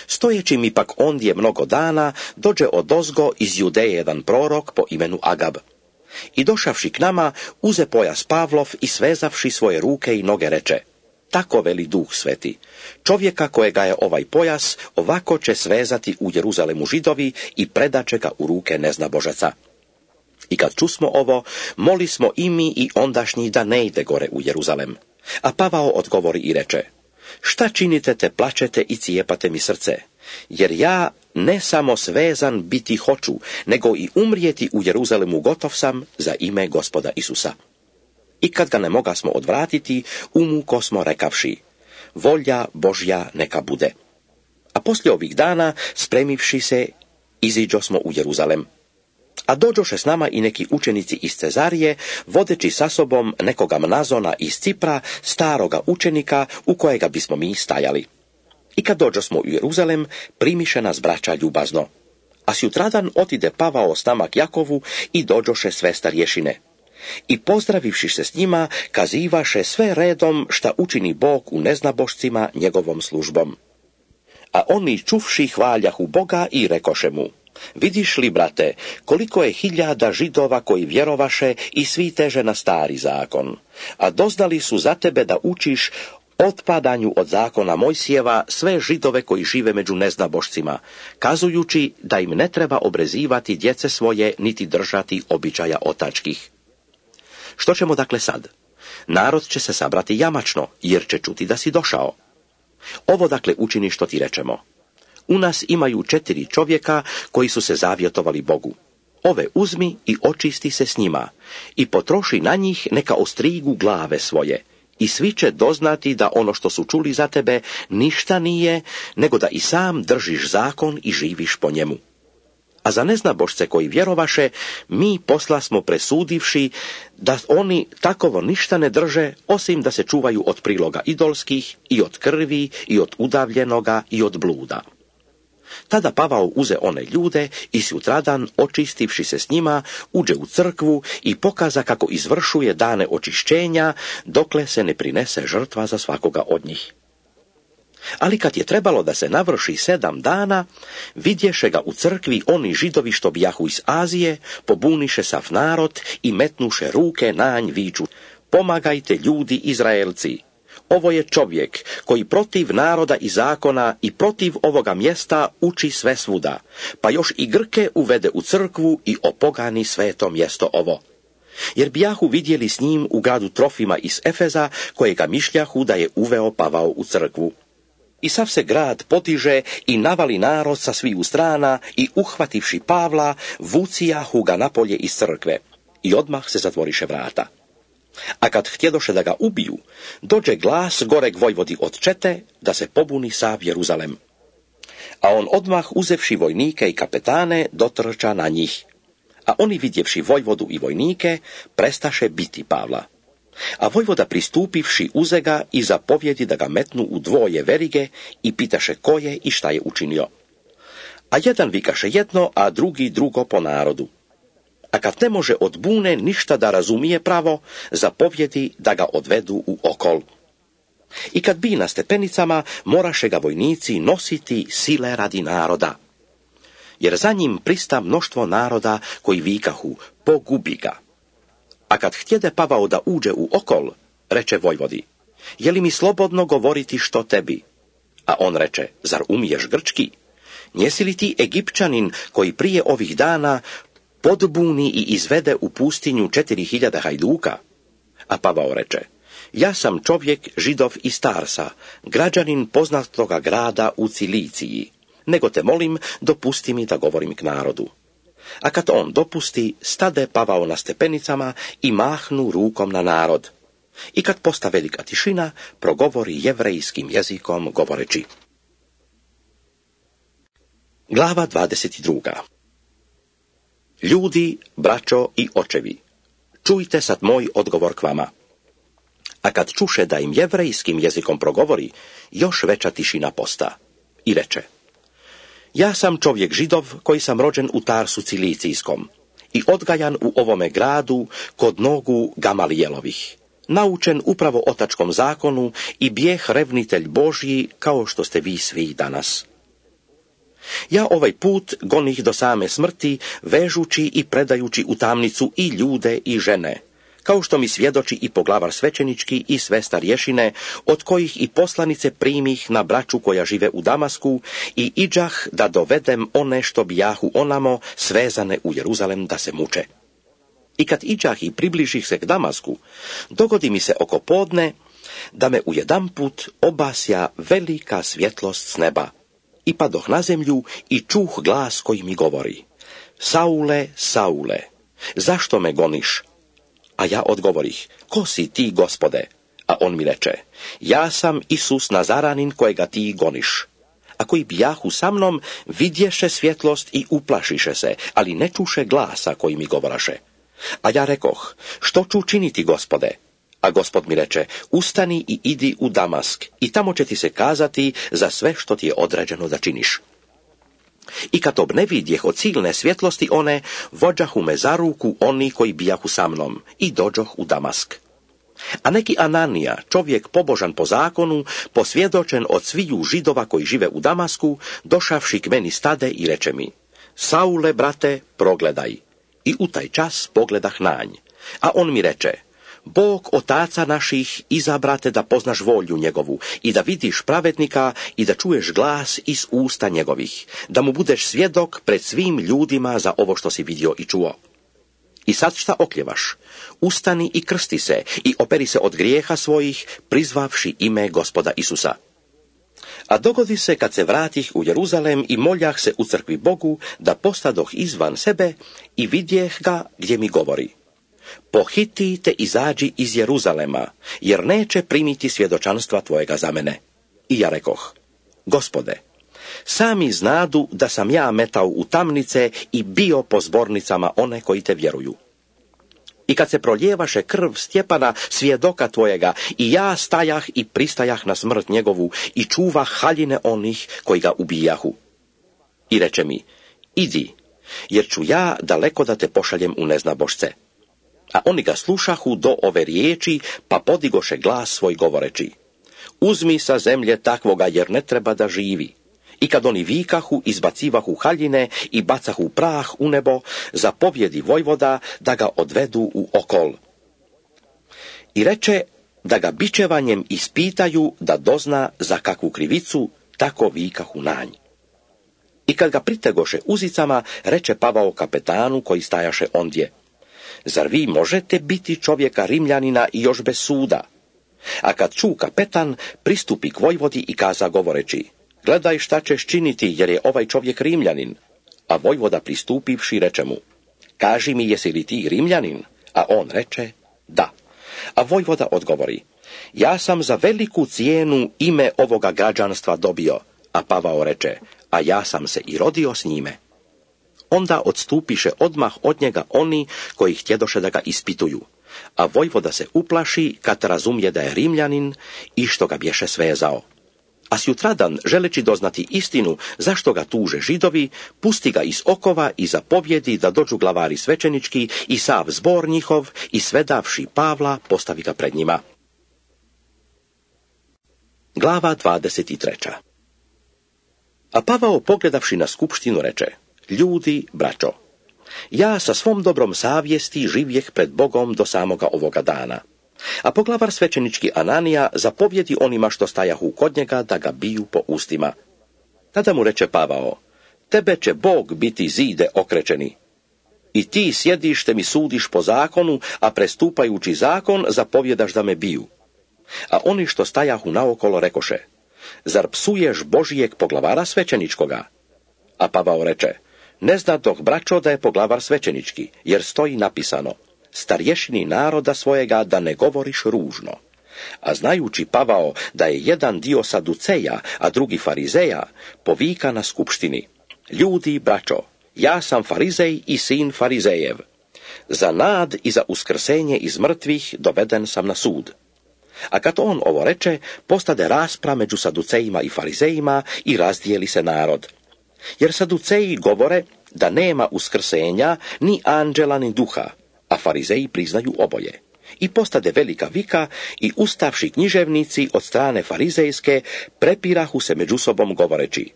Stojeći mi pak ondje mnogo dana, dođe odozgo iz Judeje jedan prorok po imenu Agab. I došavši k nama, uze pojas Pavlov i svezavši svoje ruke i noge reče: tako veli Duh Sveti, čovjeka kojega je ovaj pojas, ovako će svezati u Jeruzalemu Židovi i predaće ga u ruke neznabožaca. I kad čusmo ovo, moli smo i mi i ondašnji da ne ide gore u Jeruzalem. A Pavao odgovori i reče: šta činite te plačete i cijepate mi srce? Jer ja ne samo svezan biti hoću, nego i umrijeti u Jeruzalemu gotov sam za ime Gospoda Isusa. I kad ga ne mogasmo odvratiti, umuko smo rekavši: volja Božja neka bude. A poslije ovih dana, spremivši se, iziđo smo u Jeruzalem. A dođoše s nama i neki učenici iz Cezarije, vodeći sa sobom nekoga Mnazona iz Cipra, staroga učenika, u kojega bismo mi stajali. I kad dođosmo u Jeruzalem, primiše nas braća ljubazno. A sjutradan otide Pavao s nama k Jakovu i dođoše sve starješine. I pozdravivši se s njima, kazivaše sve redom šta učini Bog u neznabošcima njegovom službom. A oni čuvši hvaljahu Boga i rekoše mu: vidiš li, brate, koliko je 1000 Židova koji vjerovaše i svi teže na stari zakon, a doznali su za tebe da učiš otpadanju od zakona Mojsijeva sve Židove koji žive među neznabošcima, kazujući da im ne treba obrezivati djece svoje niti držati običaja otačkih. Što ćemo dakle sad? Narod će se sabrati jamačno, jer će čuti da si došao. Ovo dakle učini što ti rečemo. U nas imaju 4 čovjeka koji su se zavjetovali Bogu. Ove uzmi i očisti se s njima i potroši na njih neka ostrigu glave svoje. I svi će doznati da ono što su čuli za tebe ništa nije, nego da i sam držiš zakon i živiš po njemu. A za neznabošce koji vjerovaše, mi poslasmo presudivši da oni takovo ništa ne drže, osim da se čuvaju od priloga idolskih i od krvi i od udavljenoga i od bluda. Tada Pavao uze one ljude i sutradan, očistivši se s njima, uđe u crkvu i pokaza kako izvršuje dane očišćenja, dokle se ne prinese žrtva za svakoga od njih. Ali kad je trebalo da se navrši 7 dana, vidješe ga u crkvi oni Židovi što bijahu iz Azije, pobuniše sav narod i metnuše ruke na nj viču: pomagajte ljudi Izraelci! Ovo je čovjek koji protiv naroda i zakona i protiv ovoga mjesta uči sve svuda, pa još i Grke uvede u crkvu i opogani sveto mjesto ovo. Jer bijahu vidjeli s njim u gradu Trofima iz Efeza, kojega mišljahu da je uveo Pavao u crkvu. I sav se grad potiže i navali narod sa sviju strana i uhvativši Pavla, vucijahu ga napolje iz crkve i odmah se zatvoriše vrata. A kad htjedoše da ga ubiju, dođe glas goreg vojvodi od čete da se pobuni sav Jeruzalem. A on odmah uzevši vojnike i kapetane dotrča na njih. A oni vidjevši vojvodu i vojnike, prestaše biti Pavla. A vojvoda pristupivši uze ga i zapovjedi da ga metnu u 2 verige i pitaše ko je i šta je učinio. A jedan vikaše jedno, a drugi drugo po narodu. A kad ne može od bune ništa da razumije pravo, zapovjedi da ga odvedu u okol. I kad bi na stepenicama, moraše ga vojnici nositi sile radi naroda. Jer za njim prista mnoštvo naroda koji vikahu: pogubi ga. A kad htjede Pavao da uđe u okol, reče vojvodi: je li mi slobodno govoriti što tebi? A on reče: zar umiješ grčki? Njesi li ti Egipćanin koji prije ovih dana podbuni i izvede u pustinju 4000 hajduka? A Pavao reče: ja sam čovjek Židov iz Tarsa, građanin poznatoga grada u Ciliciji, nego te molim, dopusti mi da govorim k narodu. A kad on dopusti, stade Pavao na stepenicama i mahnu rukom na narod. I kad posta velika tišina, progovori jevrejskim jezikom govoreći. Glava 22. Ljudi, braćo i očevi, čujte sad moj odgovor k vama. A kad čuše da im jevrejskim jezikom progovori, još veća tišina posta. I reče: ja sam čovjek Židov koji sam rođen u Tarsu Cilicijskom i odgajan u ovome gradu kod nogu Gamalijelovih, naučen upravo otačkom zakonu i bijeh revnitelj Božji kao što ste vi svi danas. Ja ovaj put gonih do same smrti, vežući i predajući u tamnicu i ljude i žene, kao što mi svjedoči i poglavar svećenički i sve starješine, od kojih i poslanice primih na braću koja žive u Damasku, i iđah da dovedem one što bijahu onamo svezane u Jeruzalem da se muče. I kad iđah i približih se k Damasku, dogodi mi se oko podne da me ujedanput obasja velika svjetlost s neba. I padoh na zemlju i čuh glas koji mi govori: Saule, Saule, zašto me goniš? A ja odgovorih: ko si ti, Gospode? A on mi reče: ja sam Isus Nazaranin kojega ti goniš. A koji bijahu sa mnom vidješe svjetlost i uplašiše se, ali ne čuše glasa koji mi govoraše. A ja rekoh: što ću činiti, Gospode? A Gospod mi reče: ustani i idi u Damask, i tamo će ti se kazati za sve što ti je određeno da činiš. I kad obnevidjeh od silne svjetlosti one, vođahu me za ruku oni koji bijahu sa mnom, i dođoh u Damask. A neki Ananija, čovjek pobožan po zakonu, posvjedočen od sviju Židova koji žive u Damasku, došavši k meni stade i reče mi: Saule, brate, progledaj. I u taj čas pogledah nanj. A on mi reče: Bog otaca naših izabrate da poznaš volju njegovu i da vidiš pravednika i da čuješ glas iz usta njegovih, da mu budeš svjedok pred svim ljudima za ovo što si vidio i čuo. I sad šta okljevaš? Ustani i krsti se i operi se od grijeha svojih, prizvavši ime Gospoda Isusa. A dogodi se kad se vratih u Jeruzalem i moljah se u crkvi Bogu, da postadoh izvan sebe i vidjeh ga gdje mi govori: pohiti te izađi iz Jeruzalema, jer neće primiti svjedočanstva tvojega za mene. I ja rekoh: Gospode, sami znadu da sam ja metao u tamnice i bio po zbornicama one koji te vjeruju. I kad se proljevaše krv Stjepana, svjedoka tvojega, i ja stajah i pristajah na smrt njegovu i čuvah haljine onih koji ga ubijahu. I reče mi: idi, jer ću ja daleko da te pošaljem u neznabošce. A oni ga slušahu do ove riječi, pa podigoše glas svoj govoreći: uzmi sa zemlje takvoga, jer ne treba da živi. I kad oni vikahu, izbacivahu haljine i bacahu prah u nebo, zapovjedi vojvoda da ga odvedu u okol. I reče da ga bičevanjem ispitaju da dozna za kakvu krivicu, tako vikahu nanj. I kad ga pritegoše uzicama, reče Pavao kapetanu koji stajaše ondje: zar vi možete biti čovjeka Rimljanina i još bez suda? A kad ču kapetan, pristupi k vojvodi i kaza govoreći: gledaj šta ćeš činiti, jer je ovaj čovjek Rimljanin. A vojvoda pristupivši reče mu: kaži mi, jesi li ti Rimljanin? A on reče: da. A vojvoda odgovori: ja sam za veliku cijenu ime ovoga građanstva dobio. A Pavao reče: a ja sam se i rodio s njime. Onda odstupiše odmah od njega oni koji htjedoše da ga ispituju. A vojvoda se uplaši kad razumije da je Rimljanin i što ga bješe svezao. A sjutradan, želeći doznati istinu zašto ga tuže Židovi, pusti ga iz okova i zapovjedi da dođu glavari svećenički i sav zbor njihov, i svedavši Pavla postavi ga pred njima. Glava 23. A Pavao, pogledavši na skupštinu, reče: ljudi, braćo, ja sa svom dobrom savjesti živjeh pred Bogom do samoga ovoga dana. A poglavar svećenički Ananija zapovjedi onima što stajahu kod njega da ga biju po ustima. Tada mu reče Pavao: tebe će Bog biti zide okrečeni. I ti sjediš te mi sudiš po zakonu, a prestupajući zakon zapovjedaš da me biju. A oni što stajahu naokolo rekoše: zar psuješ Božijeg poglavara svećeničkoga? A Pavao reče: ne znadoh, braćo, da je poglavar svećenički, jer stoji napisano: starješini naroda svojega da ne govoriš ružno. A znajući Pavao da je jedan dio Saduceja, a drugi Farizeja, povika na skupštini: ljudi, braćo, ja sam Farizej i sin Farizejev. Za nad i za uskrsenje iz mrtvih doveden sam na sud. A kad on ovo reče, postade raspra među Saducejima i Farizejima i razdijeli se narod. Jer Saduceji govore da nema uskrsenja ni anđela ni duha, a Farizeji priznaju oboje. I postade velika vika i ustavši književnici od strane farizejske prepirahu se među sobom govoreći: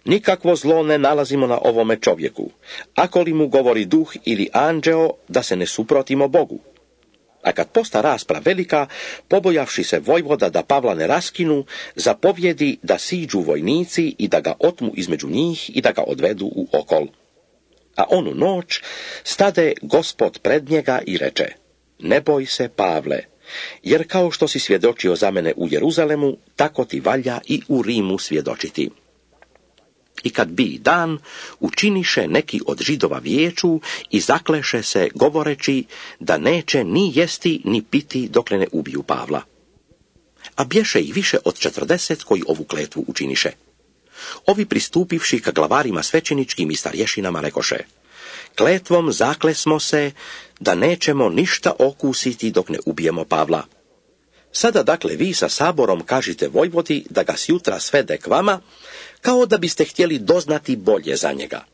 nikakvo zlo ne nalazimo na ovome čovjeku, ako li mu govori duh ili anđeo, da se ne suprotimo Bogu. A kad posta rasprava velika, pobojavši se vojvoda da Pavla ne raskinu, zapovjedi da siđu vojnici i da ga otmu između njih i da ga odvedu u okol. A onu noć stade Gospod pred njega i reče: ne boj se, Pavle, jer kao što si svjedočio za mene u Jeruzalemu, tako ti valja i u Rimu svjedočiti. I kad bi dan, učiniše neki od Židova vijeću i zakleše se govoreći da neće ni jesti ni piti dokle ne ubiju Pavla. A bješe ih više od 40 koji ovu kletvu učiniše. Ovi pristupivši ka glavarima svećeničkim i starješinama rekoše: kletvom zaklesmo se da nećemo ništa okusiti dok ne ubijemo Pavla. Sada dakle vi sa saborom kažite vojvodi da ga sjutra svede k vama, kao da biste htjeli doznati bolje za njega.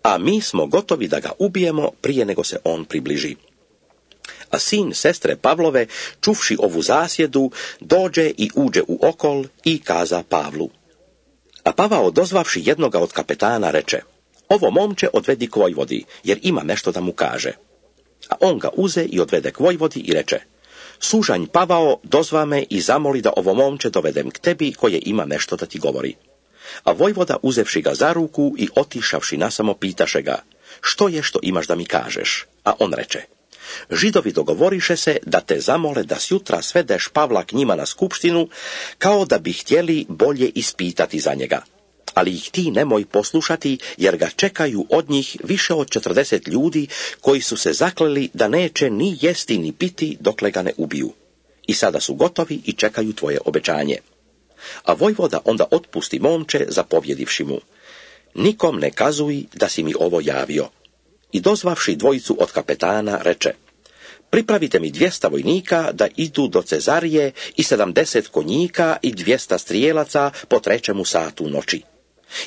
A mi smo gotovi da ga ubijemo prije nego se on približi. A sin sestre Pavlove, čuvši ovu zasjedu, dođe i uđe u okol i kaza Pavlu. A Pavao, dozvavši jednoga od kapetana, reče: ovo momče odvedi k vojvodi, jer ima nešto da mu kaže. A on ga uze i odvede k vojvodi i reče: sužanj Pavao, dozva me i zamoli da ovo momče dovedem k tebi, koje ima nešto da ti govori. A vojvoda, uzevši ga za ruku i otišavši nasamo, pitaše ga: što je što imaš da mi kažeš? A on reče: Židovi dogovoriše se da te zamole da sjutra svedeš Pavla k njima na skupštinu, kao da bi htjeli bolje ispitati za njega. Ali ih ti nemoj poslušati, jer ga čekaju od njih više od 40 ljudi koji su se zakleli da neće ni jesti ni piti dokle ga ne ubiju. I sada su gotovi i čekaju tvoje obećanje. A vojvoda onda otpusti momče, zapovjedivši mu: nikom ne kazuj da si mi ovo javio. I dozvavši dvojicu od kapetana reče: pripravite mi 200 vojnika da idu do Cezarije i 70 konjika i 200 strijelaca po 3 satu noći.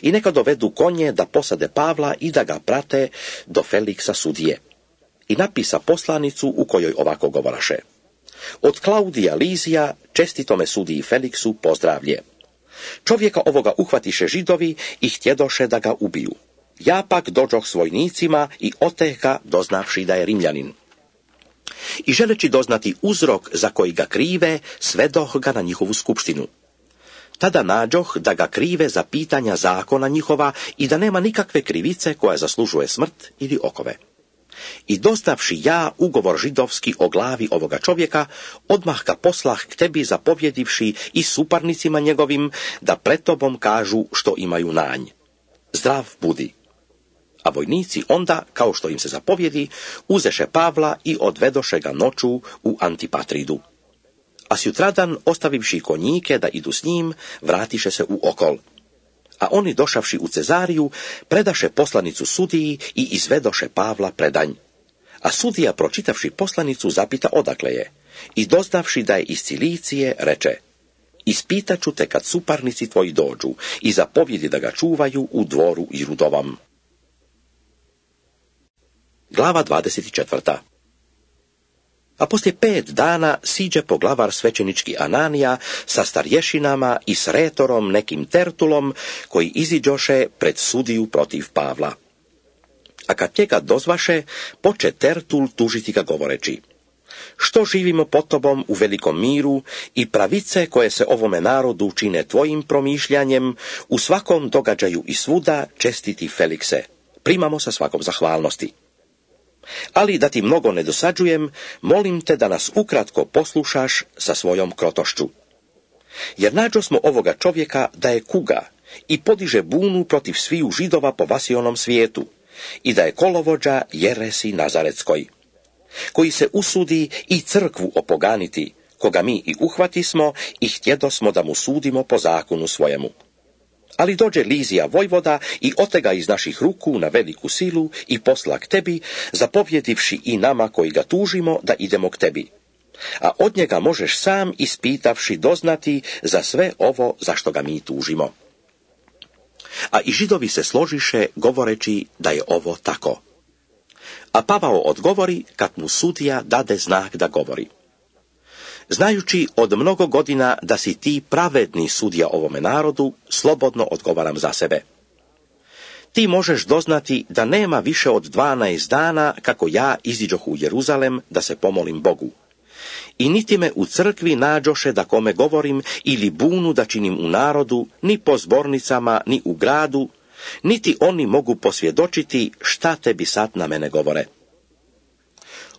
I neka dovedu konje da posade Pavla i da ga prate do Feliksa sudije. I napisa poslanicu u kojoj ovako govoraše: od Klaudija Lizija, čestitome sudiji Feliksu, pozdravlje. Čovjeka ovoga uhvatiše Židovi i htjedoše da ga ubiju. Ja pak dođoh s vojnicima i oteh ga, doznavši da je Rimljanin. I želeći doznati uzrok za koji ga krive, svedoh ga na njihovu skupštinu. Tada nađoh da ga krive za pitanja zakona njihova i da nema nikakve krivice koja zaslužuje smrt ili okove. I dostavši ja ugovor židovski o glavi ovoga čovjeka, odmah ga poslah k tebi, zapovjedivši i suparnicima njegovim da pred tobom kažu što imaju nanj. Zdrav budi. A vojnici onda, kao što im se zapovjedi, uzeše Pavla i odvedoše ga noću u Antipatridu. A sjutradan, ostavivši konjike da idu s njim, vratiše se u okol. A oni, došavši u Cezariju, predaše poslanicu sudiji i izvedoše Pavla predanj. A sudija, pročitavši poslanicu, zapita odakle je. I doznavši da je iz Cilicije, reče: ispitaću te kad suparnici tvoji dođu, i zapovjedi da ga čuvaju u dvoru Irudovom. Glava 24. A poslije 5 dana siđe poglavar svećenički Ananija sa starješinama i s retorom nekim Tertulom, koji iziđoše pred sudiju protiv Pavla. A kad njega dozvaše, poče Tertul tužiti ga govoreći: što živimo pod tobom u velikom miru i pravice koje se ovome narodu čine tvojim promišljanjem, u svakom događaju i svuda, čestiti Felikse, primamo sa svakom zahvalnosti. Ali da ti mnogo ne dosađujem, molim te da nas ukratko poslušaš sa svojom krotošću. Jer nađo smo ovoga čovjeka da je kuga i podiže bunu protiv sviju Židova po vasionom svijetu, i da je kolovođa jeresi Nazaretskoj, koji se usudi i crkvu opoganiti, koga mi i uhvatismo i htjedosmo da mu sudimo po zakonu svojemu. Ali dođe Lizija vojvoda i otega iz naših ruku na veliku silu i posla k tebi, zapovjedivši i nama koji ga tužimo da idemo k tebi. A od njega možeš sam ispitavši doznati za sve ovo za što ga mi tužimo. A i Židovi se složiše govoreći da je ovo tako. A Pavao odgovori kad mu sudija dade znak da govori. Znajući od mnogo godina da si ti pravedni sudija ovome narodu, slobodno odgovaram za sebe. Ti možeš doznati da nema više od 12 dana kako ja iziđoh u Jeruzalem da se pomolim Bogu. I niti me u crkvi nađoše da kome govorim ili bunu da činim u narodu, ni po zbornicama, ni u gradu, niti oni mogu posvjedočiti šta tebi sad na mene govore.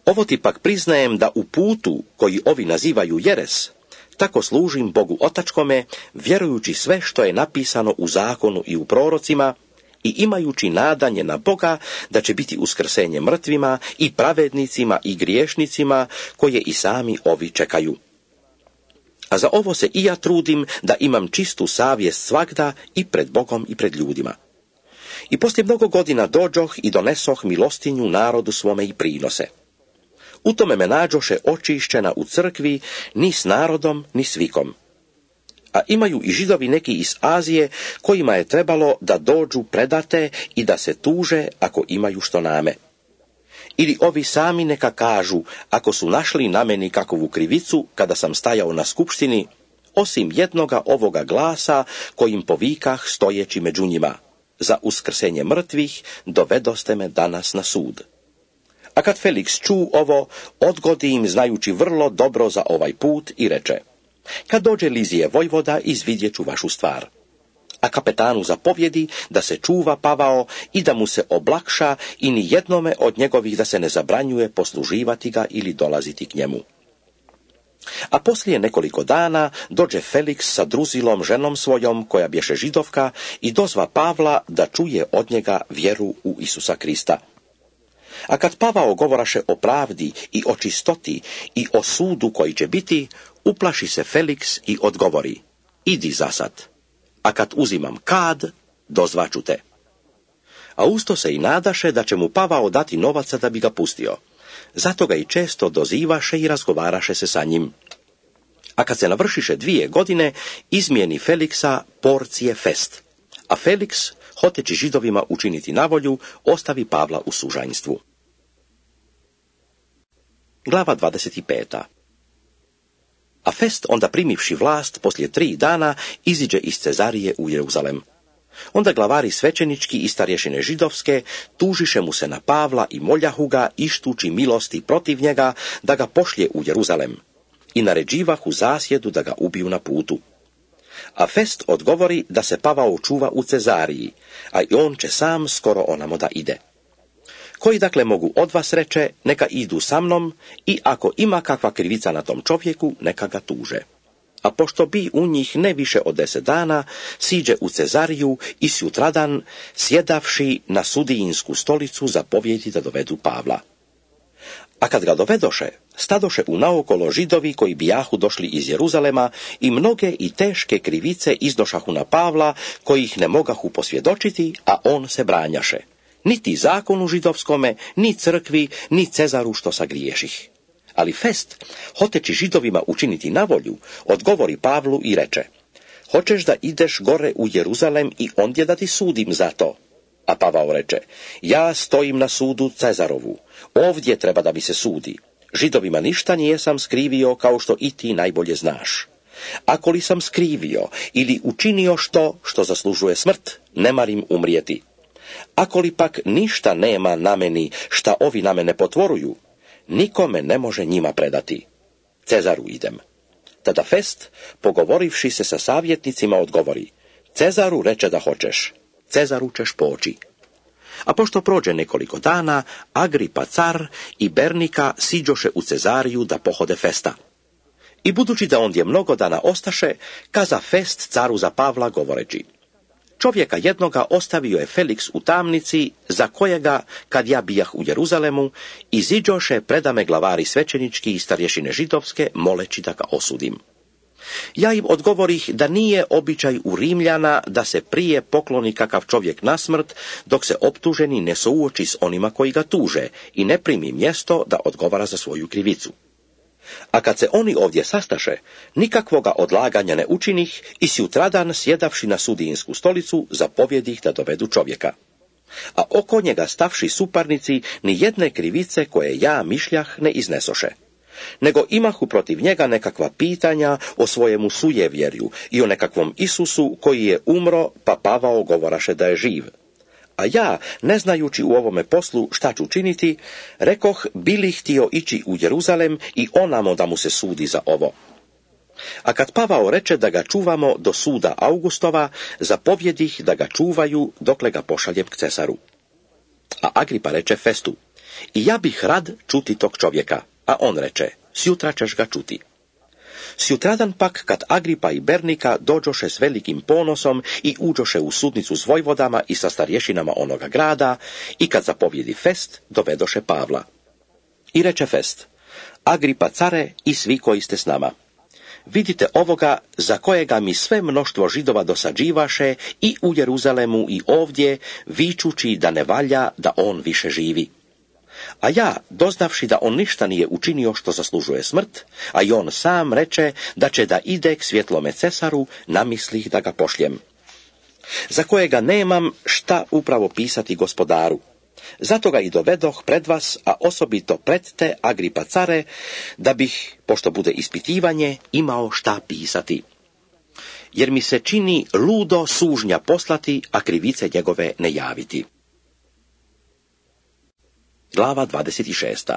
Ovo ti pak priznajem da u putu koji ovi nazivaju jeres, tako služim Bogu otačkome, vjerujući sve što je napisano u zakonu i u prorocima i imajući nadanje na Boga da će biti uskrsenje mrtvima i pravednicima i griješnicima koje i sami ovi čekaju. A za ovo se i ja trudim da imam čistu savjest svagda i pred Bogom i pred ljudima. I poslije mnogo godina dođoh i donesoh milostinju narodu svome i prinose. U tome me nađoše očišćena u crkvi ni s narodom ni s vikom. A imaju i Židovi neki iz Azije kojima je trebalo da dođu predate i da se tuže ako imaju što name. Ili ovi sami neka kažu ako su našli na meni kakovu krivicu kada sam stajao na skupštini, osim jednoga ovoga glasa kojim povikah stojeći među njima. Za uskrsenje mrtvih dovedoste me danas na sud. A kad Feliks ču ovo, odgodi im znajući vrlo dobro za ovaj put i reče: kad dođe Lizije vojvoda, izvidjet ću vašu stvar. A kapetanu zapovjedi da se čuva Pavao i da mu se oblakša i ni jednome od njegovih da se ne zabranjuje posluživati ga ili dolaziti k njemu. A poslije nekoliko dana dođe Feliks sa Druzilom ženom svojom, koja bješe Židovka, i dozva Pavla da čuje od njega vjeru u Isusa Krista. A kad Pavao govoraše o pravdi i o čistoti i o sudu koji će biti, uplaši se Feliks i odgovori: idi zasad, a kad uzimam kad, dozvaću te. A usto se i nadaše da će mu Pavao dati novaca da bi ga pustio. Zato ga i često dozivaše i razgovaraše se sa njim. A kad se navršiše 2 godine, izmijeni Feliksa Porcije Fest. A Feliks, hoteći Židovima učiniti navolju, ostavi Pavla u sužanjstvu. Glava 25. A Fest, onda primivši vlast, poslije 3 dana, iziđe iz Cezarije u Jeruzalem. Onda glavari svećenički i starješine židovske tužiše mu se na Pavla i moljahu ga, ištući milosti protiv njega, da ga pošlje u Jeruzalem. I naređivahu zasjedu da ga ubiju na putu. A Fest odgovori da se Pavao čuva u Cezariji, a i on će sam skoro onamo da ide. Koji dakle mogu od vas, reče, neka idu sa mnom, i ako ima kakva krivica na tom čovjeku, neka ga tuže. A pošto bi u njih ne više od 10 dana, siđe u Cezariju i sutradan, sjedavši na sudijinsku stolicu, zapovjedi da dovedu Pavla. A kad ga dovedoše, stadoše u naokolo Židovi koji bijahu došli iz Jeruzalema i mnoge i teške krivice iznošahu na Pavla, koji ih ne mogahu posvjedočiti, a on se branjaše. Niti zakonu židovskome, ni crkvi, ni Cezaru što sagriješih. Ali Fest, hoteći Židovima učiniti navolju, odgovori Pavlu i reče: hoćeš da ideš gore u Jeruzalem i ondje da ti sudim za to? A Pavao reče: ja stojim na sudu Cezarovu, ovdje treba da mi se sudi. Židovima ništa nijesam skrivio, kao što i ti najbolje znaš. Ako li sam skrivio ili učinio što zaslužuje smrt, ne marim umrijeti. Ako li pak ništa nema na meni šta ovi na mene potvoruju, nikome ne može njima predati. Cezaru idem. Tada Fest, pogovorivši se sa savjetnicima, odgovori: Cezaru reče da hoćeš, Cezaru ćeš poći. A pošto prođe nekoliko dana, Agripa car i Bernika siđoše u Cezariju da pohode Festa. I budući da ondje mnogo dana ostaše, kaza Fest caru za Pavla govoreći: čovjeka jednoga ostavio je Feliks u tamnici, za kojega, kad ja bijah u Jeruzalemu, iziđoše predame glavari svećenički i starješine židovske, moleći da ga osudim. Ja im odgovorih da nije običaj u Rimljana da se prije pokloni kakav čovjek na smrt, dok se optuženi ne suoči s onima koji ga tuže i ne primi mjesto da odgovara za svoju krivicu. A kad se oni ovdje sastaše, nikakvoga odlaganja ne učinih i sutradan sjedavši na sudijinsku stolicu, zapovjedih da dovedu čovjeka. A oko njega stavši suparnici, ni jedne krivice koje ja mišljah ne iznesoše. Nego imahu protiv njega nekakva pitanja o svojemu sujevjerju i o nekakvom Isusu koji je umro, pa Pavao govoraše da je živ. A ja, ne znajući u ovome poslu šta ću činiti, rekoh bili htio ići u Jeruzalem i onamo da mu se sudi za ovo. A kad Pavao reče da ga čuvamo do suda Augustova, zapovjedih da ga čuvaju dokle ga pošaljem k Cesaru. A Agripa reče Festu, i ja bih rad čuti tog čovjeka, a on reče, sjutra ćeš ga čuti. Sjutradan pak, kad Agripa i Bernika dođoše s velikim ponosom i uđoše u sudnicu s vojvodama i sa starješinama onoga grada, i kad zapovjedi Fest, dovedoše Pavla. I reče Fest, Agripa care i svi koji ste s nama. Vidite ovoga za kojega mi sve mnoštvo Židova dosađivaše i u Jeruzalemu i ovdje, vičući da ne valja da on više živi. A ja, doznavši da on ništa nije učinio što zaslužuje smrt, a i on sam reče da će da ide k svjetlome Cesaru, namislih da ga pošljem. Za kojega nemam šta upravo pisati gospodaru. Zato ga i dovedoh pred vas, a osobito pred te, Agripa care, da bih, pošto bude ispitivanje, imao šta pisati. Jer mi se čini ludo sužnja poslati, a krivice njegove ne javiti. Glava 26.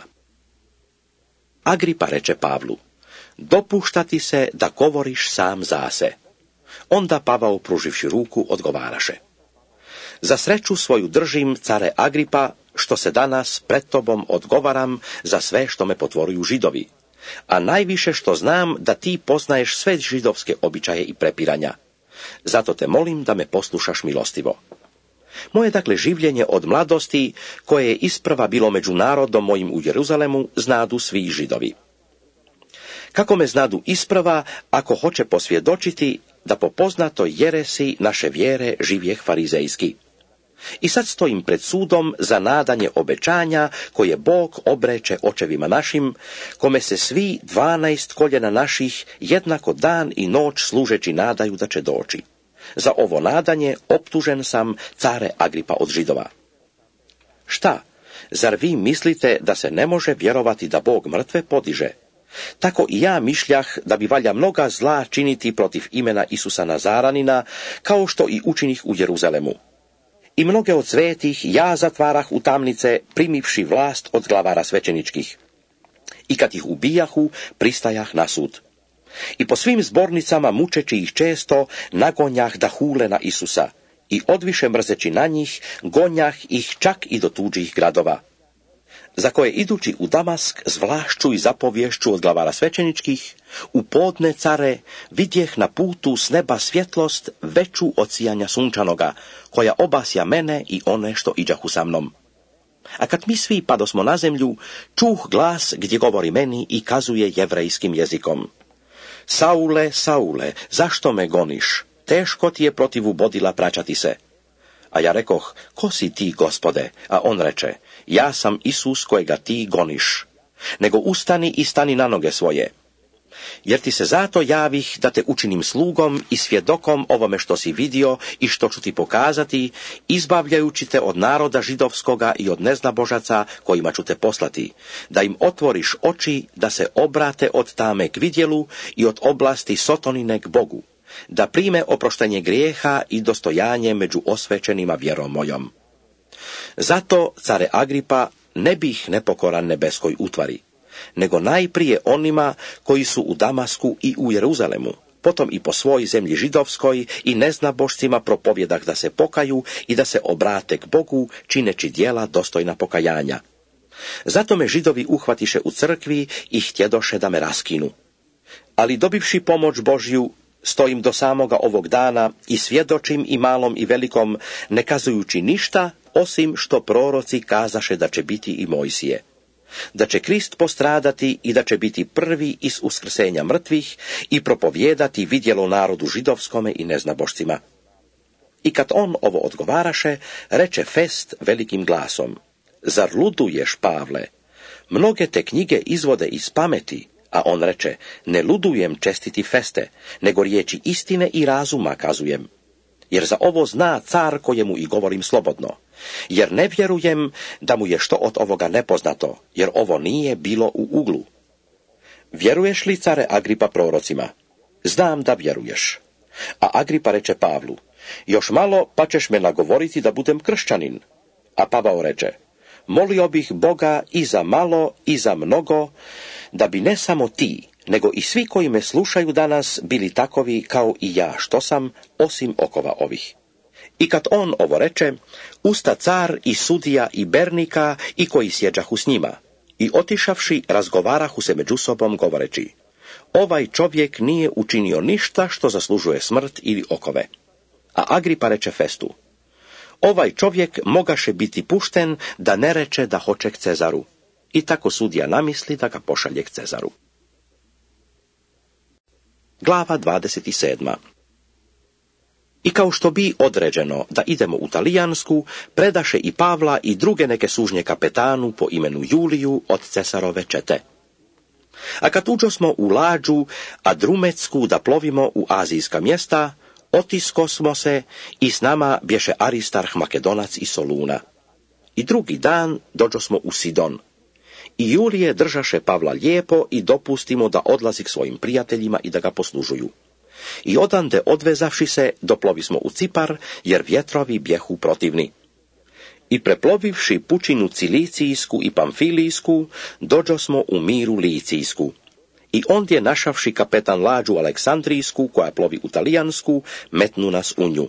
Agripa reče Pavlu, dopušta ti se da govoriš sam za se. Onda Pavao, pruživši ruku, odgovaraše. Za sreću svoju držim, care Agripa, što se danas pred tobom odgovaram za sve što me potvoruju Židovi, a najviše što znam da ti poznaješ sve židovske običaje i prepiranja. Zato te molim da me poslušaš milostivo. Moje dakle življenje od mladosti, koje je isprva bilo među narodom mojim u Jeruzalemu, znadu svi Židovi. Kako me znadu isprva, ako hoće posvjedočiti da po poznatoj jeresi naše vjere živjeh farizejski. I sad stojim pred sudom za nadanje obećanja koje Bog obreče očevima našim, kome se svi 12 koljena naših jednako dan i noć služeći nadaju da će doći. Za ovo nadanje optužen sam, care Agripa od Židova. Šta? Zar vi mislite da se ne može vjerovati da Bog mrtve podiže? Tako i ja mišljah da bi valja mnoga zla činiti protiv imena Isusa Nazaranina, kao što i učinih u Jeruzalemu. I mnoge od svetih ja zatvarah u tamnice, primivši vlast od glavara svećeničkih. I kad ih ubijahu, pristajah na sud. I po svim zbornicama, mučeći ih često, nagonjah da hule na Isusa, i odviše mrzeći na njih, gonjah ih čak i do tuđih gradova. Za koje idući u Damask s vlašću i zapovješću od glavara svećeničkih, u podne, care, vidjeh na putu s neba svjetlost veću od sijanja sunčanoga, koja obasja mene i one što iđahu sa mnom. A kad mi svi padosmo na zemlju, čuh glas gdje govori meni i kazuje jevrejskim jezikom. Saule, Saule, zašto me goniš? Teško ti je protivu bodila praćati se. A ja rekoh, ko si ti, Gospode? A on reče, ja sam Isus kojega ti goniš. Nego ustani i stani na noge svoje. Jer ti se zato javih da te učinim slugom i svjedokom ovome što si vidio i što ću ti pokazati, izbavljajući te od naroda židovskoga i od neznabožaca kojima ću te poslati, da im otvoriš oči da se obrate od tame k vidjelu i od oblasti sotonine k Bogu, da prime oproštenje grijeha i dostojanje među osvećenima vjerom mojom. Zato, care Agripa, ne bih nepokoran nebeskoj utvari, nego najprije onima koji su u Damasku i u Jeruzalemu, potom i po svoj zemlji židovskoj i neznabošcima propovjedah da se pokaju i da se obrate k Bogu, čineći djela dostojna pokajanja. Zato me Židovi uhvatiše u crkvi i htjedoše da me raskinu. Ali dobivši pomoć Božju, stojim do samoga ovog dana i svjedočim i malom i velikom, ne kazujući ništa, osim što proroci kazaše da će biti i Mojsije. da će Krist postradati i da će biti prvi iz uskrsenja mrtvih i propovijedati vidjelo narodu židovskome i neznabošcima. I kad on ovo odgovaraše, reče Fest velikim glasom: Zar luduješ, Pavle? Mnoge te knjige izvode iz pameti. A on reče: Ne ludujem, čestiti Feste, nego riječi istine i razuma kazujem. Jer za ovo zna car kojemu i govorim slobodno. Jer ne vjerujem da mu je što od ovoga nepoznato, jer ovo nije bilo u uglu. Vjeruješ li, care Agripa, prorocima? Znam da vjeruješ. A Agripa reče Pavlu: Još malo pa ćeš me nagovoriti da budem kršćanin. A Pavao reče: Molio bih Boga i za malo i za mnogo, da bi ne samo ti, nego i svi koji me slušaju danas bili takovi kao i ja što sam, osim okova ovih. I kad on ovo reče, usta car i sudija i bernika i koji sjeđahu s njima, i otišavši razgovarahu se među sobom govoreći: Ovaj čovjek nije učinio ništa što zaslužuje smrt ili okove. A Agripa reče Festu: Ovaj čovjek mogaše biti pušten da ne reče da hoće k Cezaru. I tako sudija namisli da ga pošalje k Cezaru. Glava 27. I kao što bi određeno da idemo u Talijansku, predaše i Pavla i druge neke sužnje kapetanu po imenu Juliju od Cesarove čete. A kad uđosmo u lađu Adrumetsku da plovimo u azijska mjesta, otisko smo se i s nama bješe Aristarh Makedonac i Soluna. I drugi dan dođosmo u Sidon. I Julije držaše Pavla lijepo i dopustimo da odlazi k svojim prijateljima i da ga poslužuju. I odande odvezavši se, doplovismo u Cipar, jer vjetrovi bjehu protivni. I preplovivši pučinu Cilicijsku i Pamfilijsku, dođosmo u Miru Licijsku. I ondje našavši kapetan lađu Aleksandrijsku, koja plovi u Talijansku, metnu nas u nju.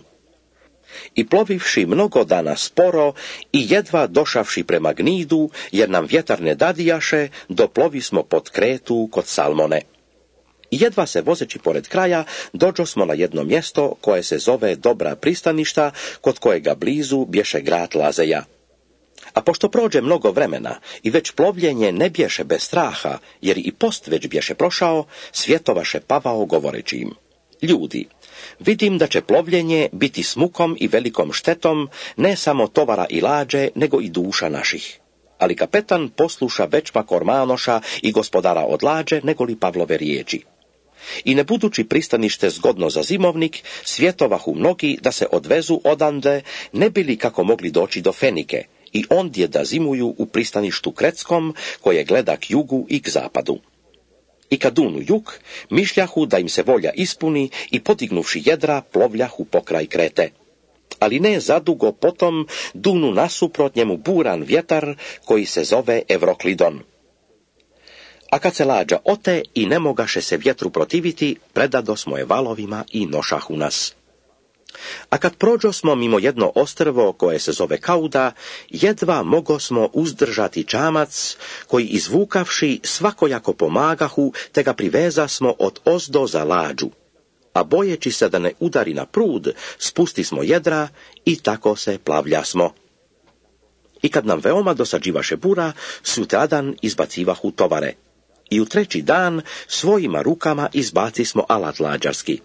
I plovivši mnogo dana sporo i jedva došavši prema Gnidu, jer nam vjetar ne dadijaše, doplovismo pod Kretu kod Salmone. I jedva se vozeći pored kraja, dođosmo na jedno mjesto koje se zove Dobra pristaništa, kod kojega blizu bješe grad Lazeja. A pošto prođe mnogo vremena i već plovljenje ne bješe bez straha, jer i post već bješe prošao, svjetovaše Pavao govoreći im: Ljudi, vidim da će plovljenje biti s mukom i velikom štetom, ne samo tovara i lađe, nego i duša naših. Ali kapetan posluša večpa Kormanoša i gospodara od lađe, nego li Pavlove riječi. I ne budući pristanište zgodno za zimovnik, svjetovahu mnogi da se odvezu odande, ne bili kako mogli doći do Fenike, i ondje da zimuju u pristaništu Kretskom, koje gleda k jugu i k zapadu. I kad dunu jug, mišljahu da im se volja ispuni i podignuvši jedra, plovljahu pokraj Krete. Ali ne zadugo potom dunu nasuprot njemu buran vjetar, koji se zove Evroklidon. A kad se lađa ote i ne mogaše se vjetru protiviti, predadosmo je valovima i nošahu nas. A kad prođosmo mimo jedno ostrvo koje se zove Kauda, jedva mogosmo uzdržati čamac, koji izvukavši svakojako pomagahu, te ga privezasmo od ozdo za lađu. A bojeći se da ne udari na prud, spustismo jedra i tako se plavljasmo. I kad nam veoma dosađivaše bura, sutradan izbacivahu tovare. I u treći dan svojima rukama izbacismo alat lađarski.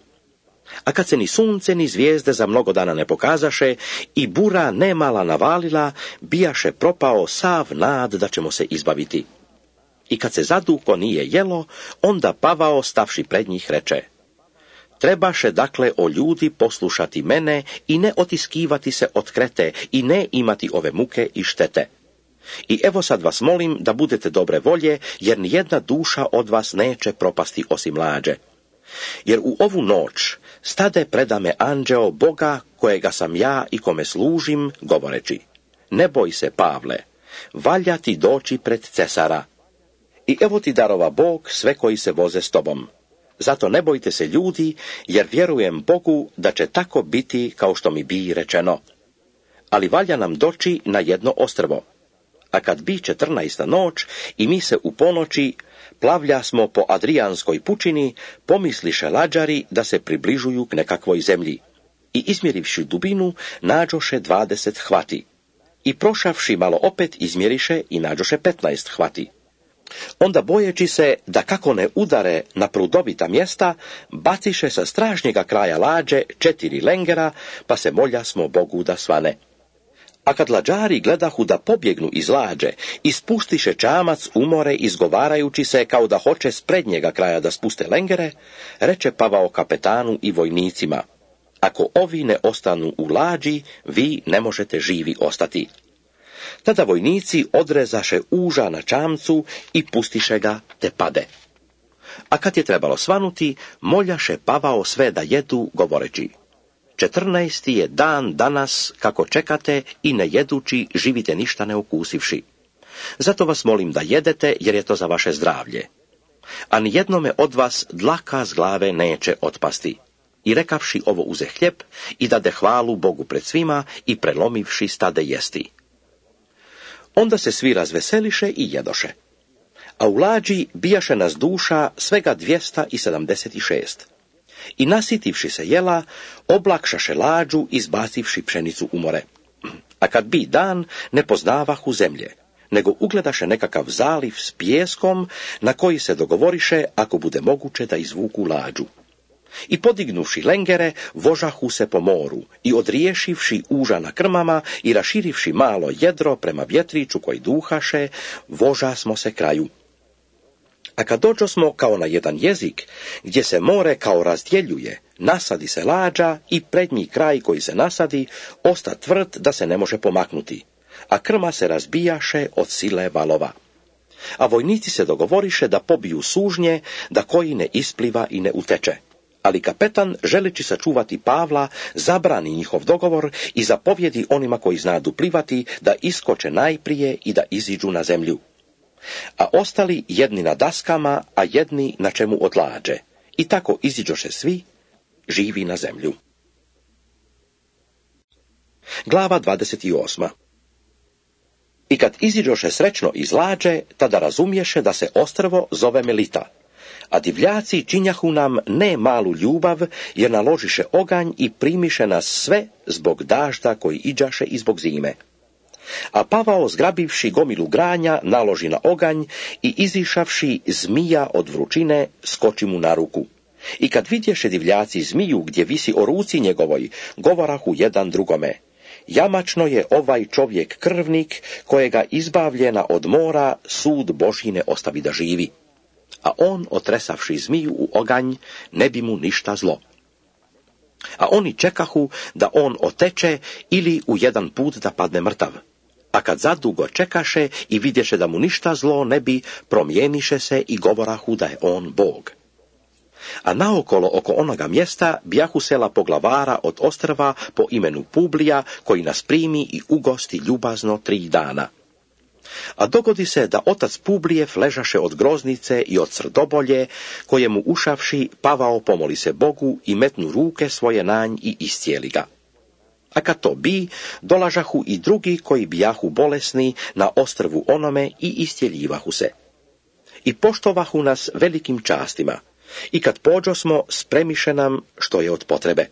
A kad se ni sunce ni zvijezde za mnogo dana ne pokazaše i bura nemala navalila, bijaše propao sav nad da ćemo se izbaviti. I kad se zadugo nije jelo, onda Pavao stavši pred njih reče: Trebaše dakle o ljudi poslušati mene i ne otiskivati se od Krete i ne imati ove muke i štete. I evo sad vas molim da budete dobre volje, jer nijedna duša od vas neće propasti osim lađe. Jer u ovu noć stade preda me anđeo Boga, kojega sam ja i kome služim, govoreći: Ne boj se, Pavle, valja ti doći pred Cesara. I evo ti darova Bog sve koji se voze s tobom. Zato ne bojte se ljudi, jer vjerujem Bogu da će tako biti kao što mi bi rečeno. Ali valja nam doći na jedno ostrvo. A kad bi 14. noć i mi se u ponoći plavlja smo po Adrijanskoj pučini, pomisliše lađari da se približuju k nekakvoj zemlji. I izmjerivši dubinu, nađoše 20 hvati. i prošavši malo opet izmjeriše i nađoše 15 hvati. Onda bojeći se da kako ne udare na prudovita mjesta, baciše sa stražnjega kraja lađe 4 lengera, pa se moljasmo Bogu da svane. A kad lađari gledahu da pobjegnu iz lađe, ispustiše čamac umore izgovarajući se kao da hoće s prednjega kraja da spuste lengere, reče Pavao kapetanu i vojnicima: ako ovi ne ostanu u lađi, vi ne možete živi ostati. Tada vojnici odrezaše uža na čamcu i pustiše ga te pade. A kad je trebalo svanuti, moljaše Pavao sve da jedu, govoreći: 14. je dan danas kako čekate i ne jedući živite ništa ne ukusivši. Zato vas molim da jedete, jer je to za vaše zdravlje. A nijednome od vas dlaka s glave neće otpasti. I rekavši ovo uze hljeb i dade hvalu Bogu pred svima i prelomivši stade jesti. Onda se svi razveseliše i jedoše. A u lađi bijaše nas duša svega 276. I nasitivši se jela, oblakšaše lađu, izbacivši pšenicu u more. A kad bi dan, ne poznavahu zemlje, nego ugledaše nekakav zaliv s pijeskom, na koji se dogovoriše, ako bude moguće, da izvuku lađu. I podignuši lengere, vožahu se po moru, i odriješivši uža na krmama i raširivši malo jedro prema vjetriću koji duhaše, voža smo se kraju. A kad dođosmo kao na jedan jezik, gdje se more kao razdjeljuje, nasadi se lađa i prednji kraj koji se nasadi, osta tvrd da se ne može pomaknuti, a krma se razbijaše od sile valova. A vojnici se dogovoriše da pobiju sužnje, da koji ne ispliva i ne uteče. Ali kapetan, želeći sačuvati Pavla, zabrani njihov dogovor i zapovjedi onima koji znadu plivati da iskoče najprije i da iziđu na zemlju. A ostali jedni na daskama, a jedni na čemu od lađe. I tako iziđoše svi, živi na zemlju. Glava 28. I kad iziđoše srećno iz lađe, tada razumješe da se ostrvo zove Melita. A divljaci činjahu nam ne malu ljubav, jer naložiše oganj i primiše nas sve zbog dažda koji iđaše i zbog zime. A Pavao, zgrabivši gomilu granja, naloži na oganj i izišavši zmija od vrućine, skoči mu na ruku. I kad vidješe divljaci zmiju gdje visi o ruci njegovoj, govorahu jedan drugome: jamačno je ovaj čovjek krvnik, kojega izbavljena od mora sud Božji ne ostavi da živi. A on, otresavši zmiju u oganj, ne bi mu ništa zlo. A oni čekahu da on oteče ili u jedan put da padne mrtav. A kad zadugo čekaše i vidješe da mu ništa zlo ne bi, promijeniše se i govorahu da je on Bog. A naokolo oko onoga mjesta bijahu sela poglavara od ostrva po imenu Publija, koji nas primi i ugosti ljubazno 3 dana. A dogodi se da otac Publijev ležaše od groznice i od srdobolje, kojemu ušavši Pavao pomoli se Bogu i metnu ruke svoje na nj i iscijeli ga. A kad to bi, dolažahu i drugi koji bijahu bolesni na ostrvu onome i iscijeljivahu se. I poštovahu nas velikim častima, i kad pođosmo, spremiše nam što je od potrebe.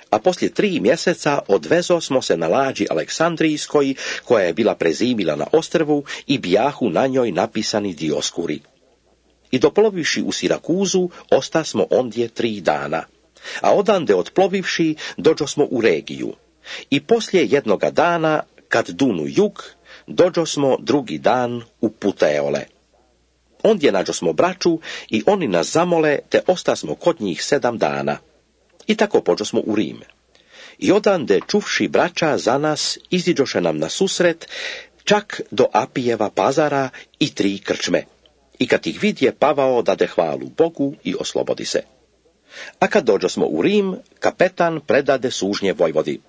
A poslije 3 mjeseca odvezo smo se na lađi Aleksandrijskoj, koja je bila prezimila na ostrvu, i bijahu na njoj napisani Dioskuri. I doplovivši u Sirakuzu, ostasmo ondje 3 dana. A odande otplovivši, dođosmo u Regiju. I poslije jednoga dana, kad dunu jug, dođosmo drugi dan u Puteole. Ondje nađosmo braću i oni nas zamole, te ostasmo kod njih 7 dana. I tako pođosmo u Rim. I odande čuvši braća za nas, iziđoše nam na susret, čak do Apijeva pazara i 3 krčme. I kad ih vidje, Pavao dade hvalu Bogu i oslobodi se. A kad dođosmo u Rim, kapetan predade sužnje vojvodi.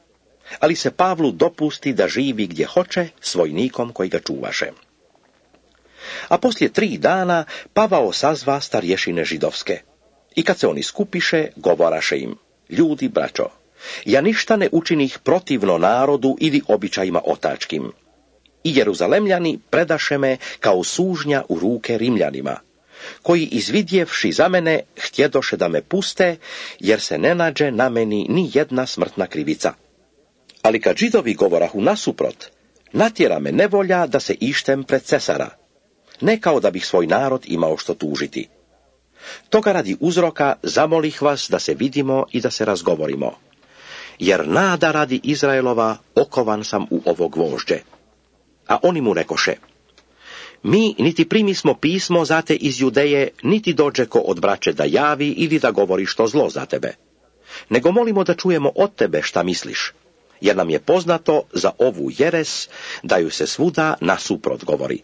Ali se Pavlu dopusti da živi gdje hoće s vojnikom koji ga čuvaše. A poslije 3 dana Pavao sazva starješine židovske. I kad se oni skupiše, govoraše im: ljudi, braćo, ja ništa ne učinih protivno narodu ili običajima otačkim. I Jeruzalemljani predaše me kao sužnja u ruke Rimljanima, koji izvidjevši za mene htjedoše da me puste, jer se ne nađe na meni ni jedna smrtna krivica. Ali kad Židovi govorahu nasuprot, Natjera me nevolja da se ištem pred cesara, ne kao da bih svoj narod imao što tužiti. Toga radi uzroka zamolih vas da se vidimo i da se razgovorimo. Jer nada radi Izraelova okovan sam u ovo gvožđe. A oni mu rekoše: mi niti primismo pismo za te iz Judeje, niti dođe ko od braće da javi ili da govori što zlo za tebe. Nego molimo da čujemo od tebe šta misliš, jer nam je poznato za ovu jeres da ju se svuda nasuprot govori.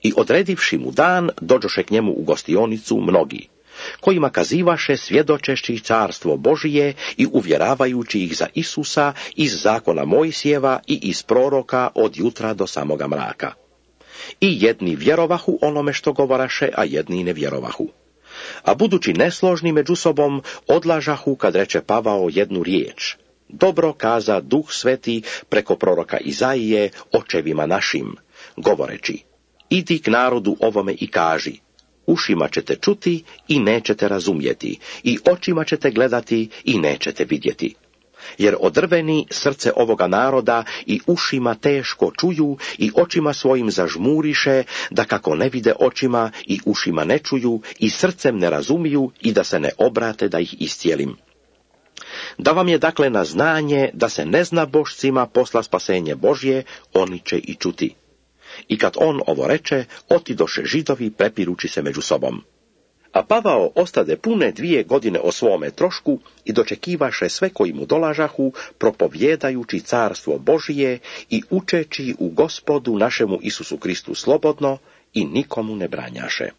I odredivši mu dan, dođoše k njemu u gostionicu mnogi, kojima kazivaše svjedočeći carstvo Božije i uvjeravajući ih za Isusa iz zakona Mojsijeva i iz proroka od jutra do samoga mraka. I jedni vjerovahu onome što govoraše, a jedni ne vjerovahu. A budući nesložni među sobom, odlažahu kad reče Pavao jednu riječ: dobro kaza Duh Sveti preko proroka Izaije očevima našim, govoreći: idi k narodu ovome i kaži: ušima ćete čuti i nećete razumjeti, i očima ćete gledati i nećete vidjeti. Jer odrveni srce ovoga naroda i ušima teško čuju i očima svojim zažmuriše, da kako ne vide očima i ušima ne čuju i srcem ne razumiju i da se ne obrate da ih iscijelim. Da vam je dakle na znanje da se neznabošcima posla spasenje Božje, oni će i čuti. I kad on ovo reče, otidoše Židovi prepirući se među sobom. A Pavao ostade pune 2 godine o svome trošku i dočekivaše sve koji mu dolažahu, propovjedajući carstvo Božije i učeći u Gospodu našemu Isusu Kristu slobodno i nikomu ne branjaše.